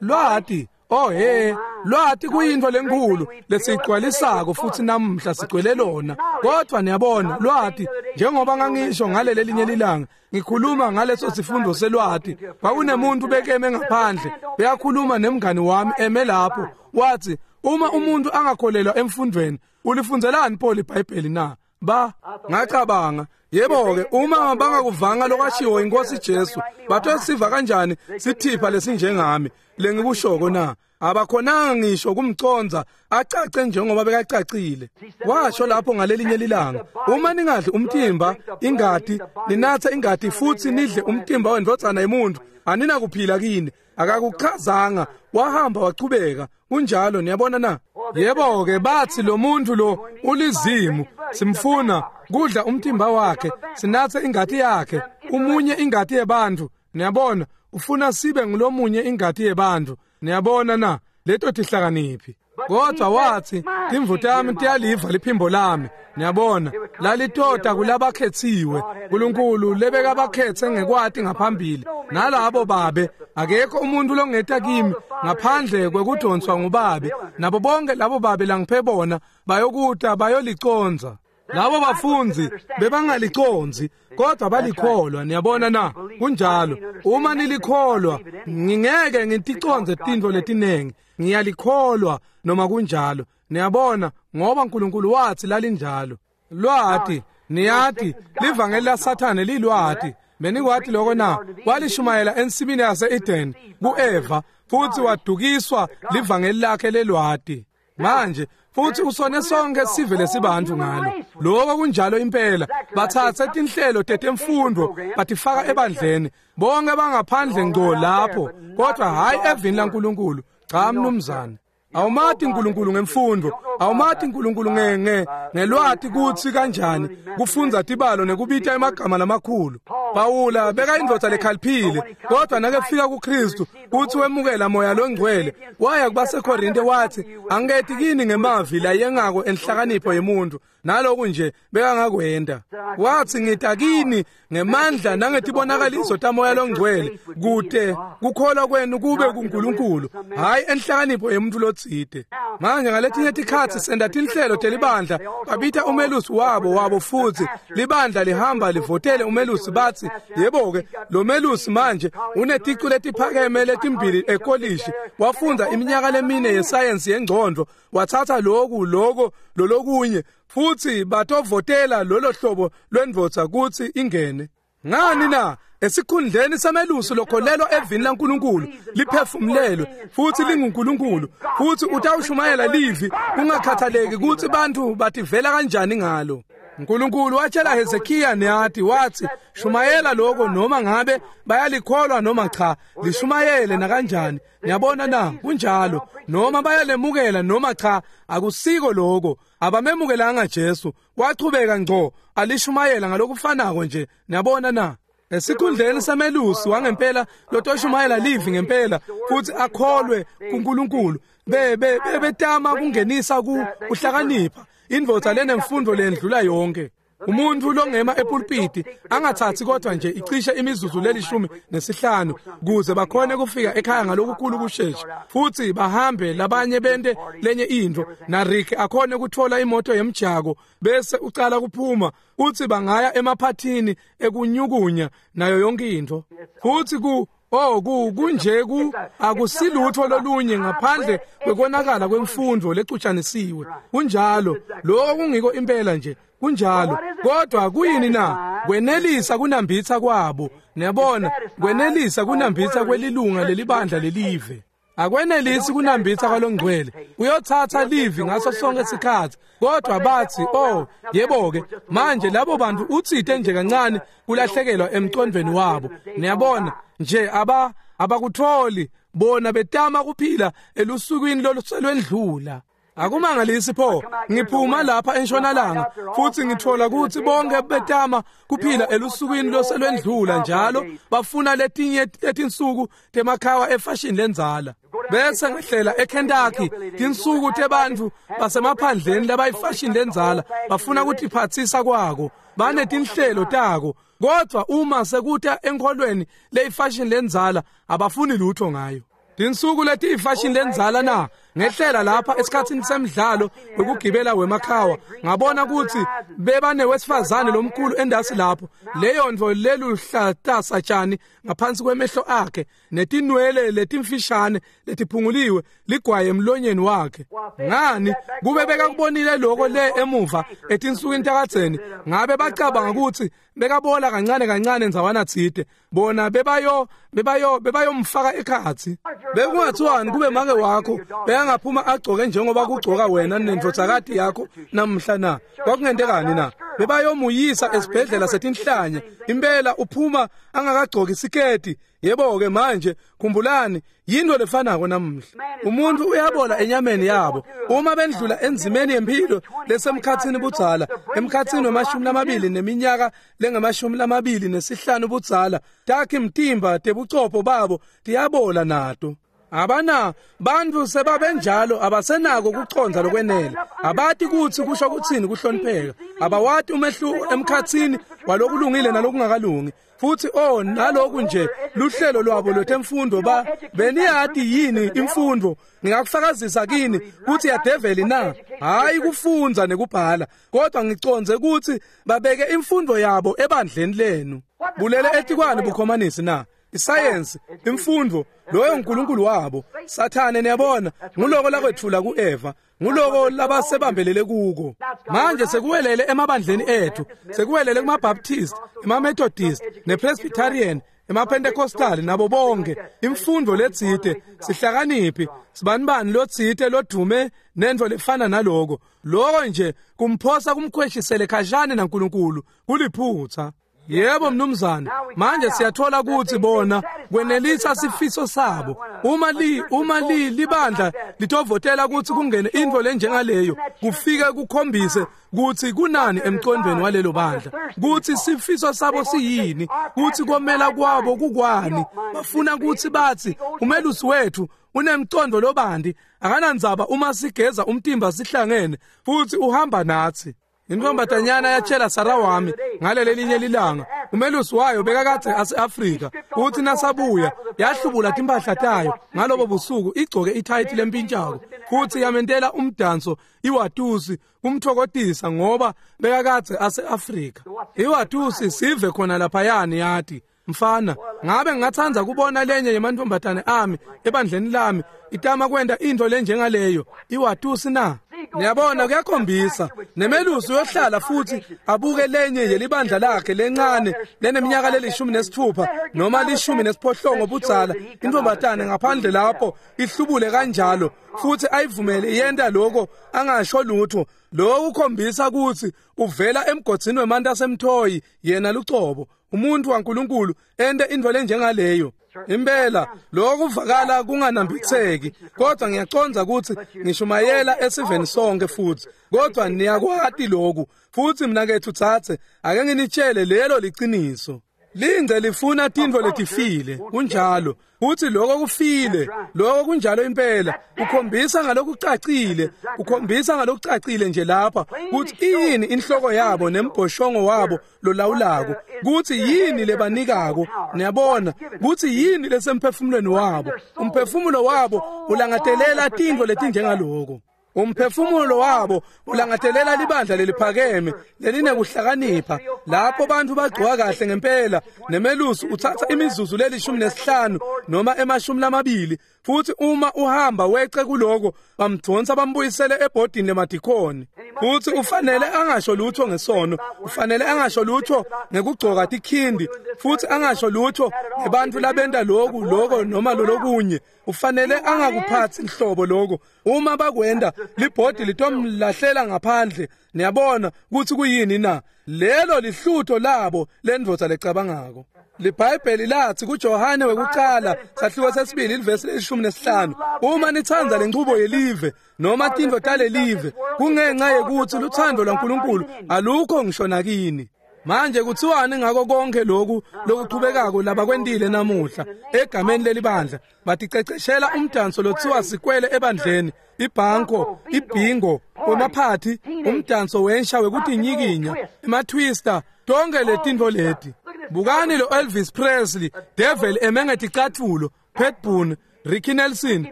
lwati. Oh he, lwati kuyinto lenkulu lesiyigcwalisako futhi namuhla sigcwele lona. Kodwa niyabona lwati, njengoba ngangisho ngaleli linye lilanga ngikhuluma ngaleso sifundo selwati, kwakunemuntu bekeme ngaphandle beyakhuluma nemngani wami eme lapho, wathi uma umuntu angakholelwa emfundweni ulifunzelani Paul iBhayibheli na? Ba ngacabanga, yebo ke, uma bangakuvanga lokwashiwo inkosi Jesu, batosiva kanjani sithipha lesinjengami lengikushoko na? Abakhonanga ngisho kumconza acace njengoba bekacacile. Washo lapho ngalelinye lilanga, uma ningadli umtimba ingati, ninathe ingati futhi nidle umtimba wendvodzana yemuntu, aninakuphila kini. Akakuchazanga, wahamba wachubeka. Kunjalo, niyabona na? Yebo ke, bathi lo muntu lo ulizimu, simfuna kudla umtimba wakhe, sinathe ingati yakhe, umunye ingati yebantu. Niyabona, ufuna sibe ngulomunye ingati yebantu. Niyabona na? Leto tihlakaniphi. Kodwa wathi timvu tami tiyaliva liphimbo lami. Niyabona, lalitota kulabakhethiwe. uNkulunkulu lebeka bakhethe ngekwati ngaphambili. Nalabo babe, akekho umuntu longeta kimi ngaphandle kwekudonswa ngubabe. Nabo bonke labo babe langiphe bona bayokuta bayoliconza. Labo bafunzi bebangaliconzi kodwa balikholwa. Niyabona na? Kunjalo. Uma nilikholwa, ngingeke ngiticonze tintfo letinengi, ngiyalikholwa noma kunjalo. Niyabona, ngoba uNkulunkulu wathi lalinjalo. Lwati, niyati, livangeli laSathane lilwati. Benikwati lokho na? Walishumayela ensimini yase-Eden ku-Eva, futhi wadukiswa livangeli lakhe lelwati. Manje futhi usone sonke sive lesibantu ngalo. Lokho kunjalo impela. Bathathe tinhlelo tetemfundo batifaka ebandleni, bonke bangaphandle ngco lapho, kodwa hayi evini laNkulunkulu. Cha mnumzane. Awumati uNkulunkulu ngemfundo, awumati uNkulunkulu nge ngelwati kutsi kanjani kufundza tibalo nekubita emagama lamakhulu. Pawula beka indvodza lekhaliphile, kodwa nakefika kuKristu kuthi wemukela moya longcwele, waya kubaseKorinte wathi angeti kini ngemavi layengako enhlakanipho yemuntu, naloku nje bekangakwenda. Wathi ngita kini ngemandla nangetibonakaliso tamoya longcwele, kute kukholwa kwenu kube kuNkulunkulu, hayi enhlakanipho yemuntu lotsite. Manje ngaletinye tikhatsi senta tinhlelo telibandla, babita umelusi wabo wabo futhi libandla lihamba livotele umelusi, bathi yebo-ke lo melusi manje uneticu letiphakeme letimbili ekolishi, wafundza iminyaka lemine yesayensi yengcondvo, wathatha loku loko lolokunye, futhi batovotela lolo hlobo lwendvodza kutsi ingene. Ngani na? Esikhundleni samelusi lokholelwa evini laNkulunkulu liphefumulelwe futhi linguNkulunkulu, futhi utawushumayela livi kungakhathaleki kutsi bantfu bativela kanjani ngalo. uNkulunkulu watshela Hezekiya niyati wathi shumayela lokho noma ngabe bayalikholwa noma cha, lishumayele nakanjani. Niyabona na? Kunjalo. Noma bayalemukela noma cha, akusiko lokho. Abamemukelanga Jesu, wachubeka ngco alishumayela ngalokufanako nje. Niyabona na? Esikhundleni samelusi wangempela lotoshumayela livi ngempela futhi akholwe kuNkulunkulu, be bebetama kungenisa ku kuhlakanipha indvodza lenemfundo lendlula yonke. Umuntu longema epulpiti angathathi kodwa nje icishe imizuzu lelishumi nesihlanu kuze bakhone kufika ekhaya ngalokukhulu kushesha, futhi bahambe labanye bente lenye intfo, na Rick akhone kutfola imoto yemjako bese ucala kuphuma, uthi bangaya emaphathini ekunyukunya nayo yonke intfo. Futhi ku Oh ku kunje ku akusilutho lolunye ngaphandle kwekonakala kwemfundo lecutshanisiwe. Kunjalo, lokho kungiko impela nje, kunjalo. Kodwa kuyini na? Kwenelisa kunambitsa kwabo. Niyabona, kwenelisa kunambitsa kwelilunga lelibandla lelive. Akwenelisi kunambitsa kwalongcwele. Uyothatha livi ngaso sonke isikhathi. Kodwa bathi, oh, yebo-ke, manje labo bantu utsite nje kancane kulahlekelwa emcondvweni wabo. Niyabona, nje aba abakutholi bona betama kuphila elusukwini loluselwendlula. Akumangalisi pho, ngiphuma lapha entshonalanga futhi ngithola ukuthi bonke betama kuphila elusukwini loselwendlula njalo, bafuna letinye letinsuku temakhawa efashion lenzala. Bese ngihlela eKentucky tinsuku tebantfu basemaphandleni labayifashion lenzala, bafuna kutiphatsisa kwako, banetinhlelo tako, kodwa uma sekuta enkholweni leyifashion lenzala abafuni lutho ngayo. Tinsuku letiyifashion lenzala na ngehlela lapha esikhatsini semidlalo wekugibela wemakhawa, ngabona ukuthi bebanewesifazane lomkhulu endasi lapho, leyo ntfo leluhlatasa tshani ngaphansi kwemehlo akhe, netinwele letimfishane letiphunguliwe ligwaye emlonyeni wakhe. Ngani kube bekakubonile lokho le emuva etinsukwini takadzeni, ngabe bacabanga ukuthi bekabola kancane kancane ndzawana tsite, bona bebayo bebayo bebayomfaka ekhatsi. Bekungathiwani kube make wakho bekangaphuma agcoke njengoba kugcoka wena nendvodzakati yakho namhla na? Kwakungentekani na? Bebayomuyisa esibhedlela setinhlanya. Impela uphuma angakagcoki siketi. Yebo-ke manje khumbulani, yinto lefanako namuhla. Umuntu uyabola enyameni yabo uma bendlula enzimeni yempilo lesemkhatsini budzala, emkhatsini wemashumi lamabili neminyaka lengemashumi lamabili nesihlanu budzala, takhi mtimba tebuchopho babo tiyabola nato. Abana bantu sebabenjalo abasenako kucondza lokwenele, abati kutsi kusho kutsini kuhlonipheka, abawati umehluko emkhatsini walokulungile nalokungakalungi. Futhi oh naloku nje luhlelo lwabo lwetemfundo, ba beniyati yini imfundo? Ngingakufakazisa kini kutsi yadeveli na? Hayi kufundza nekubhala, kodwa ngicondze kutsi babeke imfundo yabo ebandleni lenu. Bulele etikwani bukhomanisi na? Isayensi, imfundo, loyo uNkulunkulu wabo. Sathane, niyabona, nguloko lakwetfula kuEva, nguloko labasebambelele kuko. Manje sekuwelele emabandleni ethu, sekuwelele kumaBaptist, emaMethodist, nePresbyterian, emaPentecostal nabo bonke. Imfundo letsite, sihlakaniphi, sibanibani lotsite lodume nentfo lefana naloko. Loko nje kumphosa kumkhweshisele khashane naNkulunkulu, kuliphutsa. Yebo mnumzane, manje siyathola ukuthi bona kwenelisa sifiso sabo. Uma li uma li libandla litovotela ukuthi kungene intfo lenjengaleyo, kufike kukhombise kutsi kunani emcondvweni walelo bandla, kutsi sifiso sabo siyini, kutsi komela kwabo kukwani. Bafuna kutsi batsi umelusi wethu unemcondo lobandi, akanandzaba uma sigeza umtimba sihlangene futhi uhamba natsi. Intombatanyana yatshela Sara wami ngaleli linye lilanga, Umelusi wayo bekakadze ase-Afrika. Uthi nasabuya yahlubula timphahla tayo ngalobo busuku igcoke ithayithi lempintshako futhi yamentela umdanso iwatusi kumthokotisa ngoba bekakadze ase-Afrika. Iwatusi sive khona laphayani yathi mfana ngabe ngingatsandza kubona lenye yemantombazane ami ebandleni lami itama kwenta into lenjengaleyo iwatusi na? Niyabona kuyakhombisa nemelusi uyohlala futhi abuke lenye yelibandla lakhe lencane leneminyaka lelishumi nesithupha noma lishumi nesiphohlongo budzala intombazane ngaphandle lapho ihlubule kanjalo futhi ayivumele yenta lokho angasho lutho. Lokho kukhombisa ukuthi uvela emgodzini wemanti asemthoyi yena lucobo umuntu waNkulunkulu ente into lenjengaleyo. Impela lokho kuvakala kunganambitheki kodwa ngiyacondza ukuthi ngishumayela esiveni sonke futhi kodwa niyakwati lokhu futhi mina kethu thathe ake nginitshele lelo liqiniso. Lingce lifuna tintfo letifile kunjalo uthi lokho kufile lokho kunjalo impela ukhombisa ngalokucacile ukhombisa ngalokucacile nje lapha kuthi yini inhloko yabo nembhoshongo wabo lolawulako kuthi yini lebanikako niyabona kuthi yini lesemphefumulweni wabo. Umphefumulo wabo ulangatelela tintfo letinjengaloko. Umphefumulo wabo ulangatelela libandla leliphakeme lelinekuhlakanipha lapho bantu bagcoka kahle ngempela nemelusi uthatha imizuzu lelishumi nesihlanu noma emashumi lamabili futhi uma uhamba weqe kuloko bamdonsa bambuyisele ebhodini lemadikhoni futhi ufanele angasho lutho ngesono ufanele angasho lutho ngekugcoka tikhindi futhi angasho lutho ngebantu labenta lokhu lokho noma lolokunye ufanele angakuphathi inhlobo lokho. Uma bakwenda libhodi litomlahlela ngaphandle. Niyabona ukuthi kuyini na? Lelo lihlutho labo lendvodza lecabangako. LiBhayibheli lathi kuJohane wekuqala sahluko sesibili ivesi lelishumi nesihlanu uma nitsandza lenchubo yelive noma tintfo talelive kungenxa yekuthi luthando lwaNkulunkulu alukho ngisho nakini. Manje kuthiwani ngako konke lokhu lokuqhubekako labakwendile namuhla egameni lelibandla baticeceshela umdanso lothiwa sikwele ebandleni ibhanko ibhingo wemaphathi umdanso wensha wekutinyikinya ematwister tonke letintfo leti. Bukani lo Elvis Presley Devil emengeticathulo Pat Boone Ricky Nelson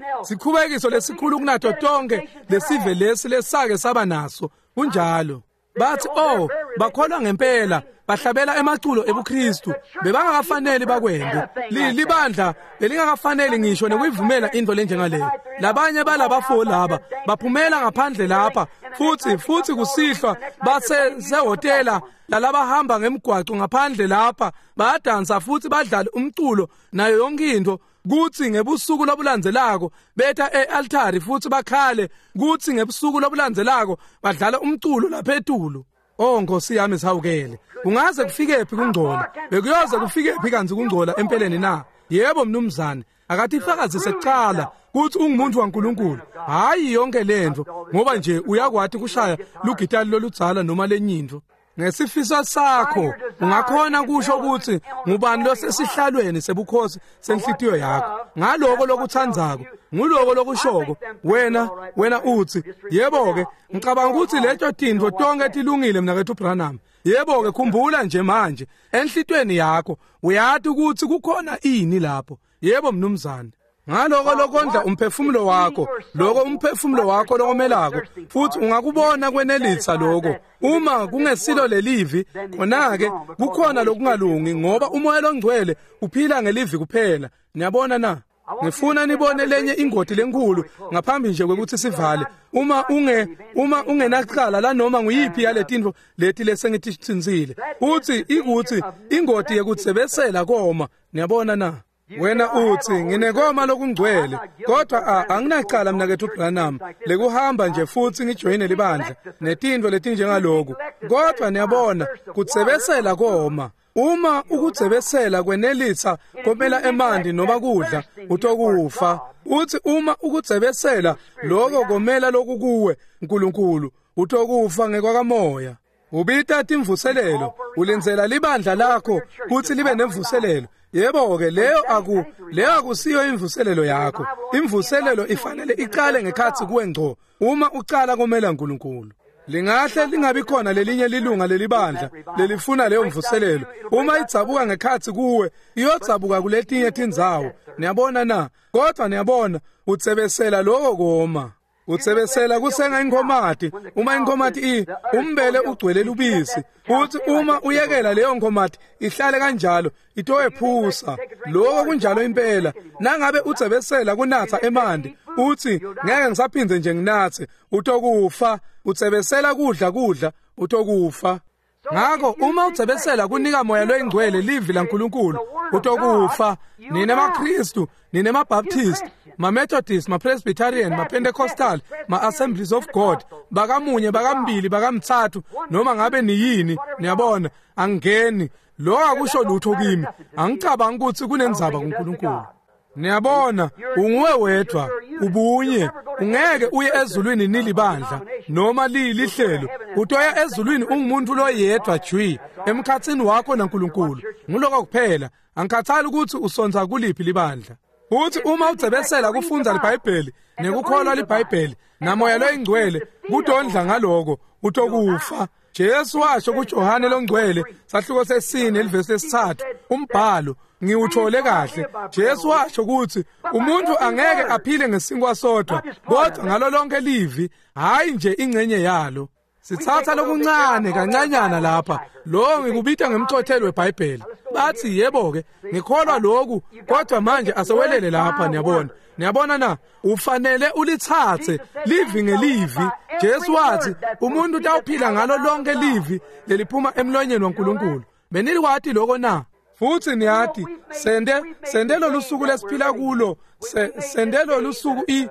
sikhubekiso lesikhulu kunato tonke lesive lesi lesake saba naso kunjalo. Bathi oh bakholwa ngempela bahlabela emaculo ebuKristu bebangakafanele bakwende libandla belingakafanele ngisho nekuyivumela into lenjengaleyo. Labanye balabafo laba baphumela ngaphandle lapha futhi futhi kusihlwa base sehotela lalabahamba ngemigwaco ngaphandle lapha bayadansa futhi badlala umculo nayo yonke into kuthi ngebusuku lobulandzelako betha e-altari futhi bakhale kuthi ngebusuku lobulandzelako badlala umculo lapha etulu. Oh Nkosi yami sihawukele kungaze kufike phi kungcola bekuyoze kufike phi kanzi kungcola empeleni na? Yebo mnumzane akathi ifakazise kuqala kuthi ungumuntu waNkulunkulu hayi yonke lento ngoba nje uyakwati kushaya lugitali loludzala noma lenyinto. Ngesifiso sakho ungakhona kusho ukuthi ngubani losesihlalweni sebukhosi senhlitiyo yakho ngaloko lokuthandzako nguloko lokushoko wena wena uthi yebo ke ngicabanga ukuthi leto tintfo tonke tilungile mina kethu Branham. Yebo ke khumbula nje manje enhlitweni yakho uyati ukuthi kukhona ini lapho. Yebo mnumzane ngaloko lokondla umphefumulo wakho lokho umphefumulo wakho lokomelako futhi ungakubona kwenelisa lokho uma kungesilo lelivi khona ke kukhona lokungalungi ngoba umoya longcwele uphila ngelivi kuphela. Niyabona na? Ngifuna nibone lenye ingoti lenkulu ngaphambi nje kwekuthi sivale. Uma unge uma ungenacala la noma nguyiphi yaletintfo leti lesengititsintsile uthi ikuthi ingoti yekutsebesela koma. Niyabona na? Wena uthi nginekoma lokungcwele kodwa anginacala mina kethu Branham lekuhamba nje futhi ngijoyine libandla netintfo letinjengaloku kodwa niyabona kutsebesela koma. Uma ukutsebesela kwenelisa komela emanti noma kudla utokufa. Uthi uma ukutsebesela lokho komela lokukuwe uNkulunkulu utokufa ngekwakamoya. Ubita timvuselelo ulindzela libandla lakho kuthi libe nemvuselelo. Yebo ke leyo aku leyo akusiyo imvuselelo yakho. Imvuselelo ifanele iqale ngekhathi kuwe ngco uma uqala komela uNkulunkulu. Lingahle lingabi khona lelinye lilunga lelibandla lelifuna leyo mvuselelo. Uma idzabuka ngekhatsi kuwe, iyodzabuka kuletinye tindzawo. Niyabona na? Kodwa niyabona, utsebesela lokho koma. Utsebesela kusenga inkhomati. Uma inkhomati i umbele ugcwele lubisi, uthi uma uyekela leyo nkhomati ihlale kanjalo itowephusa. Lokho kunjalo impela. Nangabe utsebesela kunatsa emanti, uthi ngeke ngisaphindze nje nginatse, utokufa. Utsebesela kudla kudla, utokufa. Ngakho uma utsebesela kunika moya loyingcwele livi laNkulunkulu, utokufa. Nine maKristu, nine maBaptist, maMethodist, maPresbyterian, maPentecostal, ma-Assemblies of God, bakamunye, bakambili, bakamthathu, noma ngabe niyini, niyabona, angeni. Lo akusho lutho kimi. Angicabangi ukuthi kunendzaba kuNkulunkulu. Niyabona, unguwe wedwa, ubunye. Ungeke uye ezulwini nilibandla noma lilihlelo. Utoya ezulwini ungumuntu loyedwa jwi emkhatsini wakho naNkulunkulu. Nguloko kuphela. Angikhathali ukuthi usonza kuliphi libandla. Uthi uma udzebesela kufundza liBhayibheli nekukholwa liBhayibheli namoya loyingcwele kudondla ngaloko, utokufa. Jesu washo kuJohane longcwele sahluko sesine livesi lesithathu, umbhalo ngiwuthole kahle. Jesu washo ukuthi umuntu angeke aphile ngesinkwa sodwa, kodwa ngalo lonke livi, hayi nje ingcenye yalo. Sithatha lokuncane kancanyana lapha, lo ngikubita ngemcothelo weBhayibheli. Bathi yebo ke, ngikholwa lokhu, kodwa manje asewelele lapha. Niyabona, niyabona na? Ufanele ulithathe livi ngelivi. Jesu wathi umuntu utawuphila ngalo lonke livi leliphuma emlonyeni waNkulunkulu. Benilikwati lokho na? Futhi niyathi sende sende lolu suku lesiphila kulo, sende lolu suku i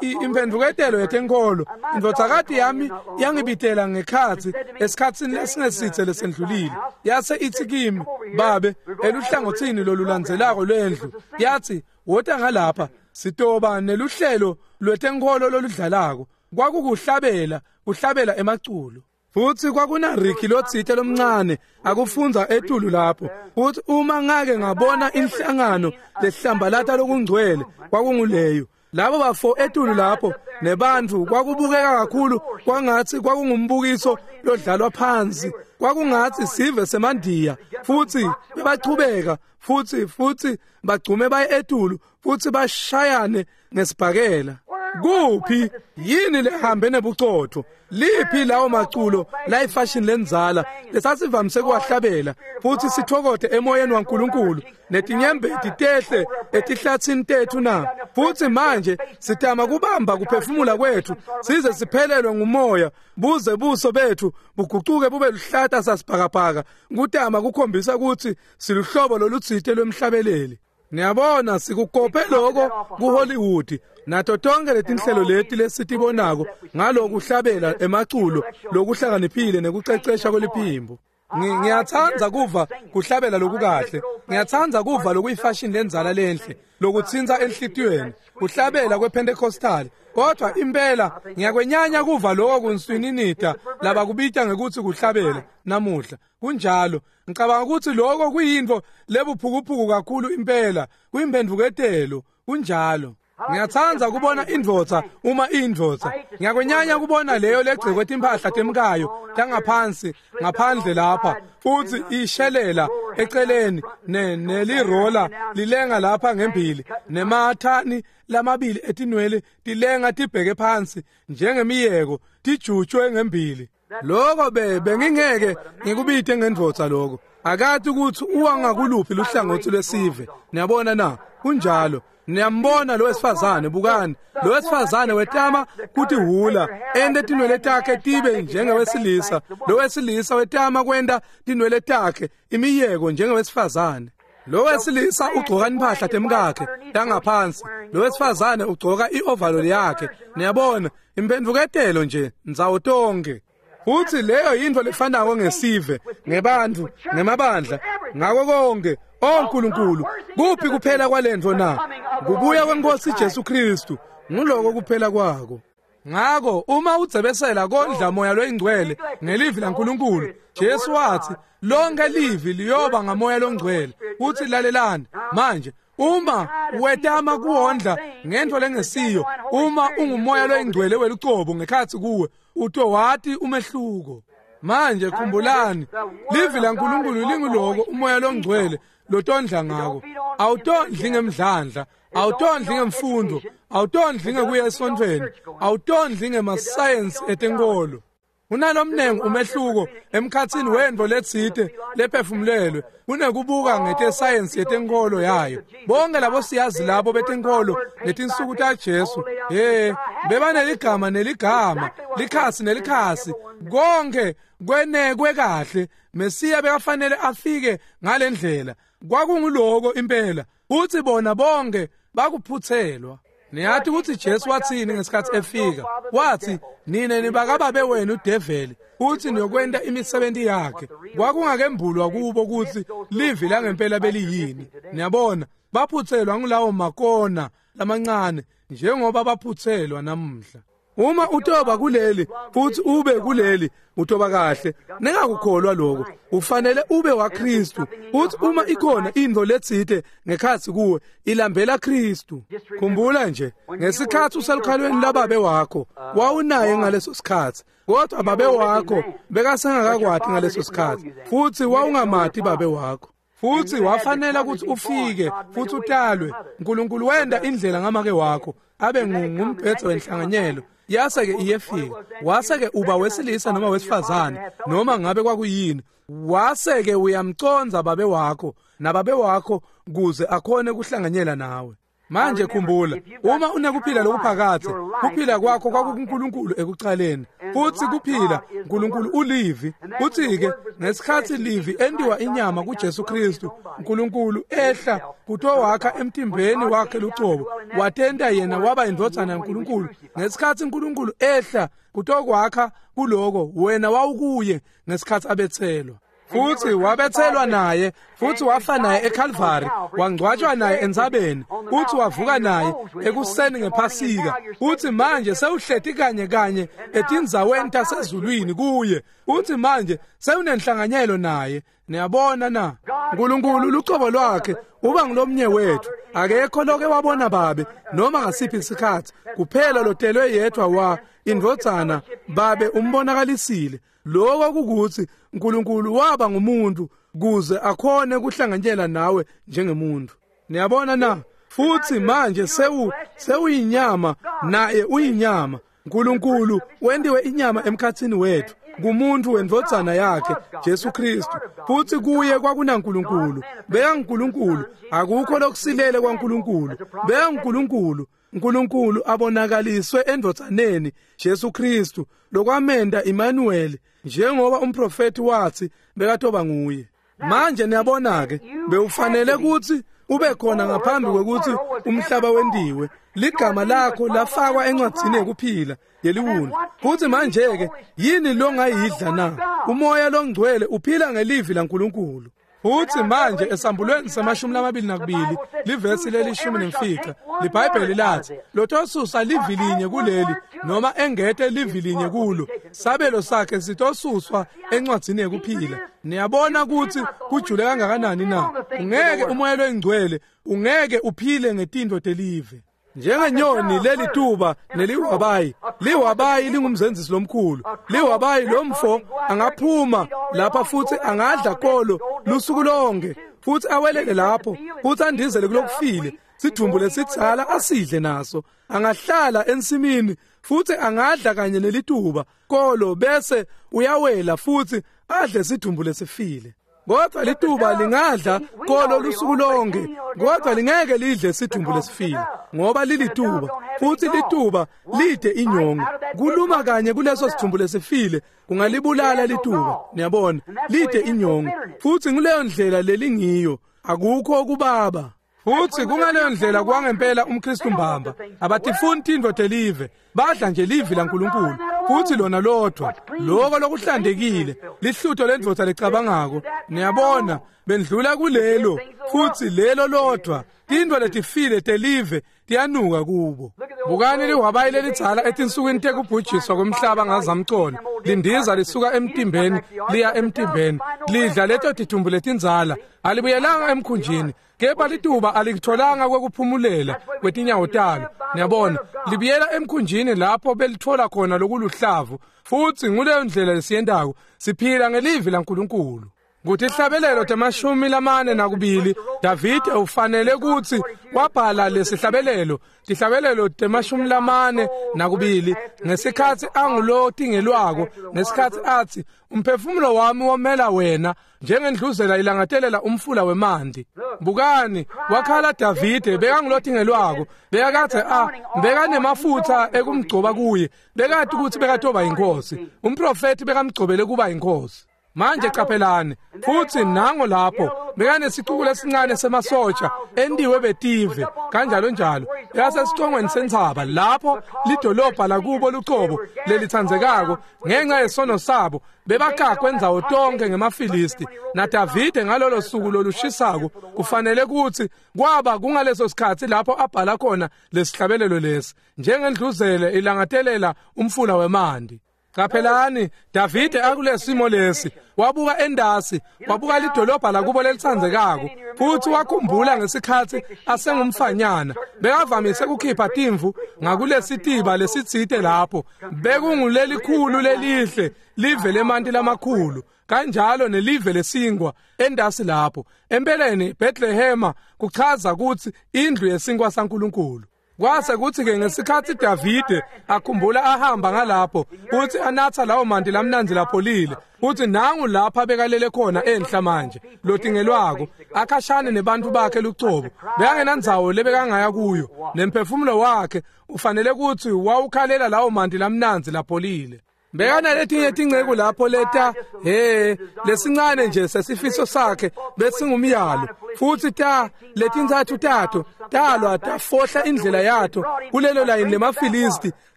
imphendvuketelo yetenkolo. Indvodzakati yami yangibitela ngekhatsi esikhatsini lesingesitse lesendlulile, yase ithi kimi, babe, eluhlangothini lolulandzelako lwendlu, yathi wota ngalapha, sitoba neluhlelo lwetenkolo loludlalako. Kwakukuhlabela, kuhlabela emaculo. Futhi kwakuna Ricky lotsite lomncane akufundza etulu lapho. Futhi uma ngake ngabona inhlangano lehlambalata lokungcwele, kwakunguleyo. Labo bafo etulu lapho nebantu kwakubukeka kakhulu kwangathi kwakungumbukiso lodlalwa phansi, kwakungathi sive semandiya. Futhi bebachubeka futhi futhi bagcume baye etulu futhi bashayane ngesibhakela. Kuphi yini lehambe nebucotho? Liphi lawo maculo la ifashion lenzala lesasivamise kuwahlabela futhi sithokote emoyeni waNkulunkulu netinyembeti tehle etihlathini tethu na? Futhi manje sitama kubamba kuphefumula kwethu size siphelelwe ngumoya, buze buso bethu bugucuke bube luhlata sasibhakabhaka, kutama kukhombisa ukuthi siluhlobo lolutsite lwemhlabeleli. Niyabona, sikukope lokho kuHollywood nato tonke letinhlelo leti lesitibonako ngalokuhlabela emaculo lokuhlakaniphile nekucecesha kweliphimbo. Ngiyatsandza kuva kuhlabela lokukahle, ngiyatsandza kuva lokuyifashion lenzala lenhle lokutsintsa enhlitiyweni, kuhlabela kwePentecostal. Kodwa impela ngiyakwenyanya kuva lokho kunswininita labakubita ngekuthi kuhlabela namuhla. Kunjalo, ngicabanga ukuthi lokho kuyintfo lebuphukuphuku kakhulu impela, kuyimphendvuketelo. Kunjalo. Ngiyatsandza kubona indvodza uma indvodza. Ngiyakwenyanya kubona leyo legcekwe timphahla temkayo tangaphansi ngaphandle lapha, futhi ishelela eceleni ne nelirola lilenga lapha ngembili, nemathani lamabili etinwele tilenga tibheke phansi njengemiyeko tijutshwe ngembili. Lokho be bengingeke ngikubite ngendvodza lokho. Akathi ukuthi uwangakuluphi luhlangothi lwesive. Niyabona na? Kunjalo. Niyambona lo wesifazane, bukani lo wesifazane wetama kutihula ente tinwele takhe tibe njengewesilisa, lo wesilisa wetama kwenta tinwele takhe imiyeko njengewesifazane. Lo wesilisa ugcoka impahla temkakhe tangaphansi, lo wesifazane ugcoka i-overall yakhe. Niyabona, imphendvuketelo nje ndzawo tonke. Futhi leyo yintfo lefanako ngesive, ngebantfu, ngemabandla, ngako konke. O Nkulunkulu, kuphi kuphela kwalentfo na? Kubuya kweNkosi Jesu Kristu, nguloko kuphela kwako. Ngako uma udzebesela kondla moya loyingcwele ngelivi laNkulunkulu, Jesu wathi lonke livi liyoba ngamoya longcwele. Uthi lalelani manje, Uma wetama kuwondla ngento lengesiyo, uma ungumoya loyingcwele welucobo ngekhatsi kuwe, utowati umehluko. Manje khumbulani, livi laNkulunkulu linguloko umoya longcwele lotondla ngako. Awutondli ngemdlandla, awutondli ngemfundo, awutondli ngekuya esontfweni, awutondli ngemasayensi etenkolo. Unalomnengi umehluko emkhatsini wentfo letsite lephefumulelwe kunekubuka ngetesayensi yetenkolo yayo. Bonke labo siyazi labo betenkolo ngetinsuku taJesu, he, bebaneligama neligama, likhasi nelikhasi, konke kwenekwe kahle. Mesiya bekafanele afike ngalendlela. Kwakunguloko impela, uthi bona bonke bakuphutselwa. Niyathi ukuthi Jesu wathini ngesikhathi efika? Wathi, nine nibakababe wenu udeveli, uthi niyokwenta imisebenzi yakhe. Kwakungakembulwa kubo ukuthi livi langempela beliyini. Niyabona, baphutselwa ngulawo makona lamancane njengoba baphutselwa namuhla. Uma utoba kuleli futhi ube kuleli, utoba kahle. Ningakukholwa lokho. Ufanele ube waKristu. Uthi uma ikhona into letsite ngekhatsi kuwe, ilambela Kristu. Khumbula nje, ngesikhathi uselukhalweni lababe wakho, wawunaye ngaleso sikhathi. Kodwa babe wakho bekasengakakwati ngaleso sikhathi, futhi wawungamati babe wakho. Futhi wafanela ukuthi ufike futhi utalwe. uNkulunkulu wenda indlela ngamake wakho abe ngumbhetho wenhlanganyelo. Yase-ke iyefika, wase-ke uba wesilisa noma wesifazane, noma ngabe kwakuyini. Wase-ke uyamconza babe wakho nababe wakho kuze akhone kuhlanganyela nawe. Manje khumbula, uma unekuphila lokuphakadze, kuphila kwakho kwakukuNkulunkulu ekucaleni. Futhi kuphila uNkulunkulu ulivi. Uthi-ke ngesikhathi livi entiwa inyama kuJesu Kristu, uNkulunkulu ehla kutowakha emtimbeni wakhe lucobo, watenta yena waba indvodzana yaNkulunkulu. Ngesikhathi uNkulunkulu ehla kutokwakha kuloko, wena wawukuye ngesikhathi abethelwa. Futhi wabethelwa naye, futhi wafa naye eCalvary, wangcwatshwa naye entsabeni, futhi wavuka naye ekuseni ngePhasika. Uthi manje sewuhleti kanye kanye etindzaweni tasezulwini kuye. Uthi manje sewunenhlanganyelo naye. Niyabona na? uNkulunkulu lucobo lwakhe uba ngilomnye wethu. Akekho loke wabona babe noma ngasiphi isikhathi, kuphela lotelwe yedwa wa indvodzana babe umbonakalisile. Lokho kukuthi uNkulunkulu waba ngumuntu kuze akhone kuhlanganyela nawe njengemuntu. Niyabona na? Futhi manje sewu sewuyinyama naye uyinyama. uNkulunkulu wendiwe inyama emkhathini wethu kumuntu wendvodzana yakhe Jesu Kristu. Futhi kuye kwakunaNkulunkulu. BeyanguNkulunkulu, akukho lokusilele kwaNkulunkulu. BeyanguNkulunkulu. uNkulunkulu abonakaliswe endvodzaneni Jesu Kristu, lokwamenda Emmanuel, njengoba umprofeti wathi bekatoba nguye. Manje niyabona ke, bewufanele ukuthi ube khona ngaphambi kwekuthi umhlaba wendiwe. Ligama lakho lafakwa encwadzini yekuphila yeliwundlu. Futhi manje ke yini longayidla na? Umoya longcwele uphila ngelivi laNkulunkulu. Futhi manje esambulweni samashumi lamabili nakubili livesi lelishumi nemfica, liBhayibheli lathi lotosusa livi linye kuleli noma engete livi linye kulo, sabelo sakhe sitosuswa encwadzini yekuphila. Niyabona ukuthi kujule kangakanani na? Ungeke umoya loyingcwele ungeke uphile ngetinto telive. Njengenyoni lelituba neliwabayi, liwabayi lingumzenzisi lomkhulu. Liwabayi lomfo angaphuma lapha futhi angadla kolo lusuku lonke, futhi awelele lapho, futhi andizele kulokufile, sidumbu lesitsala asidle naso. Angahlala ensimini futhi angadla kanye nelituba kolo, bese uyawela futhi adle sidumbu lesifile. Kodwa lituba lingadla kolo lusuku lonke, kodwa lingeke lidle sidumbu lesifile, ngoba lilituba, futhi lituba lide inyongo. Kuluma kanye kuleso sidumbu lesifile kungalibulala lituba. Niyabona, lide inyongo, futhi nguleyo ndlela lelingiyo. Akukho kubaba. Futhi kungaleyo ndlela kwangempela umKristu mbamba. Abatifuni tintfo telive, badla nje livi laNkulunkulu, futhi lona lodwa, lokho lokuhlantekile, lihlutho lendvodza lecabangako. Niyabona, bendlula kulelo, futhi lelo lodwa, Tintfo letifile telive tiyanuka kubo. Bukani lihwabayi lelidzala etinsukwini tekubhujiswa kwemhlaba ngazamcolo, lindiza lisuka emtimbeni liya emtimbeni, lidla leto tidumbu letindzala, alibuyelanga emkhunjini, kepha lituba alikutholanga kwekuphumulela kwetinyawo talo. Niyabona, libuyela emkhunjini lapho belithola khona lokuluhlavu, futsi nguleyo ndlela lesiyentako, siphila ngelivi laNkulunkulu. Kutihlabelelo temashumi lamane nakubili, Davide ufanele kutsi wabhala lesihlabelelo, tihlabelelo temashumi lamane nakubili, ngesikhatsi angulotingelwako, ngesikhatsi atsi, umphefumulo wami womela wena, njengendluzela ilangatelela umfula wemanti. Bukani, wakhala Davide, bekangulotingelwako, bekakadze a, bekanemafutsa ekumgcoba kuye, bekati kutsi bekatoba inkosi. Umprofeti bekamgcobele kuba inkosi. Manje qaphelani, futsi nango lapho bekanesicuku lesincane semasotsha entiwe betive kanjalo njalo, yasesicongweni sentsaba lapho lidolobha lakubo lucobo lelitsandzekako ngenxa yesono sabo bebakakwe ndzawo tonke ngemaFilisti. NaDavide ngalolo suku lolushisako kufanele kutsi kwaba kungaleso sikhatsi lapho abhala khona lesihlabelelo lesi, njengendluzele ilangatelela umfula wemanti. Qaphelani, Davide akulesimo lesi wabuka endasi, wabuka lidolobha lakubo lelitsandzekako, futsi wakhumbula ngesikhatsi asengumfanyana bekavamise kukhipha timvu ngakulesitiba lesitsite lapho, bekungulelikhulu lelihle live lemanti lamakhulu kanjalo nelive lesingwa endasi lapho. Empeleni Bethlehema kuchaza kutsi indlu yesinkwa saNkulunkulu. Kwase kutsi-ke ngesikhatsi Davide akhumbula ahamba ngalapho futsi anatsa lawo manti lamnandzi lapholile, futsi nangu lapha bekalele khona enhla manje lotingelwako akhashane nebantfu bakhe lucobo, bekangenandzawo lebekangaya kuyo, nemphefumulo wakhe ufanele kutsi wawukhalela lawo manti lamnandzi lapholile. Bekanaletinye tinceku lapho leta, he, lesincane nje sesifiso sakhe besingumyalo, futsi ta letintsatfu tato talwa tafohla indlela yato kulelo layini lemaFilisti,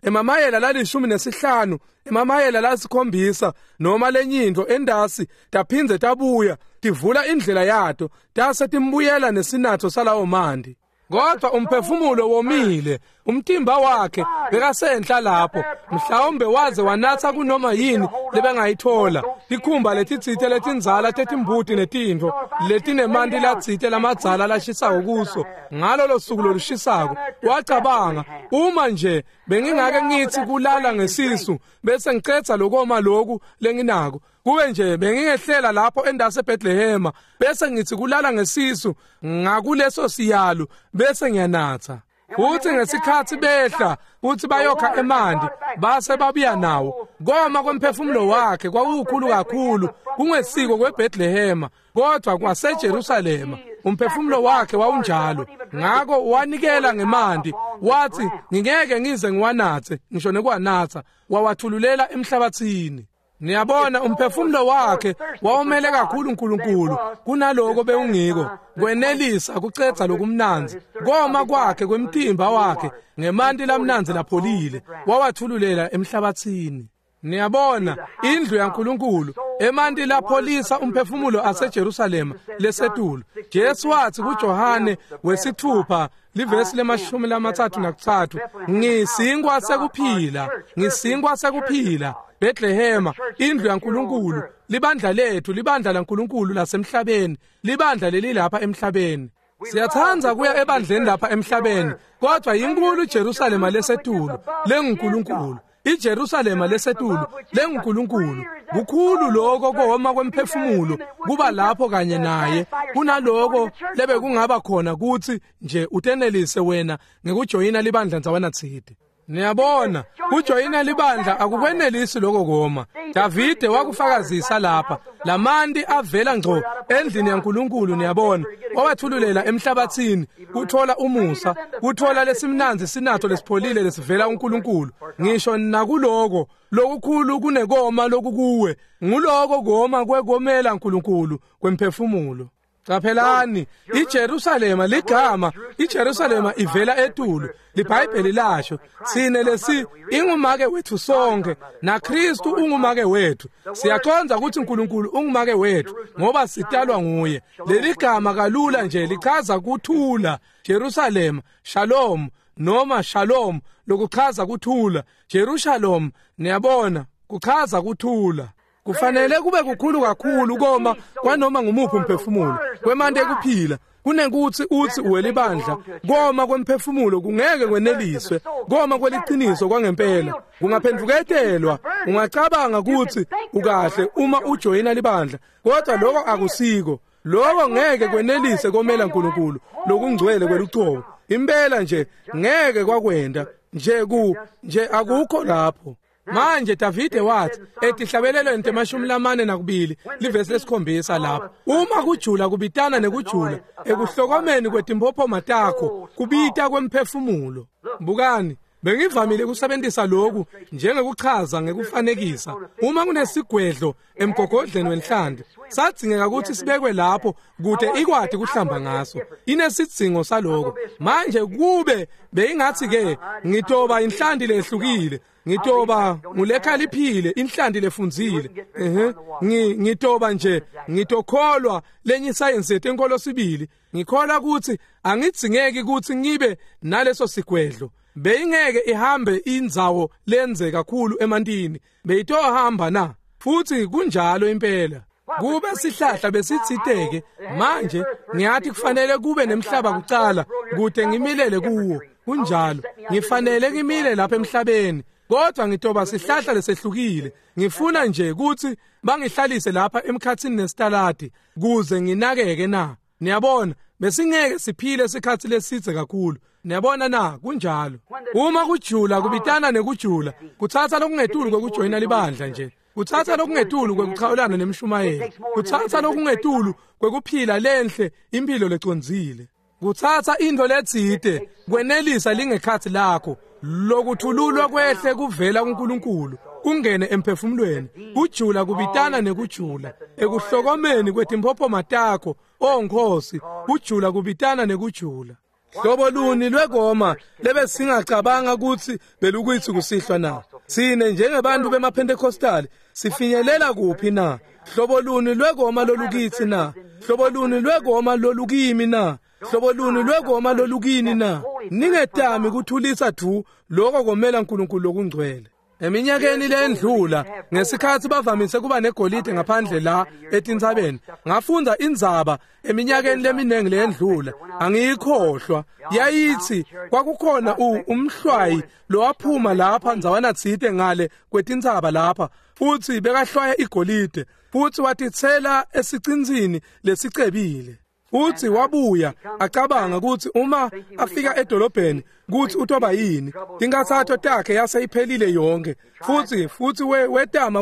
emamayela lalishumi nesihlanu, emamayela lasikhombisa noma lenyintfo endasi, taphindze tabuya tivula indlela yato, tase timbuyela nesinatho salawo manti. Kodwa umphefumulo womile, umtimba wakhe bekasenhla lapho, mhlawumbe waze wanatsa kunoma yini lebengayithola, tikhumba letitsite letindzala tetimbuti netintfo letinemanti latsite lamadzala lashisako kuso ngalolo suku lolushisako. Wacabanga, uma nje bengingake ngitsi kulala ngesisu bese ngicedza lokoma loku lenginako, kube nje bengingehlela lapho endase eBethlehema bese ngitsi kulala ngesisu ngakuleso siyalo bese ngiyanatsa. Futsi ngesikhatsi behla kutsi bayokha emanti base babuya nawo, koma kwemphefumulo wakhe kwakukhulu kakhulu, kungesiko kweBethlehema kodwa kwaseJerusalema. Umphefumulo wakhe wawunjalo, ngako wanikela ngemanti, wathi ngingeke ngize ngiwanatse ngisho nekuwanatsa, wawathululela emhlabathini. Niyabona, umphefumulo wakhe wawumele kakhulu uNkulunkulu kunaloko bewungiko, kwenelisa kucedza lokumnandzi koma kwakhe kwemtimba wakhe ngemanti lamnandzi lapholile, wawathululela emhlabathini. Niyabona, indlu yaNkulunkulu, emanti lapholisa umphefumulo aseJerusalema lesetulu. Jesu wathi kuJohane wesithupha livesi lemashumi lamatsatfu nakutsatfu, ngisinkwa sekuphila, ngisinkwa sekuphila. Bethlehema, indlu yaNkulunkulu, libandla lethu, libandla laNkulunkulu lasemhlabeni, libandla lelilapha emhlabeni. Siyatsandza kuya ebandleni lapha emhlabeni, kodwa inkulu iJerusalema lesetulu lenguNkulunkulu. iJerusalema lesetulu lenguNkulunkulu. Kukhulu lokho koma kwemphefumulo kuba lapho kanye naye kunaloko lebekungaba khona kutsi nje utenelise wena ngekujoyina libandla ndzawana tsite. Niyabona, kujoyina libandla akukwenelisi lokho koma. Davide wakufakazisa lapha, lamanti avela ngco endlini yaNkulunkulu. Niyabona, wawathululela emhlabathini kuthola umusa, kuthola lesimnandzi sinatho lesipholile lesivela kuNkulunkulu. Ngisho nakuloko lokukhulu kunekoma lokukuwe, nguloko koma kwekomela uNkulunkulu kwemphefumulo. Qaphelani, iJerusalema ligama, iJerusalema ivela etulu, liBhayibheli lasho, sine lesi ingumake wethu sonke, naKristu ungumake wethu. Siyaqonda ukuthi uNkulunkulu ungumake wethu ngoba sitalwa nguye. Leli gama kalula nje lichaza kuthula, Jerusalema, Shalom noma Shalom lokuchaza kuthula, Jerusalem, niyabona, kuchaza kuthula. Kufanele kube kukhulu kakhulu koma kwanoma ngumuphi umphefumulo kwemante ekuphila kunekuthi uthi uwelibandla. Koma kwemphefumulo kungeke kweneliswe, koma kweliqiniso kwangempela kungaphenduketelwa. Ungacabanga ukuthi ukahle uma ujoyina libandla, kodwa lokho akusiko. Lokho ngeke kwenelise komela uNkulunkulu lokungcwele kwelucobo. Impela nje ngeke kwakwenda nje ku nje akukho lapho. Manje Davide wathi etihlabelelweni temashumi lamane nakubili livesi lesikhombisa lapho, uma kujula kubitana nekujula ekuhlokomeni kwetimphophoma takho kubita kwemphefumulo. Bukani, bengivamile ukusebenzisa lokhu njengekuchaza ngekufanekisa. Uma kunesigwedlo emgogodleni wenhlanti, sadzingeka ukuthi sibekwe lapho kude ikwati kuhlamba ngaso. Inesidzingo saloko. Manje kube beyingathi ke ngitoba inhlanti lehlukile, ngitoba ngulekhaliphile inhlanti lefundzile, ehe ngitoba nje ngitokholwa lenye isayensi yetenkolo sibili, ngikholwa ukuthi angidzingeki ukuthi ngibe naleso sigwedlo. Beyingeke ihambe indzawo lenze kakhulu emantini, beyitohamba na? Futhi kunjalo impela. Kube sihlahla besitsiteke manje ngiyathi kufanele kube nemhlaba kucala kude ngimilele kuwo. Kunjalo, ngifanele ngimile lapha emhlabeni, kodwa ngitoba sihlahla lesehlukile. Ngifuna nje ukuthi bangihlalise lapha emkhathini nesitaladi kuze nginakeke na. Niyabona, besingeke siphile isikhathi lesithe kakhulu. Niyabona na? Kunjalo. Uma kujula kubitana nekujula, kuthatha lokungetulu kwekujoyina libandla nje, kuthatha lokungetulu kwekuchawulana nemshumayeli, kuthatha lokungetulu kwekuphila lenhle impilo lecondzile, kuthatha into letsite kwenelisa lingekhathi lakho lokuthululwa kwehle kuvela kuNkulunkulu kungene emphefumulweni. Kujula kubitana nekujula ekuhlokomeni kwetimphophoma takho, o Nkosi, kujula kubitana nekujula. Hlobo luni lwekoma lebesingacabanga ukuthi belukuyithi kusihlwa na? Sine njengebantu bemaPentecostal sifinyelela kuphi na? Hlobo luni lwekoma lolukithi na? Hlobo luni lwekoma lolukimi na? Hlobo luni lwekoma lolukini na? Ningetami kuthulisa du lokho komela uNkulunkulu lokungcwele. Eminyakeni lendlula ngesikhathi bavamise kuba negolide ngaphandle la etintsabeni, ngafunda indzaba eminyakeni leminingi lendlula, angiyikhohlwa. Yayithi kwakukhona umhlwayi lowaphuma lapha ndzawana tsite ngale kwetintsaba lapha, futhi bekahlwaya igolide, futhi watitsela esicinsini lesicebile. Uthi wabuya acabanga ukuthi uma afika edolobheni kuthi utoba yini, tinkathatho takhe yase iphelile yonke. Futhi futhi wetama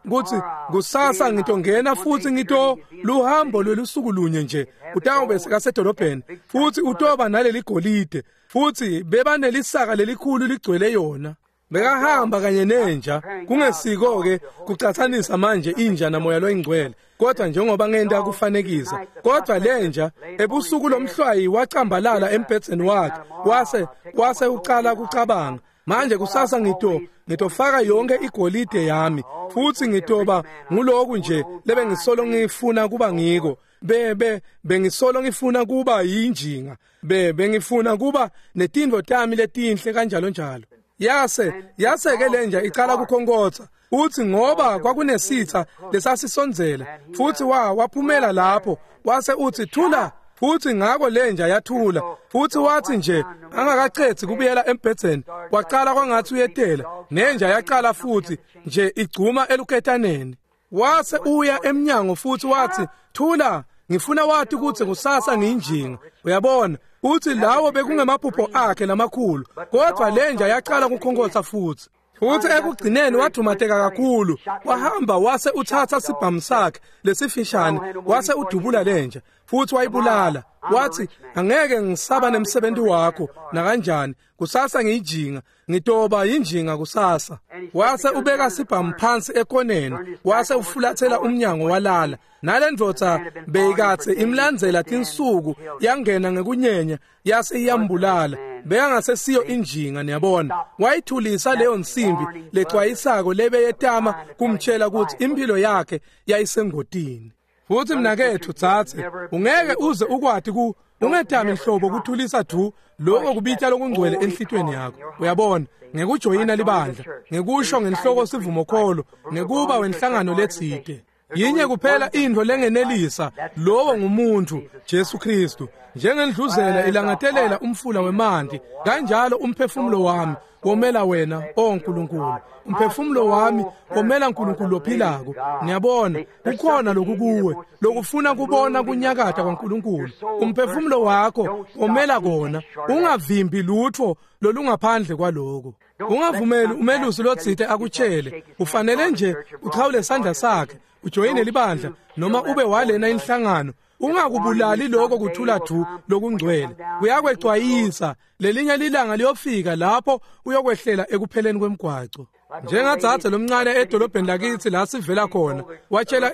ukuthi kusasa ngitongena futhi ngito luhambo lwelusuku lunye nje utawube sekasedolobheni, futhi utoba naleli golide, futhi bebanelisaka lelikhulu ligcwele yona. Bekahamba kanye nenja, kungesiko ke kucathanisa manje inja namoya loyingcwele, kodwa njengoba ngenta kufanekisa. Kodwa lenja ebusuku lomhlwayi wacambalala embhedzeni wakhe, wase wase uqala kucabanga, manje kusasa ngito ngitofaka yonke igolide yami, futhi ngitoba nguloku nje lebengisolo ngifuna kuba ngiko. Be be bengisolo ngifuna kuba yinjinga, be bengifuna kuba netindvo tami letinhle kanjalo njalo. Yase yase ke lenja iqala kukhonkotha, uthi ngoba kwakunesitha lesasisondzela, futhi wa waphumela lapho wase uthi thula, futhi ngako lenja yathula. Futhi wathi nje angakaqedzi kubuyela embhedzeni, waqala kwangathi uyetela, nenja yaqala futhi nje igcuma eluketaneni. Wase uya emnyango futhi wathi thula, ngifuna wathi ukuthi kusasa ngiyinjinga. Uyabona, uthi lawo bekungemaphupho akhe lamakhulu, kodwa lenja yaqala ukukhonkotha futhi. Futhi ekugcineni wadumateka kakhulu, wahamba wase uthatha sibhamu sakhe lesifishane, wase udubula lenja futhi wayibulala. Wathi angeke ngisaba nemsebenzi wakho nakanjani, kusasa ngiyijinga, ngitoba yinjinga kusasa. Wase ubeka sibhamu phansi ekoneni, wase ufulathela umnyango walala. Nalendvodza beyikatse imlandzela tinsuku, yangena ngekunyenya yase iyambulala. Bekangasesiyo injinga, niyabona. Wayithulisa leyo nsimbi lecwayisako lebeyetama kumtshela ukuthi impilo yakhe yayisengotini. Futhi mnakethu tsatse, ungeke uze ukwati ku ungetami nhlobo kuthulisa du lokho kubita lokungcwele enhlitweni yakho. Uyabona, ngekujoyina libandla, ngekusho ngenhloko sivumokholo, ngekuba wenhlangano letsite. Yinye kuphela intfo lengenelisa, lowo ngumuntu Jesu Kristu. Njengendluzela ilangatelela umfula wemanti, kanjalo umphefumulo wami womela wena, o Nkulunkulu. Umphefumulo wami womela Nkulunkulu lophilako. Niyabona, kukhona lokukuwe lokufuna kubona kunyakata kwaNkulunkulu. Umphefumulo wakho womela kona, ungavimbi lutho lolungaphandle kwaloko. Ungavumeli umelusi lotsite akutshele, ufanele nje uchawule sandla sakhe, ujoyine libandla noma ube walena inhlangano. Ungakubulali lokho kuthula du lokungcwele. Kuyakwecwayisa, lelinye lilanga liyofika lapho uyokwehlela ekupheleni kwemgwaco. Njengadzadze lomncane edolobheni lakithi la sivela khona, watshela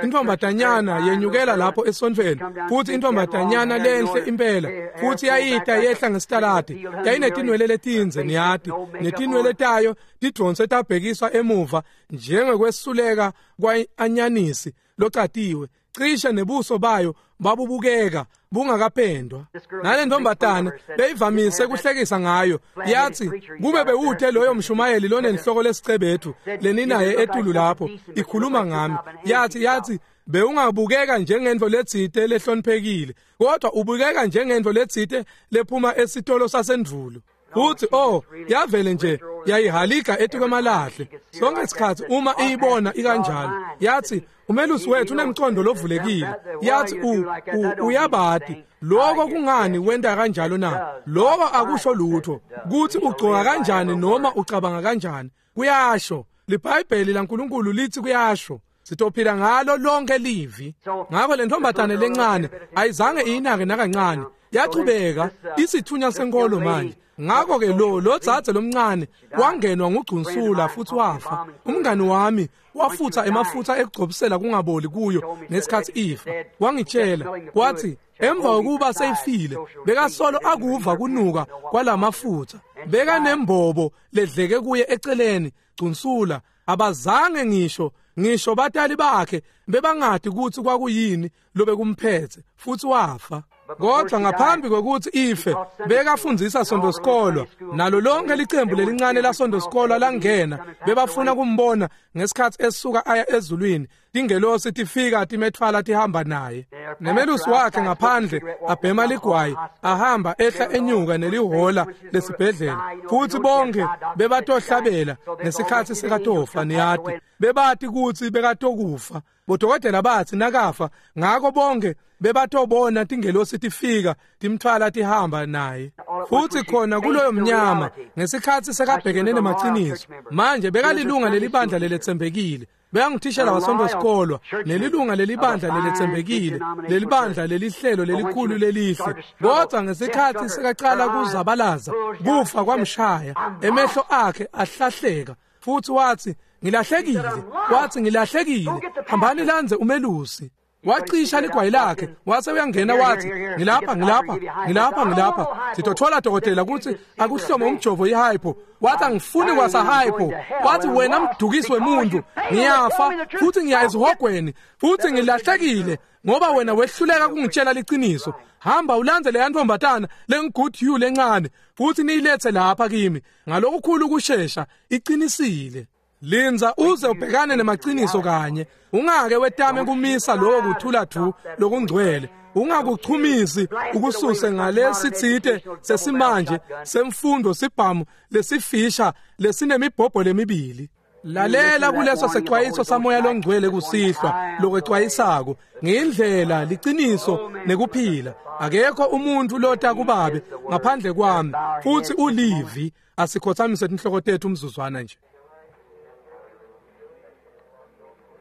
intombazanyana yenyukela lapho esontfweni, futhi intombazanyana lenhle impela, futhi yayita yehla ngesitaladi, yayinetinwele letindze, niyati, netinwele tayo tidonse tabhekiswa emuva njengekwesuleka kwa-anyanisi locatiwe, cishe nebuso bayo babubukeka bungakapendwa. Nale ntombatana beyivamise kuhlekisa ngayo, yathi kube bewuthe loyo mshumayeli lonenhloko lesicebethu leninaye etulu lapho ikhuluma ngami, yathi yathi bewungabukeka njengento letsite lehloniphekile, kodwa ubukeka njengento letsite lephuma esitolo sasendvulo. Uthi oh, yavele nje yayihalika etukwemalahle sonke isikhathi uma iyibona ikanjalo. Yathi umelusi wethu unemcondo lovulekile. Yathi u uyabati lokho kungani wenta kanjalo na? Lokho akusho lutho kuthi ugcoka kanjani noma ucabanga kanjani. Kuyasho liBhayibheli laNkulunkulu lithi kuyasho. Sitophila ngalo lonke livi. Ngakho le ntombatane lencane ayizange iyinake nakancane, yachubeka isithunya senkolo manje. Ngakho ke lo lo dzadze lomncane wangenwa ngugcunsula futhi wafa. Umngani wami wafutha emafutha ekugcobisela kungaboli kuyo ngesikhathi ifa. Wangitshela wathi emva kokuba seyifile bekasolo akuva kunuka kwalamafutha, bekanembobo ledleke kuye eceleni gcunsula. Abazange ngisho ngisho batali bakhe bebangadi ukuthi kwakuyini lobekumphethe, futhi wafa. Kodwa ngaphambi kokuthi ife bekafundzisa sonto sikolwa, nalo lonke licembu lelincane lasonto sikolwa langena bebafuna kumbona ngesikhathi esuka aya ezulwini. Tingelosi tifika timethwala tihamba naye. Nemelusi wakhe ngaphandle abhema ligwayi, ahamba ehla enyuka nelihola lesibhedlela, futhi bonke bebatohlabela ngesikhathi sekatofa. Niyati bebati ukuthi bekatokufa. Bodokotela bathi nakafa, ngakho bonke bebatobona tingelosi tifika timthwala tihamba naye. Futhi khona kuloyo mnyama ngesikhathi sekabhekene nemaciniso manje, bekalilunga lelibandla leletsembekile, bekangutishela wasonto sikolwa, nelilunga lelibandla leletsembekile, lelibandla lelihlelo lelikhulu lelihle. Kodwa ngesikhathi sekaqala kuzabalaza, kufa kwamshaya, emehlo akhe ahlahleka, futhi wathi ngilahlekile. Wathi ngilahlekile, hambani landze umelusi. Wacisha ligwayi lakhe wase uyangena wathi ngilapha ngilapha ngilapha ngilapha sitothola dokotela ukuthi akuhlome umjovo ihypo. Wathi angifuni kwasa hypo. Wathi wena mdukisi wemuntu, ngiyafa futhi ngiya esihogweni futhi ngilahlekile ngoba wena wehluleka kungitshela liqiniso. Hamba ulandze leya ntombatana lengu-good you lencane futhi niyilethe lapha kimi ngalokukhulu ukushesha. Iqinisile. Linza uze ubhekane nemaqiniso kanye. Ungake wetame kumisa lokho kuthula du lokungcwele. Ungakuchumisi ukususe ngalesitsite sesimanje semfundo sibhamu lesifisha lesinemibhobho lemibili. Lalela kuleso secwayiso samoya longcwele kusihlwa lokwecwayisako ngendlela liqiniso nekuphila. Akekho umuntu lota kubabe ngaphandle kwami, futhi ulivi. Asikhothamise inhloko tethu umzuzwana nje.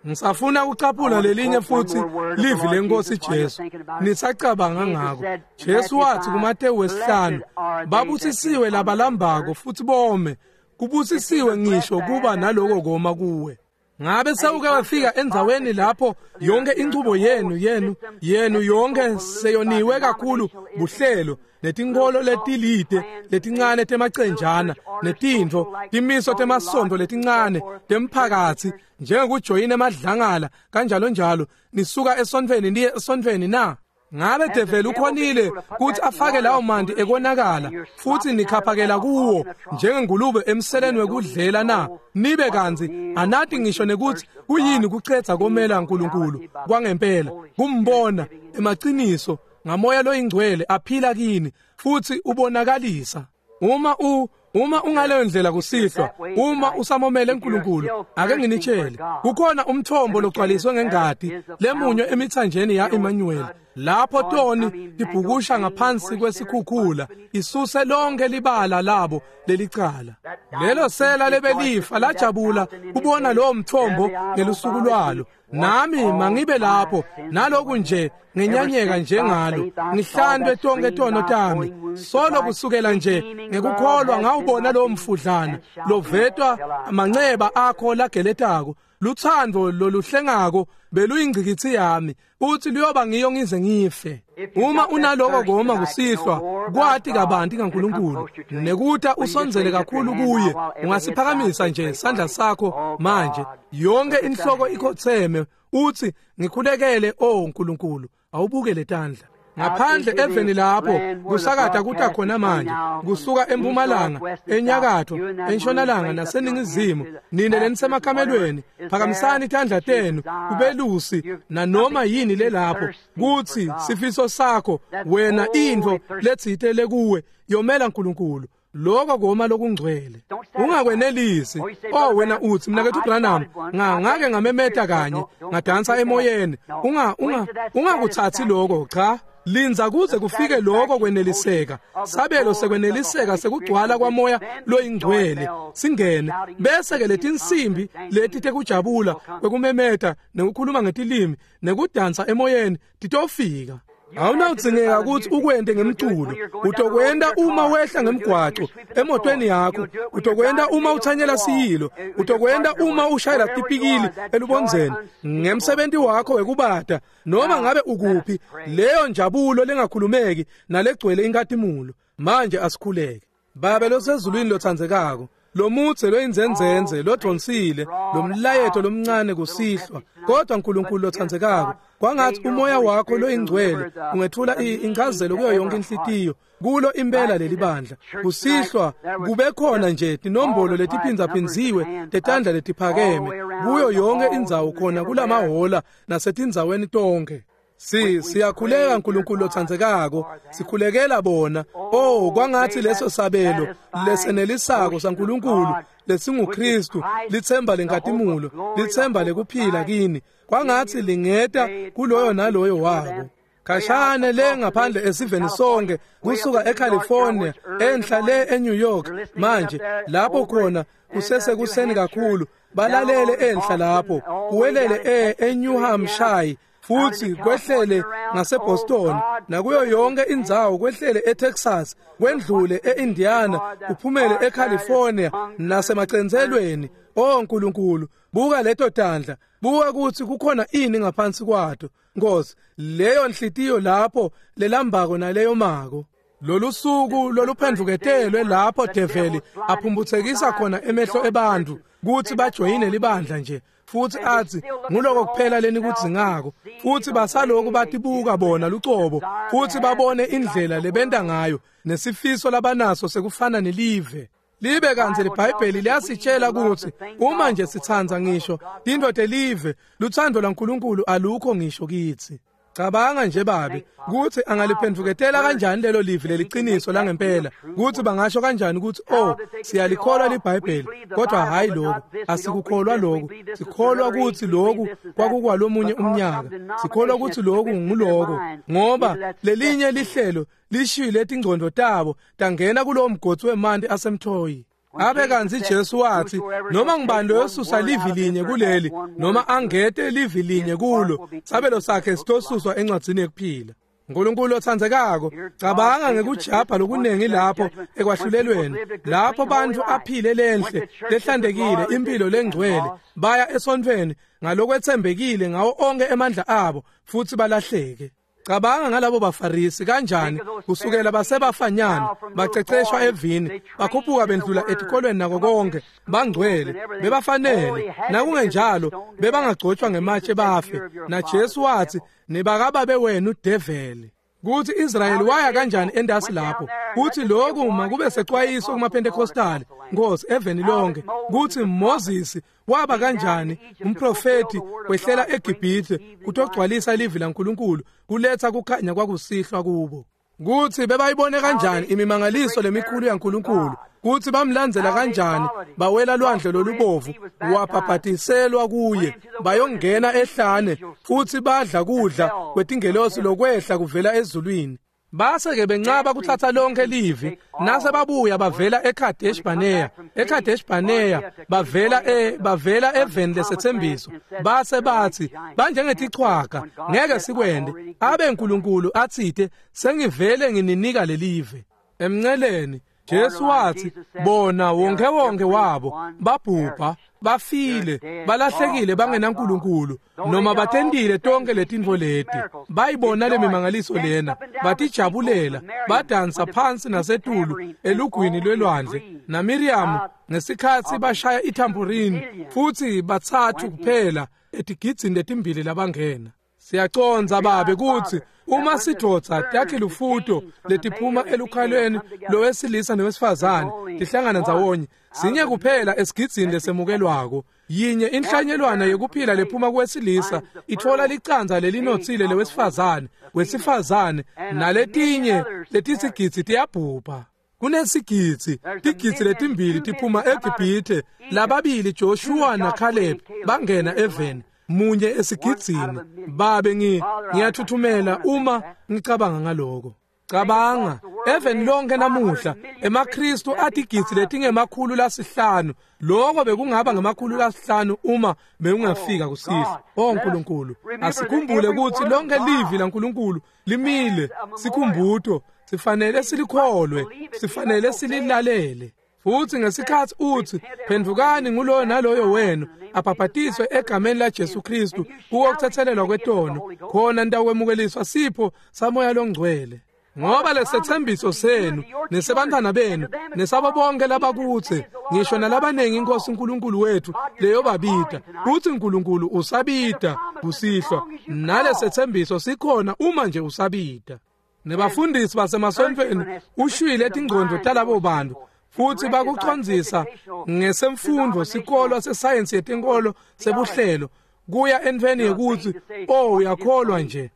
Ngisafuna ukucaphula lelinye futhi livi lenkosi Jesu. Nisacabanga ngako. Jesu wathi kuMateyu wesihlanu, babusisiwe labalambako futhi bome Kubusisiwe ngisho kuba naloko koma kuwe. Ngabe sewuke wafika endzaweni lapho yonke inchubo yenu yenu yenu yonke seyoniwe kakhulu buhlelo netinkholo letilide letincane temacenjana netintfo timiso temasonto letincane temphakatsi njengekujoyina emadlangala kanjalo njalo nisuka esontfweni niye esontfweni na? Ngabe develi ukhonile kutsi afake lawo manti ekonakala futsi nikhaphakela kuwo njengengulube emseleni wekudlela na? Nibe kantsi anati ngisho nekutsi kuyini kucedza komela uNkulunkulu kwangempela kumbona emaciniso ngamoya loyingcwele aphila kini futsi ubonakalisa. Uma u uma ungaleyo ndlela kusihlwa, uma usamomele uNkulunkulu, ake nginitshele, kukhona umthombo logcwaliswe ngengati lemunywe emithanjeni ya Emmanuel, lapho toni tibhukusha ngaphansi kwesikhukhula isuse lonke libala labo lelicala. Lelo sela lebelifa lajabula kubona lowo mthombo ngelusuku lwalo. Nami mangibe lapho naloku nje ngenyanyeka njengalo, ngihlantwe tonke tono tami. Solo kusukela nje ngekukholwa ngawubona lowo mfudlana lovetwa amanceba akho lageletako. Luthando loluhlengako beluyingcikitsi yami, uthi luyoba ngiyo ngize ngife. Uma unaloko koma kusihlwa kwati kabanti kaNkulunkulu nekuta usondzele kakhulu kuye, ungasiphakamisa nje sandla sakho manje, yonke inhloko ikhotseme, uthi ngikhulekele, o Nkulunkulu. Awubuke letandla ngaphandle eveni lapho kusakata kuta khona manje, kusuka empumalanga, enyakatho, entshonalanga naseningizimu. Nine lenisemakamelweni, phakamisani tandla tenu kubelusi nanoma yini lelapho, kutsi sifiso sakho wena intfo letsite lekuwe yomela uNkulunkulu. Lokho koma lokungcwele ungakwenelisi. Oh wena uthi mnakethu Branham, ngake ngamemeta kanye ngadansa emoyeni. Unga unga ungakuthathi lokho, cha. Linza kuze kufike lokho kweneliseka, sabelo sekweneliseka sekugcwala kwamoya loyingcwele singene, bese ke letinsimbi leti tekujabula kwekumemeta nekukhuluma ngetilimi nekudansa emoyeni titofika. Awunawudzingeka ukuthi ukwente ngemculo, utokwenta uma wehla ngemgwaco emotweni yakho, utokwenta uma uthanyela siyilo, utokwenta uma ushayela tipikili elubondzeni ngemsebenti wakho wekubata, noma ngabe ukuphi. Leyo njabulo lengakhulumeki nalegcwele inkatimulo. Manje asikhuleke. Babe losezulwini lotsandzekako, lomutse loyinzenzenze lodvonsile lomlayeto lomncane kusihlwa, kodwa Nkulunkulu lotsandzekako, kwangathi umoya wakho loyingcwele ungethula incazelo kuyo yonke inhlitiyo kulo impela lelibandla kusihlwa. Kube khona nje tinombolo letiphindzaphindziwe tetandla letiphakeme kuyo yonke indzawo khona kulamahola nasetindzaweni tonke. Si siyakhuleka Nkulunkulu lotsandzekako, sikhulekela bona. Oh kwangathi leso sabelo lesenelisako saNkulunkulu lesinguKristu, litsemba lenkatimulo, litsemba lekuphila kini, kwangathi lingeta kuloyo naloyo wabo. Khashane le ngaphandle esiveni sonke, kusuka eCalifornia enhla le eNew York manje lapho khona kusesekuseni kakhulu, balalele enhla lapho, kuwelele eNew Hampshire, futhi kwehlele ngaseBoston, nakuyo yonke indzawo, kwehlele eTexas, kwendlule eIndiana, kuphumele eCalifornia nasemacentselweni. Oh Nkulunkulu, buka leto tandla, buka ukuthi kukhona ini ngaphansi kwato, Nkosi, leyo nhliziyo lapho lelambako naleyo mako. Lolu suku loluphendvuketelwe lapho develi aphumbutsekisa khona emehlo ebantfu kutsi bajoyine libandla nje, futhi athi nguloko kuphela lenikudzingako, futhi basaloku batibuka bona lucobo, futhi babone indlela lebenta ngayo nesifiso labanaso sekufana nelive. Libe kantsi liBhayibheli liyasitshela ukuthi uma nje sitsandza ngisho tintfo telive, lutsandvo lwaNkulunkulu alukho ngisho kitsi. Cabanga nje babe kutsi angaliphendvuketela kanjani lelo livi leliciniso langempela, kutsi bangasho kanjani kutsi oh siyalikholwa liBhayibheli, kodwa hayi lokhu, asikukholwa lokhu, sikholwa kutsi lokhu kwakukwalomunye umnyaka, sikholwa kutsi lokhu nguloko, ngoba lelinye lihlelo lishile tingcondo tabo tangena kulowo mgodzi wemanti asemthoyi. Abe kantsi Jesu wathi noma ngibani loyosusa livi linye kuleli noma angete livi linye kulo, sabelo sakhe sitosuswa encwadzini yekuphila. Nkulunkulu otsandzekako, cabanga ngekujabha lokunengi lapho ekwahlulelweni, lapho bantfu aphile lenhle lehlantekile impilo lengcwele, baya esontfweni ngalokwetsembekile ngawo onke emandla abo futsi balahleke. Cabanga ngalabo baFarisi kanjani kusukela basebafanyana baceceshwa evini, bakhuphuka bendlula etikolweni nako konke, bangcwele bebafanele, nakungenjalo bebangagcotshwa ngematshe bafe. Na Jesu wathi, "Nibakababe wenu develi." Kuthi Israyeli waya kanjani endasi lapho, kuthi lokhu makube secwayiso kumaPentecostal, Nkosi, eveni lonke, kuthi Moses waba kanjani umprofeti wehlela eGibhithe kutogcwalisa livi laNkulunkulu, kuletha kukhanya kwakusihlwa kubo. Kuthi bebayibone kanjani imimangaliso lemikhulu yaNkulunkulu, kuthi bamlandzela kanjani, bawela lwandle lolubovu, wabhabhatiselwa kuye, bayongena ehlane futhi badla kudla kwetingelosi lokwehla kuvela ezulwini. Base-ke bencaba kuthatha lonke livi, nase babuya bavela eKadesh Barnea, eKadesh Barnea bavela e bavela eveni lesethembiso, base bathi banjengetichwaga, ngeke sikwende, abe uNkulunkulu athite, "Sengivele ngininika lelive." Emnceleni Jesu wathi, "Bona wonke wonke wabo babhubha, bafile, balahlekile bangenaNkulunkulu, noma batentile tonke letintfo leti, bayibona lemimangaliso lena, batijabulela, badansa phansi nasetulu elugwini lwelwandle naMiriam ngesikhatsi bashaya ithamburini, futhi batsatfu kuphela etigidzini letimbili labangena." Siyacondza babe kutsi uma sidvodza takhe lufuto letiphuma elukhalweni lowesilisa nowesifazane tihlangana ndzawonye, sinye kuphela esigidzini lesemukelwako. Yinye inhlanyelwana yekuphila lephuma kuwesilisa itfola licandza lelinotsile lewesifazane, wesifazane naletinye letisigidzi tiyabhubha. Kunesigidzi tigidzi letimbili tiphuma eGibhithe, lababili Joshua naCaleb bangena eveni, munye esigidzini. Babe, ngi ngiyathuthumela uma ngicabanga ngaloko. Cabanga eveni lonke namuhla emaKristu atigidzi letingemakhulu lasihlanu, lokho bekungaba ngemakhulu lasihlanu uma bekungafika kusihlwa. Oh Nkulunkulu, asikhumbule ukuthi lonke livi laNkulunkulu limile sikhumbuto, sifanele silikholwe, sifanele sililalele. Futhi ngesikhathi uthi, "Phendvukani nguloyo naloyo wenu abhabhatiswe egameni laJesu Kristu kuwo kuthethelelwa kwetono, khona nitawukwemukeliswa sipho samoya longcwele, ngoba lesethembiso senu nesebantwana benu nesabo bonke labakutse, ngisho nalabaningi iNkosi uNkulunkulu wethu leyobabita." Uthi uNkulunkulu usabita kusihlwa, nalesethembiso sikhona uma nje usabita. Nebafundisi basemasontfweni ushwile tingcondvo talabo bantu futhi bakucondzisa ngesemfundo sikolo sesayensi yetenkolo sebuhlelo kuya entfweni yekutsi, "Oh, uyakholwa nje."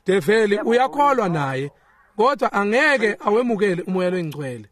Develi uyakholwa naye, kodwa angeke awemukele umoya longcwele.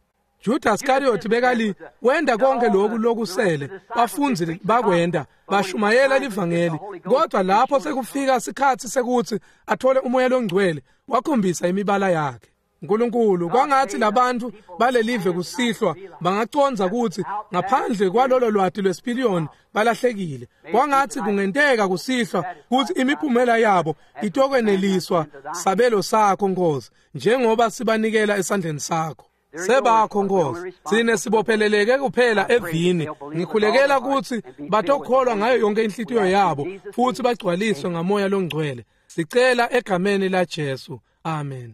Judas Iscariot bekali wenda konke lokhu lokusele bafundzi bakwenda, bashumayela livangeli, kodwa lapho sekufika sikhatsi sekutsi athole umoya longcwele, wakhombisa imibala yakhe. Nkulunkulu, kwangathi labantu balelive kusihlwa bangacondza kutsi ngaphandle kwalolo lwati lwesipiliyoni balahlekile. Kwangathi kungenteka kusihlwa kutsi imiphumela yabo itokweneliswa sabelo sakho, Nkosi, njengoba sibanikela esandleni sakho. Sebakho, Nkosi, sine sibopheleleke kuphela evini. Ngikhulekela kutsi batokholwa ngayo yonke inhlitiyo yabo futhi bagcwaliswe ngamoya longcwele. Sicela egameni la Jesu, amen.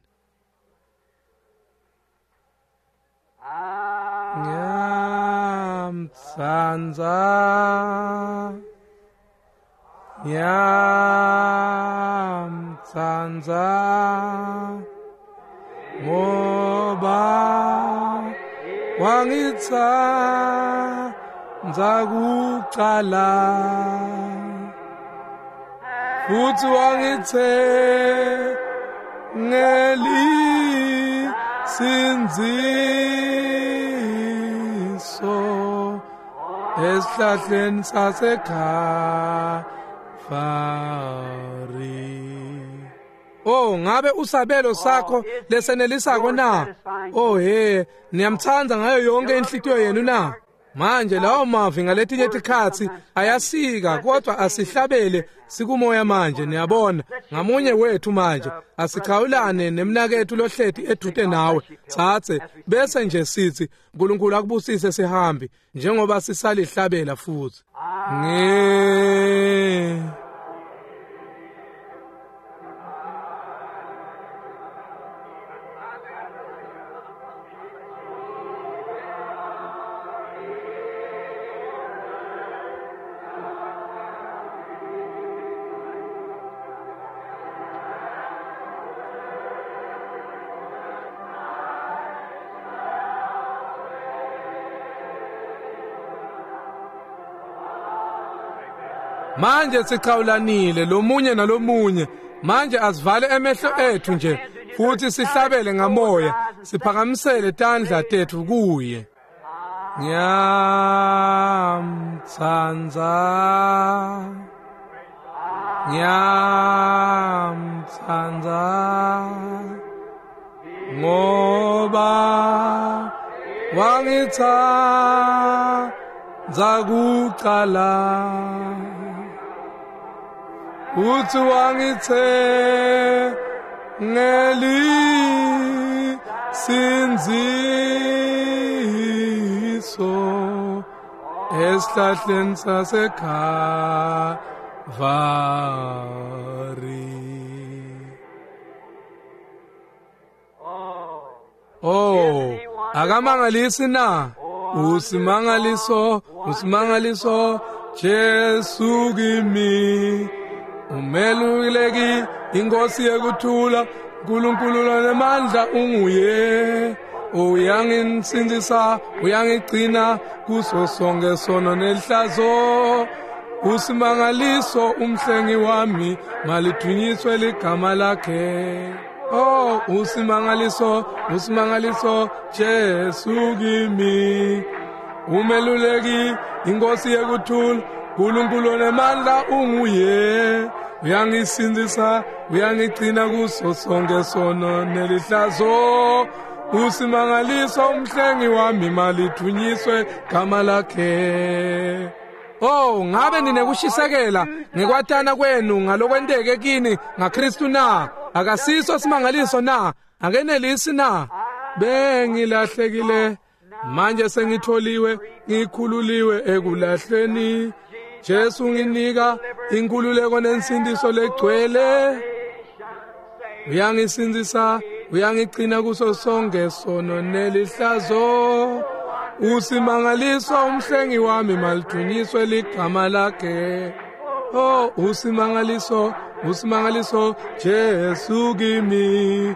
Ngiyamtsandza, ngiyamtsandza, ngoba wangitsandza kucala futhi wangithengeli sindziso esihlahleni saseKhalvari. Oh, ngabe usabelo sakho lesenelisako na? Oh he, niyamtsandza ngayo yonke inhlitiyo yenu na? Manje lawo mavi ngaletinye tikhatsi ayasika, kodwa asihlabele sikumoya manje. Niyabona, ngamunye wethu manje asichawulane nemnaketfu lohleti edvute nawe, tsatse bese nje sithi uNkulunkulu akubusise sihambi njengoba sisalihlabela futhi. Nge manje sichawulanile lomunye nalomunye. Manje asivale emehlo ethu nje futhi sihlabele ngamoya, siphakamisele tandla tethu kuye. Ngiyamtsandza, ngiyamtsandza, ngoba wangitsandza kucala. Uthi wangithe ngelisindziso esihlahleni saseKhalvari. Oh, akamangalisi na? Usimangaliso, usimangaliso Jesu kimi. Umeluleki inkosi yekuthula, uNkulunkulu lonemandla unguye. Uyangisindzisa, uyangigcina kuso sonke sono nehlazo. Usimangaliso umhlengi wami, malidunyiswe ligama lakhe. Oh, usimangaliso, usimangaliso Jesu kimi. Umeluleki inkosi yekuthula, uNkulunkulu onemandla unguye. Uyangisindzisa, uyangigcina kuso sonke sono nelihlazo. Usimangaliso umhlengi wami, malidunyiswe gama lakhe. Oh, ngabe ninekushisekela ngekwatana kwenu ngalokwenteke kini ngaKristu na? Akasiso simangaliso na? Akenelisi na? Bengilahlekile, manje sengitholiwe, ngikhululiwe ekulahleni. Jesu nginika inkululeko nensindiso legcwele. Uyangisindzisa, uyangigcina kuso sonke sono nelihlazo. Usimangaliso umhlengi wami, malidunyiswe ligama lakhe. Oh, usimangaliso, usimangaliso Jesu kimi.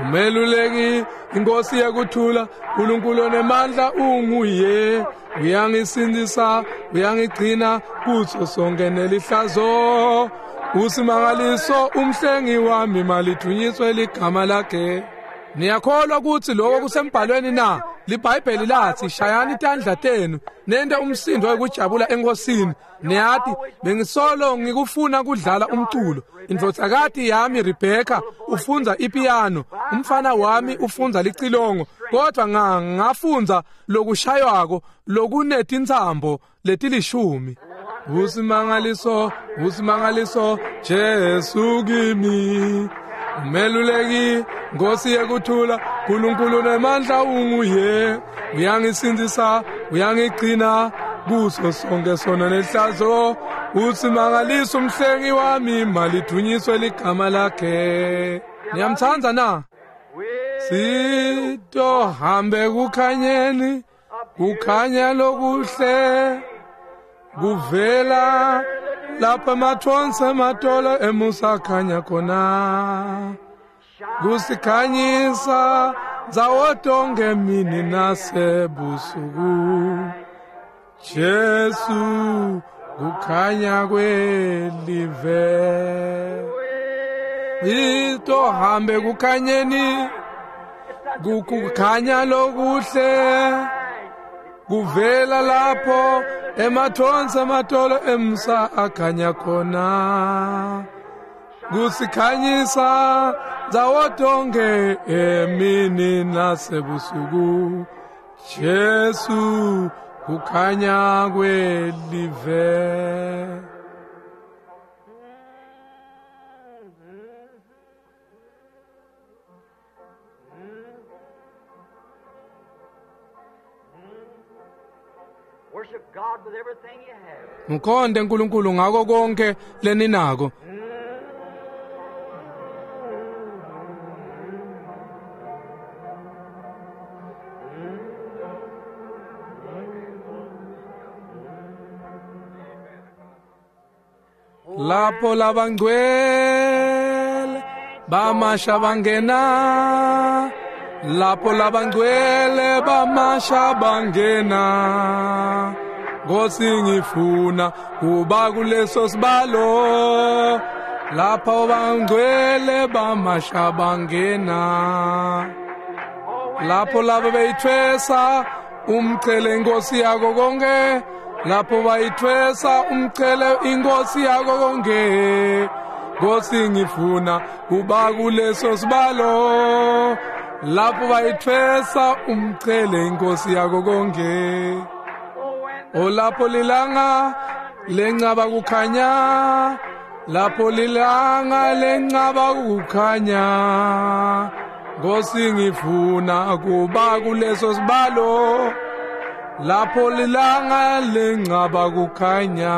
Umeluleki inkosi yekuthula, uNkulunkulu onemandla unguye. Uyangisindzisa, uyangigcina kuso sonke nelihlazo. Usimangaliso umhlengi wami, malidunyiswe ligama lakhe. Niyakholwa ukuthi lokho kusembhalweni na? LiBhayibheli lathi shayani itandla tenu nente umsindo wekujabula enkosini. Niyati, bengisolo ngikufuna kudlala umculo. Indvodzakati yami Rebecca ufundza ipiano, umfana wami ufundza licilongo, kodwa ngafundza lokushaywako lokunetintsambo letilishumi. Usimangaliso, usimangaliso Jesu kimi. Umeluleki Nkosi yekuthula, uNkulunkulu nemandla unguye. Uyangisindzisa, uyangigcina kuso sonke sono nehlazo. Usimangaliso umhlengi wami, malidunyiswe ligama lakhe. Niyamtsandza na? Sitohambe kukhanyeni, kukhanya lokuhle kuvela lapha emathonsi ematolo emusakhanya khona. Kusikhanyisa ndzawo tonke mini nasebusuku. Jesu kukhanya kwelive. Itohambe kukhanyeni, kukhanya lokuhle kuvela lapho emathonsi ematolo emsa akhanya khona. Kusikhanyisa ndzawo tonke emini nasebusuku. Jesu kukhanya kwelive. Worship God with everything you have. Mkhonde uNkulunkulu ngako konke leninako. Lapho labangcwele bamasha bangena, lapho labangcwele bamasha bangena. Nkosi ngifuna kuba kuleso sibalo, lapho bangcwele bamasha bangena. Lapho labo beyithwesa umchele inkosi yako konke, lapho bayithwesa umchele inkosi yako konke. Nkosi ngifuna kuba kuleso sibalo, lapho bayithwesa umchele inkosi yako konke. O lapho lilanga lencaba kukhanya, lapho lilanga lencaba kukhanya. Nkosi ngifuna kuba kuleso sibalo, lapho lilanga lencaba kukhanya.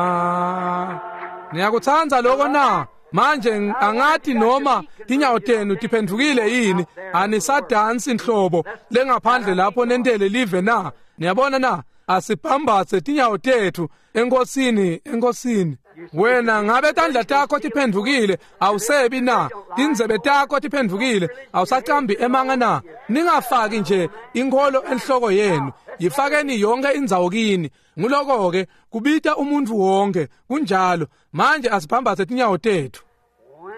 Niyakutsandza lokho na? Manje angathi noma tinyawo tenu tiphendvukile yini, anisadansi inhlobo lengaphandle lapho nentele live na? Niyabona na? Asiphambatse tinyawo tethu enkosini, enkosini. Wena ngabe tandla takho tiphendvukile, awusebi na? Tindzebe takho tiphendvukile, awusacambi emanga na? Ningafaki nje inkholo enhloko yenu, yifakeni yonke indzawo kini. Nguloko-ke kubita umuntu wonke, kunjalo. Manje asiphambatse tinyawo tethu.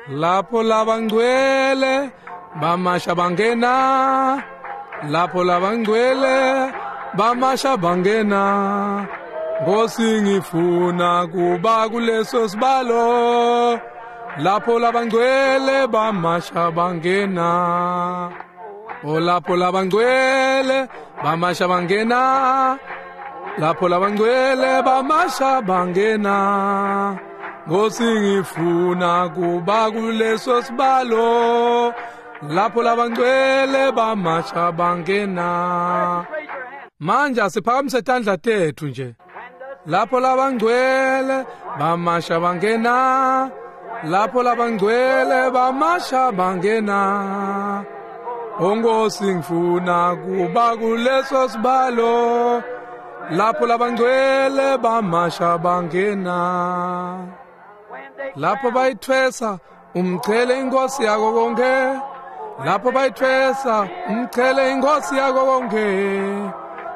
Lapho labangcwele bamasha bangena, lapho labangcwele bamasha bangena. Nkosi ngifuna kuba kuleso sibalo, lapho labangcwele bamasha bangena. O lapho labangcwele bamasha bangena, lapho labangcwele bamasha bangena. Nkosi ngifuna kuba kuleso sibalo, lapho labangcwele bamasha bangena. Manje asiphakamise tandla tethu nje. Lapho labangcwele bamasha bangena, lapho labangcwele bamasha bangena. Onkosi ngifuna kuba kuleso sibalo, lapho labangcwele bamasha bangena. Lapho bayithwesa umchele inkosi yako konke, lapho bayithwesa umchele inkosi yako konke.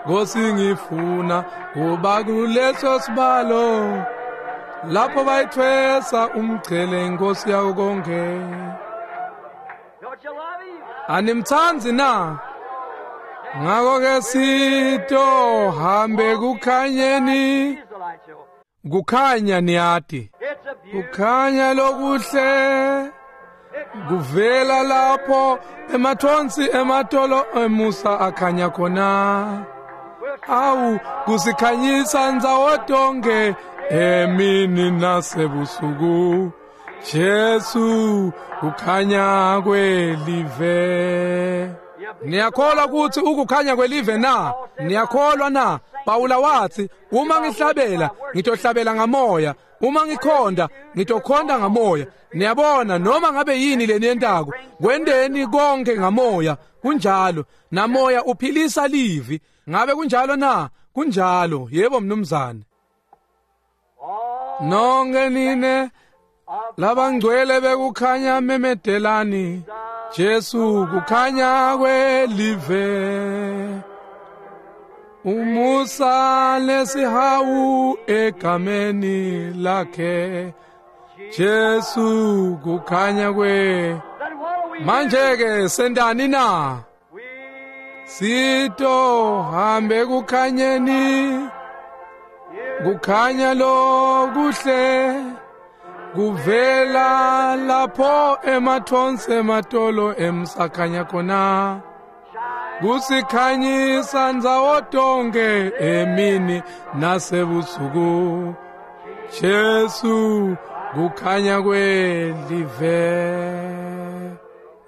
Nkosi ngifuna kuba kuleso sibalo, lapho bayithwesa umchele inkosi yako konke. Don't you love him? Animtsandzi na? Ngako ke sito hambe kukhanyeni, He's the light show. kukhanya niyati. It's a beautiful Kukhanya lokuhle kuvela lapho emathonsi ematolo emusa akhanya khona. Awu kusikhanyisa ndzawo tonke emini nasebusuku. Jesu kukhanya kwelive. Niyakholwa ukuthi ukukhanya kwelive na? Niyakholwa na? Pawula wathi, uma ngihlabela ngitohlabela ngamoya, uma ngikhonda ngitokhonda ngamoya. Niyabona, noma ngabe yini leniyentako, kwendeni konke ngamoya. Kunjalo, namoya uphilisa livi. Ngabe kunjalo na? Kunjalo, yebo mnumzane. all Nonke nine of labangcwele bekukhanya memedelani, Jesu kukhanya kwelive. Umusa lesihawu egameni lakhe, Jesu kukhanya kwe. Then what do we Manje ke sendani na? We Sito hambe kukhanyeni, kukhanya lokuhle kuvela lapho emathonsi ematolo emsakhanya khona. Kusikhanyisa ndzawo tonke emini nasebusuku. Jesu kukhanya kwelive.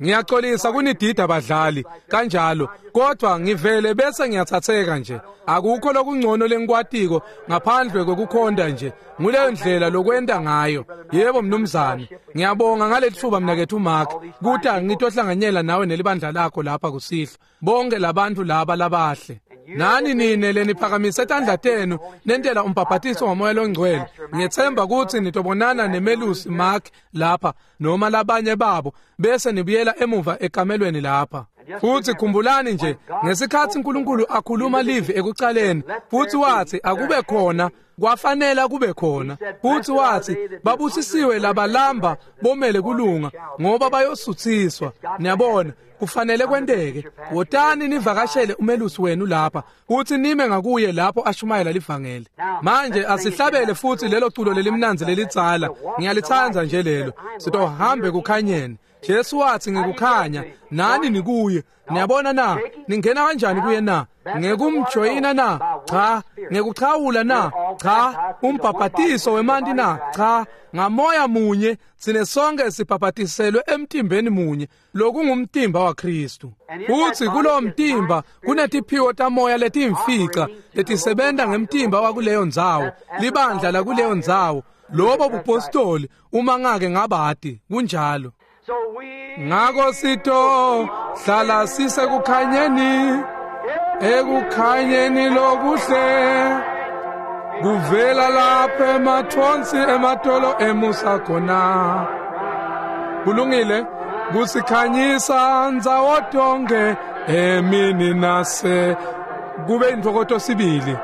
Ngiyaxolisa kunidida badlali kanjalo, kodwa ngivele bese ngiyathatheka nje. Akukho lokungcono lengikwatiko ngaphandle kokukhonda nje. Nguleyo ndlela lokwenta ngayo. Yebo mnumzane, ngiyabonga ngalethuba mnakethu Mark kuta ngitohlanganyela nawe nelibandla lakho lapha kusihlwa. Bonke labantu laba labahle. Nani nine leniphakamise tandla tenu nentela umbhabhatiso wamoya longcwele. Ngiyethemba ukuthi nitobonana nemelusi Mark lapha noma labanye babo bese nibuyela emuva ekamelweni lapha. Futhi khumbulani nje ngesikhathi uNkulunkulu akhuluma live ekucaleni futhi wathi akube khona, kwafanele kube khona. Futhi wathi babusisiwe labalamba bomele kulunga ngoba bayosuthiswa. Niyabona, kufanele kwenteke. Wotani nivakashele umelusi wenu lapha futhi nime ngakuye lapho ashumayela livangeli. Manje asihlabele futhi lelo culo lelimnanzi lelitsala. Ngiyalithanda nje lelo. Sitohambe kukhanyeni. Jesu wathi ngikukhanya nani nikuye. Niyabona na? Ningena kanjani kuye na? Ngekumjoyina na? Cha. Ngekuchawula na? Cha. Umbhabhatiso wemanti na? Cha. Ngamoya munye sine sonke sibhabhatiselwe emtimbeni munye, lokungumtimba waKristu. Futhi kulo mtimba kunetiphiwo tamoya letimfica letisebenta ngemtimba wakuleyo ndzawo, libandla lakuleyo ndzawo. Lobo bupostoli uma ngake ngabati kunjalo. Ngako sito hlala sisekukhanyeni, ekukhanyeni lokuhle kuvela lapha emathonsi ematolo emusa khona. Kulungile, kusikhanyisa ndzawo tonke emini nase kube intokoto sibili.